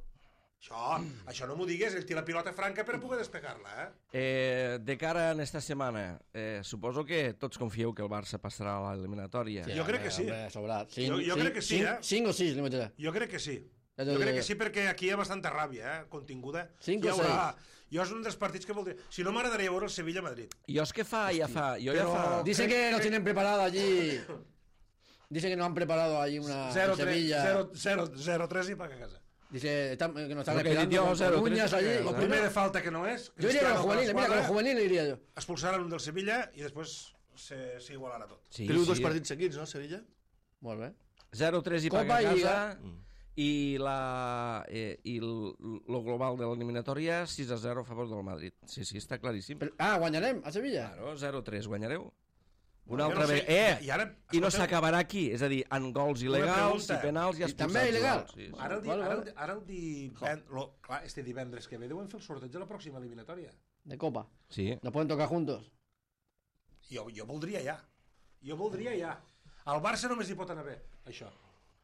[SPEAKER 3] Això, això no m'ho digues, ell tira la pilota franca per a poder despegar-la, eh?
[SPEAKER 1] Eh, de cara a esta setmana, eh, suposo que tots confieu que el Barça passarà a l'eliminatòria.
[SPEAKER 3] Jo crec que sí.
[SPEAKER 4] Hombre, sobrat.
[SPEAKER 3] Jo- jo crec que sí,
[SPEAKER 4] cinc,
[SPEAKER 3] eh?
[SPEAKER 4] Cinc o sis li meterà.
[SPEAKER 3] Jo crec que sí.
[SPEAKER 4] Ja t'ho
[SPEAKER 3] Jo crec
[SPEAKER 4] diré.
[SPEAKER 3] que sí, perquè aquí hi ha bastanta ràbia, eh, continguda.
[SPEAKER 4] Cinc
[SPEAKER 3] Hi
[SPEAKER 4] o
[SPEAKER 3] haurà- Jo és un dels partits que voldria... Si no, m'agradaria veure el Sevilla-Madrid.
[SPEAKER 1] Jo és que fa, ja fa... Jo
[SPEAKER 3] Però-
[SPEAKER 1] ja fa...
[SPEAKER 4] Dice que nos tienen preparado allí. Dice que nos han preparado allí una en Sevilla.
[SPEAKER 3] zero tres i paga a casa.
[SPEAKER 4] Dice están- que nos están
[SPEAKER 1] Lo que
[SPEAKER 4] esperando
[SPEAKER 1] dijo
[SPEAKER 4] con,
[SPEAKER 1] cero
[SPEAKER 4] con
[SPEAKER 1] tres
[SPEAKER 4] uñas
[SPEAKER 1] para
[SPEAKER 4] allí.
[SPEAKER 1] que-
[SPEAKER 3] El
[SPEAKER 1] Bueno,
[SPEAKER 3] primer de falta que no és...
[SPEAKER 4] Yo iría con los
[SPEAKER 3] Cristiano
[SPEAKER 4] juveniles, mira, con los
[SPEAKER 3] esquadra,
[SPEAKER 4] juveniles iría yo.
[SPEAKER 3] expulsaran un del Sevilla i després se- s'igualarà tot.
[SPEAKER 1] Sí,
[SPEAKER 2] Teniu dos
[SPEAKER 1] sí.
[SPEAKER 2] partits seguits, no, Sevilla?
[SPEAKER 4] Molt bé.
[SPEAKER 1] zero tres i
[SPEAKER 4] Copa
[SPEAKER 1] paga a
[SPEAKER 4] i
[SPEAKER 1] casa
[SPEAKER 4] Lliga.
[SPEAKER 1] i, la, eh, i el, lo global de l'eliminatòria sis a zero a favor del Madrid. Sí, sí, està claríssim.
[SPEAKER 4] Però, ah, guanyarem a Sevilla.
[SPEAKER 1] Claro, zero tres, guanyareu. Una
[SPEAKER 3] Jo
[SPEAKER 1] altra
[SPEAKER 3] no sé,
[SPEAKER 1] vegada. Eh,
[SPEAKER 3] i ara,
[SPEAKER 1] I no
[SPEAKER 3] escolteu,
[SPEAKER 1] s'acabarà aquí, és a dir, en gols il·legals
[SPEAKER 3] pregunta.
[SPEAKER 1] i penals i
[SPEAKER 4] I
[SPEAKER 1] expulsats.
[SPEAKER 4] també il·legal?
[SPEAKER 1] igual, Sí, sí.
[SPEAKER 3] Ara el, di,
[SPEAKER 4] Vale,
[SPEAKER 3] ara, el,
[SPEAKER 4] vale.
[SPEAKER 3] ara el divend... Lo, clar, este divendres que ve deuen fer el sorteig de la pròxima eliminatòria.
[SPEAKER 4] De Copa.
[SPEAKER 1] Sí.
[SPEAKER 4] Nos pueden tocar juntos.
[SPEAKER 3] Jo, jo voldria ja. Jo voldria ja. Al Barça només hi pot anar bé, això.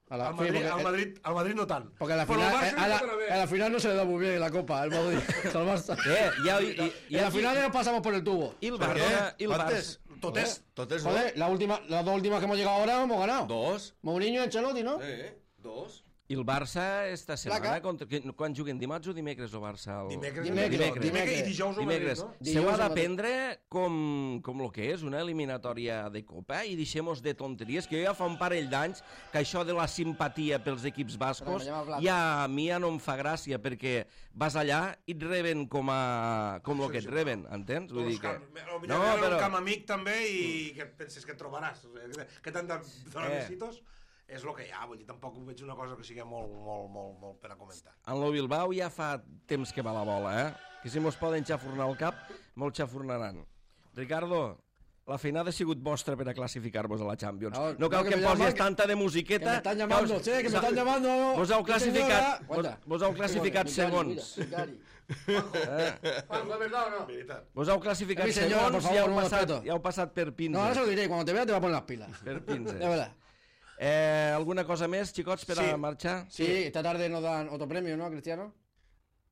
[SPEAKER 4] A la,
[SPEAKER 3] Al Madrid,
[SPEAKER 4] sí, porque,
[SPEAKER 3] al Madrid, al Madrid no tant.
[SPEAKER 4] porque a la
[SPEAKER 3] Però
[SPEAKER 4] final,
[SPEAKER 3] al Barça
[SPEAKER 4] eh,
[SPEAKER 3] hi
[SPEAKER 4] a, la,
[SPEAKER 3] pot anar bé.
[SPEAKER 4] a la final no se le da muy bien la Copa al Madrid, al Barça.
[SPEAKER 1] Eh, ja, i, i, i,
[SPEAKER 4] En la
[SPEAKER 1] aquí-
[SPEAKER 4] final nos pasamos por el tubo.
[SPEAKER 1] I el
[SPEAKER 2] Per
[SPEAKER 1] Barça...
[SPEAKER 2] què?
[SPEAKER 1] I el
[SPEAKER 2] Quantes?
[SPEAKER 1] Barça...
[SPEAKER 3] Tot és...
[SPEAKER 2] Totes, no?
[SPEAKER 4] Joder, la última, las dos últimas que hemos llegado ahora hemos ganado.
[SPEAKER 2] Dos.
[SPEAKER 4] Mourinho y Ancelotti, ¿no?
[SPEAKER 2] Eh, dos.
[SPEAKER 1] I el Barça esta setmana,
[SPEAKER 4] Placa.
[SPEAKER 1] contra, que, quan juguen dimarts o dimecres el Barça? El...
[SPEAKER 3] Dimecres,
[SPEAKER 4] Dimecres,
[SPEAKER 3] dimecres,
[SPEAKER 4] dimecres.
[SPEAKER 3] i dijous al Madrid,
[SPEAKER 1] Dimecres.
[SPEAKER 3] no?
[SPEAKER 1] Se ho
[SPEAKER 4] Dijous
[SPEAKER 1] ha
[SPEAKER 4] al
[SPEAKER 1] de
[SPEAKER 4] Madrid.
[SPEAKER 1] prendre com, com el que és, una eliminatòria de Copa, i deixem-nos de tonteries, que jo ja fa un parell d'anys que això de la simpatia pels equips bascos
[SPEAKER 4] Però me llama Plata.
[SPEAKER 1] ja a mi ja no em fa gràcia, perquè vas allà i et reben com, a, com el que et reben, entens? Vull dir que...
[SPEAKER 3] No,
[SPEAKER 1] No,
[SPEAKER 3] però...
[SPEAKER 1] però...
[SPEAKER 3] un camp amic també i que et penses que et trobaràs. Que- Que t'han de donar
[SPEAKER 1] Eh.
[SPEAKER 3] besitos. És el que hi ha, vull dir, tampoc veig una cosa que sigui molt, molt, molt, molt per a comentar.
[SPEAKER 1] En lo Bilbao ja fa temps que va la bola, eh? Que si mos poden xafurnar el cap, molt xafurnaran. Ricardo, la feinada ha sigut vostra per a classificar-vos a la Champions.
[SPEAKER 4] No,
[SPEAKER 1] No cal
[SPEAKER 4] no,
[SPEAKER 1] que
[SPEAKER 4] que
[SPEAKER 1] em
[SPEAKER 4] me
[SPEAKER 1] posis
[SPEAKER 4] llaman,
[SPEAKER 1] tanta de
[SPEAKER 4] Que
[SPEAKER 1] musiqueta.
[SPEAKER 4] me están llamando,
[SPEAKER 1] us-
[SPEAKER 4] che, que me están llamando.
[SPEAKER 1] Vos heu
[SPEAKER 4] Sí,
[SPEAKER 1] classificat,
[SPEAKER 4] señora.
[SPEAKER 1] vos,
[SPEAKER 4] Guarda.
[SPEAKER 1] vos heu classificat
[SPEAKER 4] Mira,
[SPEAKER 1] segons.
[SPEAKER 4] mira, mira.
[SPEAKER 5] Juanjo, ¿verdad o no?
[SPEAKER 1] Vos heu classificat
[SPEAKER 4] Mi señora, por
[SPEAKER 1] segons
[SPEAKER 4] favor,
[SPEAKER 1] i heu
[SPEAKER 4] un
[SPEAKER 1] passat,
[SPEAKER 4] respeto.
[SPEAKER 1] i heu passat per pinzes.
[SPEAKER 4] No, ahora se lo diré, cuando te vea te va a poner las pilas.
[SPEAKER 1] Per pinzes.
[SPEAKER 4] De verdad.
[SPEAKER 1] Eh, alguna cosa més, xicots, per
[SPEAKER 3] Sí.
[SPEAKER 1] a marxar?
[SPEAKER 4] Sí, esta tarde nos dan otro premio, ¿no, Cristiano?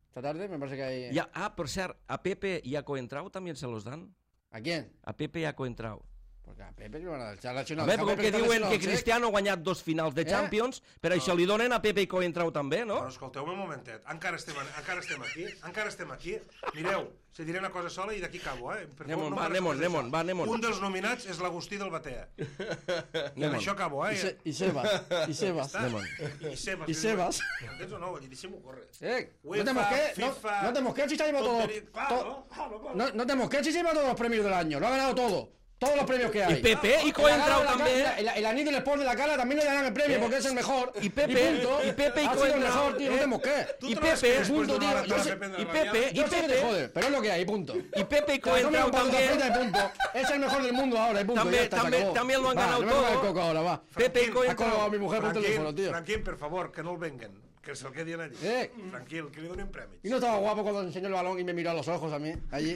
[SPEAKER 4] Esta tarde me parece que hay...
[SPEAKER 1] Ja, ah, per cert, a Pepe y a Coentrao también se los dan.
[SPEAKER 4] ¿A quién?
[SPEAKER 1] A Pepe y a Coentrao.
[SPEAKER 4] Porque a Pepe le van a dar. Se ha lesionado.
[SPEAKER 1] Home,
[SPEAKER 4] Se ha
[SPEAKER 1] com que
[SPEAKER 4] lesionado,
[SPEAKER 1] diuen
[SPEAKER 4] se ha
[SPEAKER 1] que
[SPEAKER 4] lesionado,
[SPEAKER 1] Cristiano ha guanyat dos finals de
[SPEAKER 4] Eh?
[SPEAKER 1] Champions, per això li donen a Pepe i Coentrao també, no?
[SPEAKER 3] Però escolteu-me un momentet, encara estem, encara estem aquí, encara estem aquí. Mireu, se diré una cosa sola i d'aquí acabo, eh? Per
[SPEAKER 1] Anem-on,
[SPEAKER 3] no
[SPEAKER 1] va,
[SPEAKER 3] em
[SPEAKER 1] anem-on,
[SPEAKER 3] faràs
[SPEAKER 1] anem-on,
[SPEAKER 3] això.
[SPEAKER 1] va, anem-on.
[SPEAKER 3] Un dels nominats és l'Agustí del Batea. I amb
[SPEAKER 1] Anem-on.
[SPEAKER 3] això acabo,
[SPEAKER 4] Y,
[SPEAKER 3] eh?
[SPEAKER 4] Se- y Sebas. Y Sebas.
[SPEAKER 3] Està?
[SPEAKER 1] Anem-on.
[SPEAKER 3] I Sebas.
[SPEAKER 4] I Sebas.
[SPEAKER 3] Entens o no? Vull dir, deixem-ho córrer.
[SPEAKER 4] Eh, no
[SPEAKER 3] UEFA,
[SPEAKER 4] te mosques, no,
[SPEAKER 3] FIFA,
[SPEAKER 4] no te mosques si se ha llevado todo,
[SPEAKER 3] tontería- Claro,
[SPEAKER 4] to-
[SPEAKER 3] claro, claro.
[SPEAKER 4] no, no te mosques si se lleva todos los premios del año, lo ha ganado todo, todos los premios que hay.
[SPEAKER 1] Y Pepe y
[SPEAKER 4] El
[SPEAKER 1] Coentrao
[SPEAKER 4] ganador de la
[SPEAKER 1] también.
[SPEAKER 4] Cala, El, el anillo del Sport de la Cala también le darán el premio porque es el mejor.
[SPEAKER 1] Y Pepe,
[SPEAKER 4] punto.
[SPEAKER 1] y Pepe y
[SPEAKER 4] ha sido el
[SPEAKER 1] Coentrao,
[SPEAKER 4] mejor, tío, no
[SPEAKER 1] eh.
[SPEAKER 4] te mosques.
[SPEAKER 3] Tú
[SPEAKER 1] Y
[SPEAKER 3] te vas
[SPEAKER 1] Pepe,
[SPEAKER 3] que después
[SPEAKER 4] punto,
[SPEAKER 3] de una
[SPEAKER 4] tío,
[SPEAKER 3] hora
[SPEAKER 4] yo
[SPEAKER 3] te
[SPEAKER 4] sé-
[SPEAKER 3] vas a Pepe de
[SPEAKER 1] y
[SPEAKER 3] la
[SPEAKER 1] Pepe,
[SPEAKER 3] mañana.
[SPEAKER 1] y
[SPEAKER 4] Yo sé que te
[SPEAKER 1] Pepe,
[SPEAKER 4] jode, pero es lo que hay, punto.
[SPEAKER 1] y Pepe y
[SPEAKER 4] Te la comes
[SPEAKER 1] Coentrao
[SPEAKER 4] un patata
[SPEAKER 1] también.
[SPEAKER 4] frita y punto. Es el mejor del mundo ahora, y punto.
[SPEAKER 1] También-
[SPEAKER 4] ya está, se
[SPEAKER 1] también-
[SPEAKER 4] acabó.
[SPEAKER 1] también lo han
[SPEAKER 4] Va,
[SPEAKER 1] ganado
[SPEAKER 4] no me pongas el
[SPEAKER 1] todo.
[SPEAKER 4] coco ahora, va.
[SPEAKER 1] Pepe y
[SPEAKER 4] Ha colgado a
[SPEAKER 1] Coentrao.
[SPEAKER 4] mi mujer por teléfono,
[SPEAKER 3] Franquín,
[SPEAKER 4] tío.
[SPEAKER 3] Franquín, per favor, que no el venguen, que se'l quedin allí.
[SPEAKER 4] Eh.
[SPEAKER 3] Tranquil, que li donin premis.
[SPEAKER 4] Y no estaba guapo cuando enseñó el balón y me miró a los ojos a mí, allí.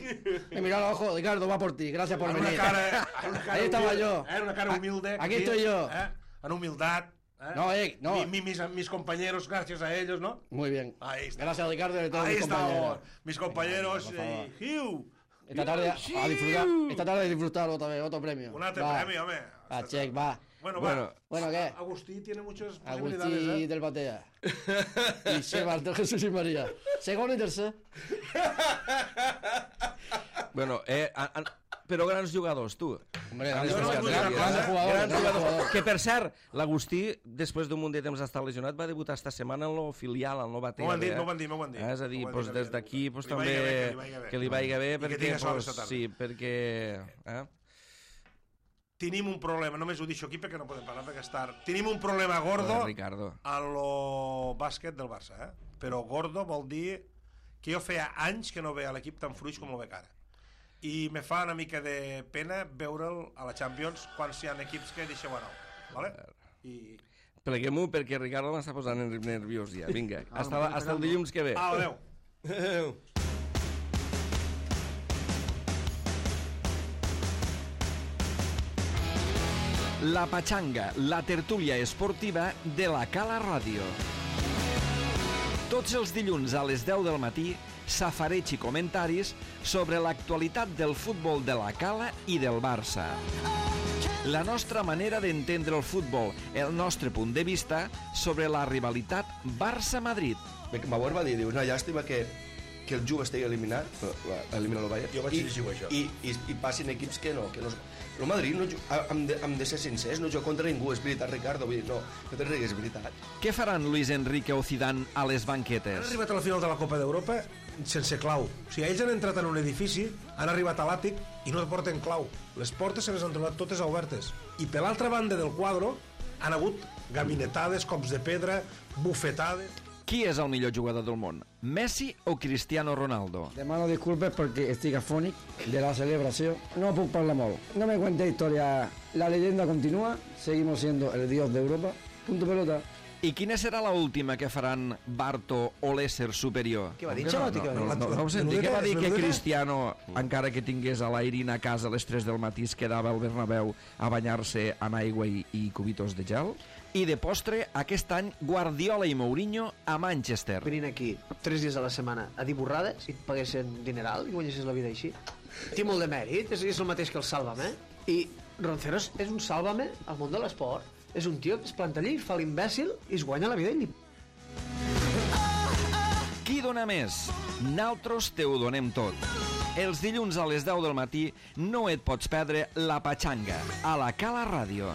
[SPEAKER 4] Me miró a los ojos, Ricardo, va por ti, gracias por
[SPEAKER 3] Amb
[SPEAKER 4] venir.
[SPEAKER 3] una cara, amb una cara
[SPEAKER 4] Ahí estaba
[SPEAKER 3] humilde,
[SPEAKER 4] yo.
[SPEAKER 3] Eh, una cara humilde.
[SPEAKER 4] Aquí estoy yo.
[SPEAKER 3] Eh, en humildad. Eh.
[SPEAKER 4] No, eh, no.
[SPEAKER 3] Mi, mi, mis, mis compañeros, gracias a ellos, ¿no?
[SPEAKER 4] Muy bien.
[SPEAKER 3] Ahí está.
[SPEAKER 4] Gracias a Ricardo y a todos
[SPEAKER 3] Ahí
[SPEAKER 4] mis compañeros.
[SPEAKER 3] estamos, mis compañeros.
[SPEAKER 4] Venga, por favor.
[SPEAKER 3] eh, Hugh.
[SPEAKER 4] Esta tarde a, a disfrutar, esta tarde a disfrutar otra vez, otro premio.
[SPEAKER 3] Un altre
[SPEAKER 4] Va.
[SPEAKER 3] premi, home.
[SPEAKER 4] Va, check, va.
[SPEAKER 3] Bueno,
[SPEAKER 1] Bueno.
[SPEAKER 3] va.
[SPEAKER 4] Bueno, ¿qué?
[SPEAKER 3] Agustí tiene muchas posibilidades,
[SPEAKER 4] Agustí
[SPEAKER 3] ¿eh?
[SPEAKER 4] del Batea. Y Sebas del Jesús y María. Segundo y tercer.
[SPEAKER 1] Bueno, eh, a, a, però grans jugadors, tu.
[SPEAKER 4] Hombre,
[SPEAKER 1] Grans
[SPEAKER 4] grande,
[SPEAKER 3] no, no,
[SPEAKER 1] jugadors,
[SPEAKER 3] no,
[SPEAKER 4] grande
[SPEAKER 1] eh?
[SPEAKER 4] jugador,
[SPEAKER 1] Grans
[SPEAKER 4] grande
[SPEAKER 1] jugadors.
[SPEAKER 4] jugador.
[SPEAKER 1] Que, per cert, l'Agustí, després d'un munt de temps d'estar lesionat, va debutar esta setmana en el filial, al Nova Batea.
[SPEAKER 3] M'ho han dit,
[SPEAKER 1] eh?
[SPEAKER 3] m'ho han dit, m'ho han dit.
[SPEAKER 1] Eh, És a dir,
[SPEAKER 3] M'ho han
[SPEAKER 1] pues,
[SPEAKER 3] dit,
[SPEAKER 1] des
[SPEAKER 3] m'ho han
[SPEAKER 1] d'aquí
[SPEAKER 3] dit.
[SPEAKER 1] pues,
[SPEAKER 3] Que li
[SPEAKER 1] també
[SPEAKER 3] vagi bé, que li vagi bé.
[SPEAKER 1] que li vagi bé,
[SPEAKER 3] I que
[SPEAKER 1] perquè,
[SPEAKER 3] tinga sort
[SPEAKER 1] pues,
[SPEAKER 3] esta tarda.
[SPEAKER 1] sí, perquè... Eh?
[SPEAKER 3] Tenim un problema, només ho deixo aquí perquè no podem parlar perquè és tard. Tenim un problema gordo
[SPEAKER 1] Joder, Ricardo.
[SPEAKER 3] a lo bàsquet del Barça, eh? Però gordo vol dir que jo feia anys que no veia l'equip tan fluix com el veig ara. I me fa una mica de pena veure'l a la Champions quan hi ha equips que deixeu anar, ¿vale? I...
[SPEAKER 1] Pleguem-ho perquè Ricardo m'està posant nerviós ja. Vinga,
[SPEAKER 3] Ah,
[SPEAKER 1] hasta, la, hasta el dilluns que ve.
[SPEAKER 3] Au, adeu.
[SPEAKER 1] Adéu. La Pachanga, la tertúlia esportiva de la Cala Ràdio. Tots els dilluns a les deu del matí, safareig i comentaris sobre l'actualitat del futbol de la Cala i del Barça. La nostra manera d'entendre el futbol, el nostre punt de vista sobre la rivalitat Barça-Madrid.
[SPEAKER 2] Bauer va dir, diu, una llàstima que, que el Juve estigui eliminat, elimina el Bayern,
[SPEAKER 3] Jo vaig
[SPEAKER 2] i,
[SPEAKER 3] llegir això.
[SPEAKER 2] i, i, i passin equips que no, que no... El Madrid, no, hem, de, hem de ser sincers, no juga contra ningú, és veritat, Ricardo, vull dir, no, no te rigues, és veritat.
[SPEAKER 1] Què faran Luis Enrique o Zidane a les
[SPEAKER 3] Ah, Ah, eh, eh, eh, eh, eh,
[SPEAKER 1] banquetes?
[SPEAKER 3] eh, eh, eh, eh, eh, eh,
[SPEAKER 1] Qui és el millor jugador del món? Messi o Cristiano Ronaldo?
[SPEAKER 4] De mano disculpes porque estoy afónic de la celebración. No puedo parlar molt. No me cuente historia. La leyenda continúa. Seguimos siendo el dios de Europa. Punto pelota.
[SPEAKER 1] I quina serà la última que faran Barto o l'ésser superior?
[SPEAKER 5] Què va dir,
[SPEAKER 1] No,
[SPEAKER 5] Xavat?
[SPEAKER 1] no,
[SPEAKER 5] Què va
[SPEAKER 1] no,
[SPEAKER 5] dir?
[SPEAKER 1] no, no, no ho senti,
[SPEAKER 3] Menudeta,
[SPEAKER 1] què va dir que
[SPEAKER 3] menudeta?
[SPEAKER 1] Cristiano, encara que tingués a l'Airina a casa a les tres del matí, es quedava al Bernabéu a banyar-se en aigua i, i cubitos de gel? I de postre, aquest any, Guardiola i Mourinho a Manchester.
[SPEAKER 5] Venint aquí tres dies a la setmana a dir borrades i et paguessin dineral i guanyessis la vida així. Té molt de mèrit, és, és el mateix que el Sálvame. I Ronceros és un Sálvame al món de l'esport. És un tio que es planta allí, fa l'imbècil i es guanya la vida i li...
[SPEAKER 1] Qui dona més? Naltros te ho donem tot. Els dilluns a les deu del matí no et pots perdre La Pachanga, a la Cala Ràdio.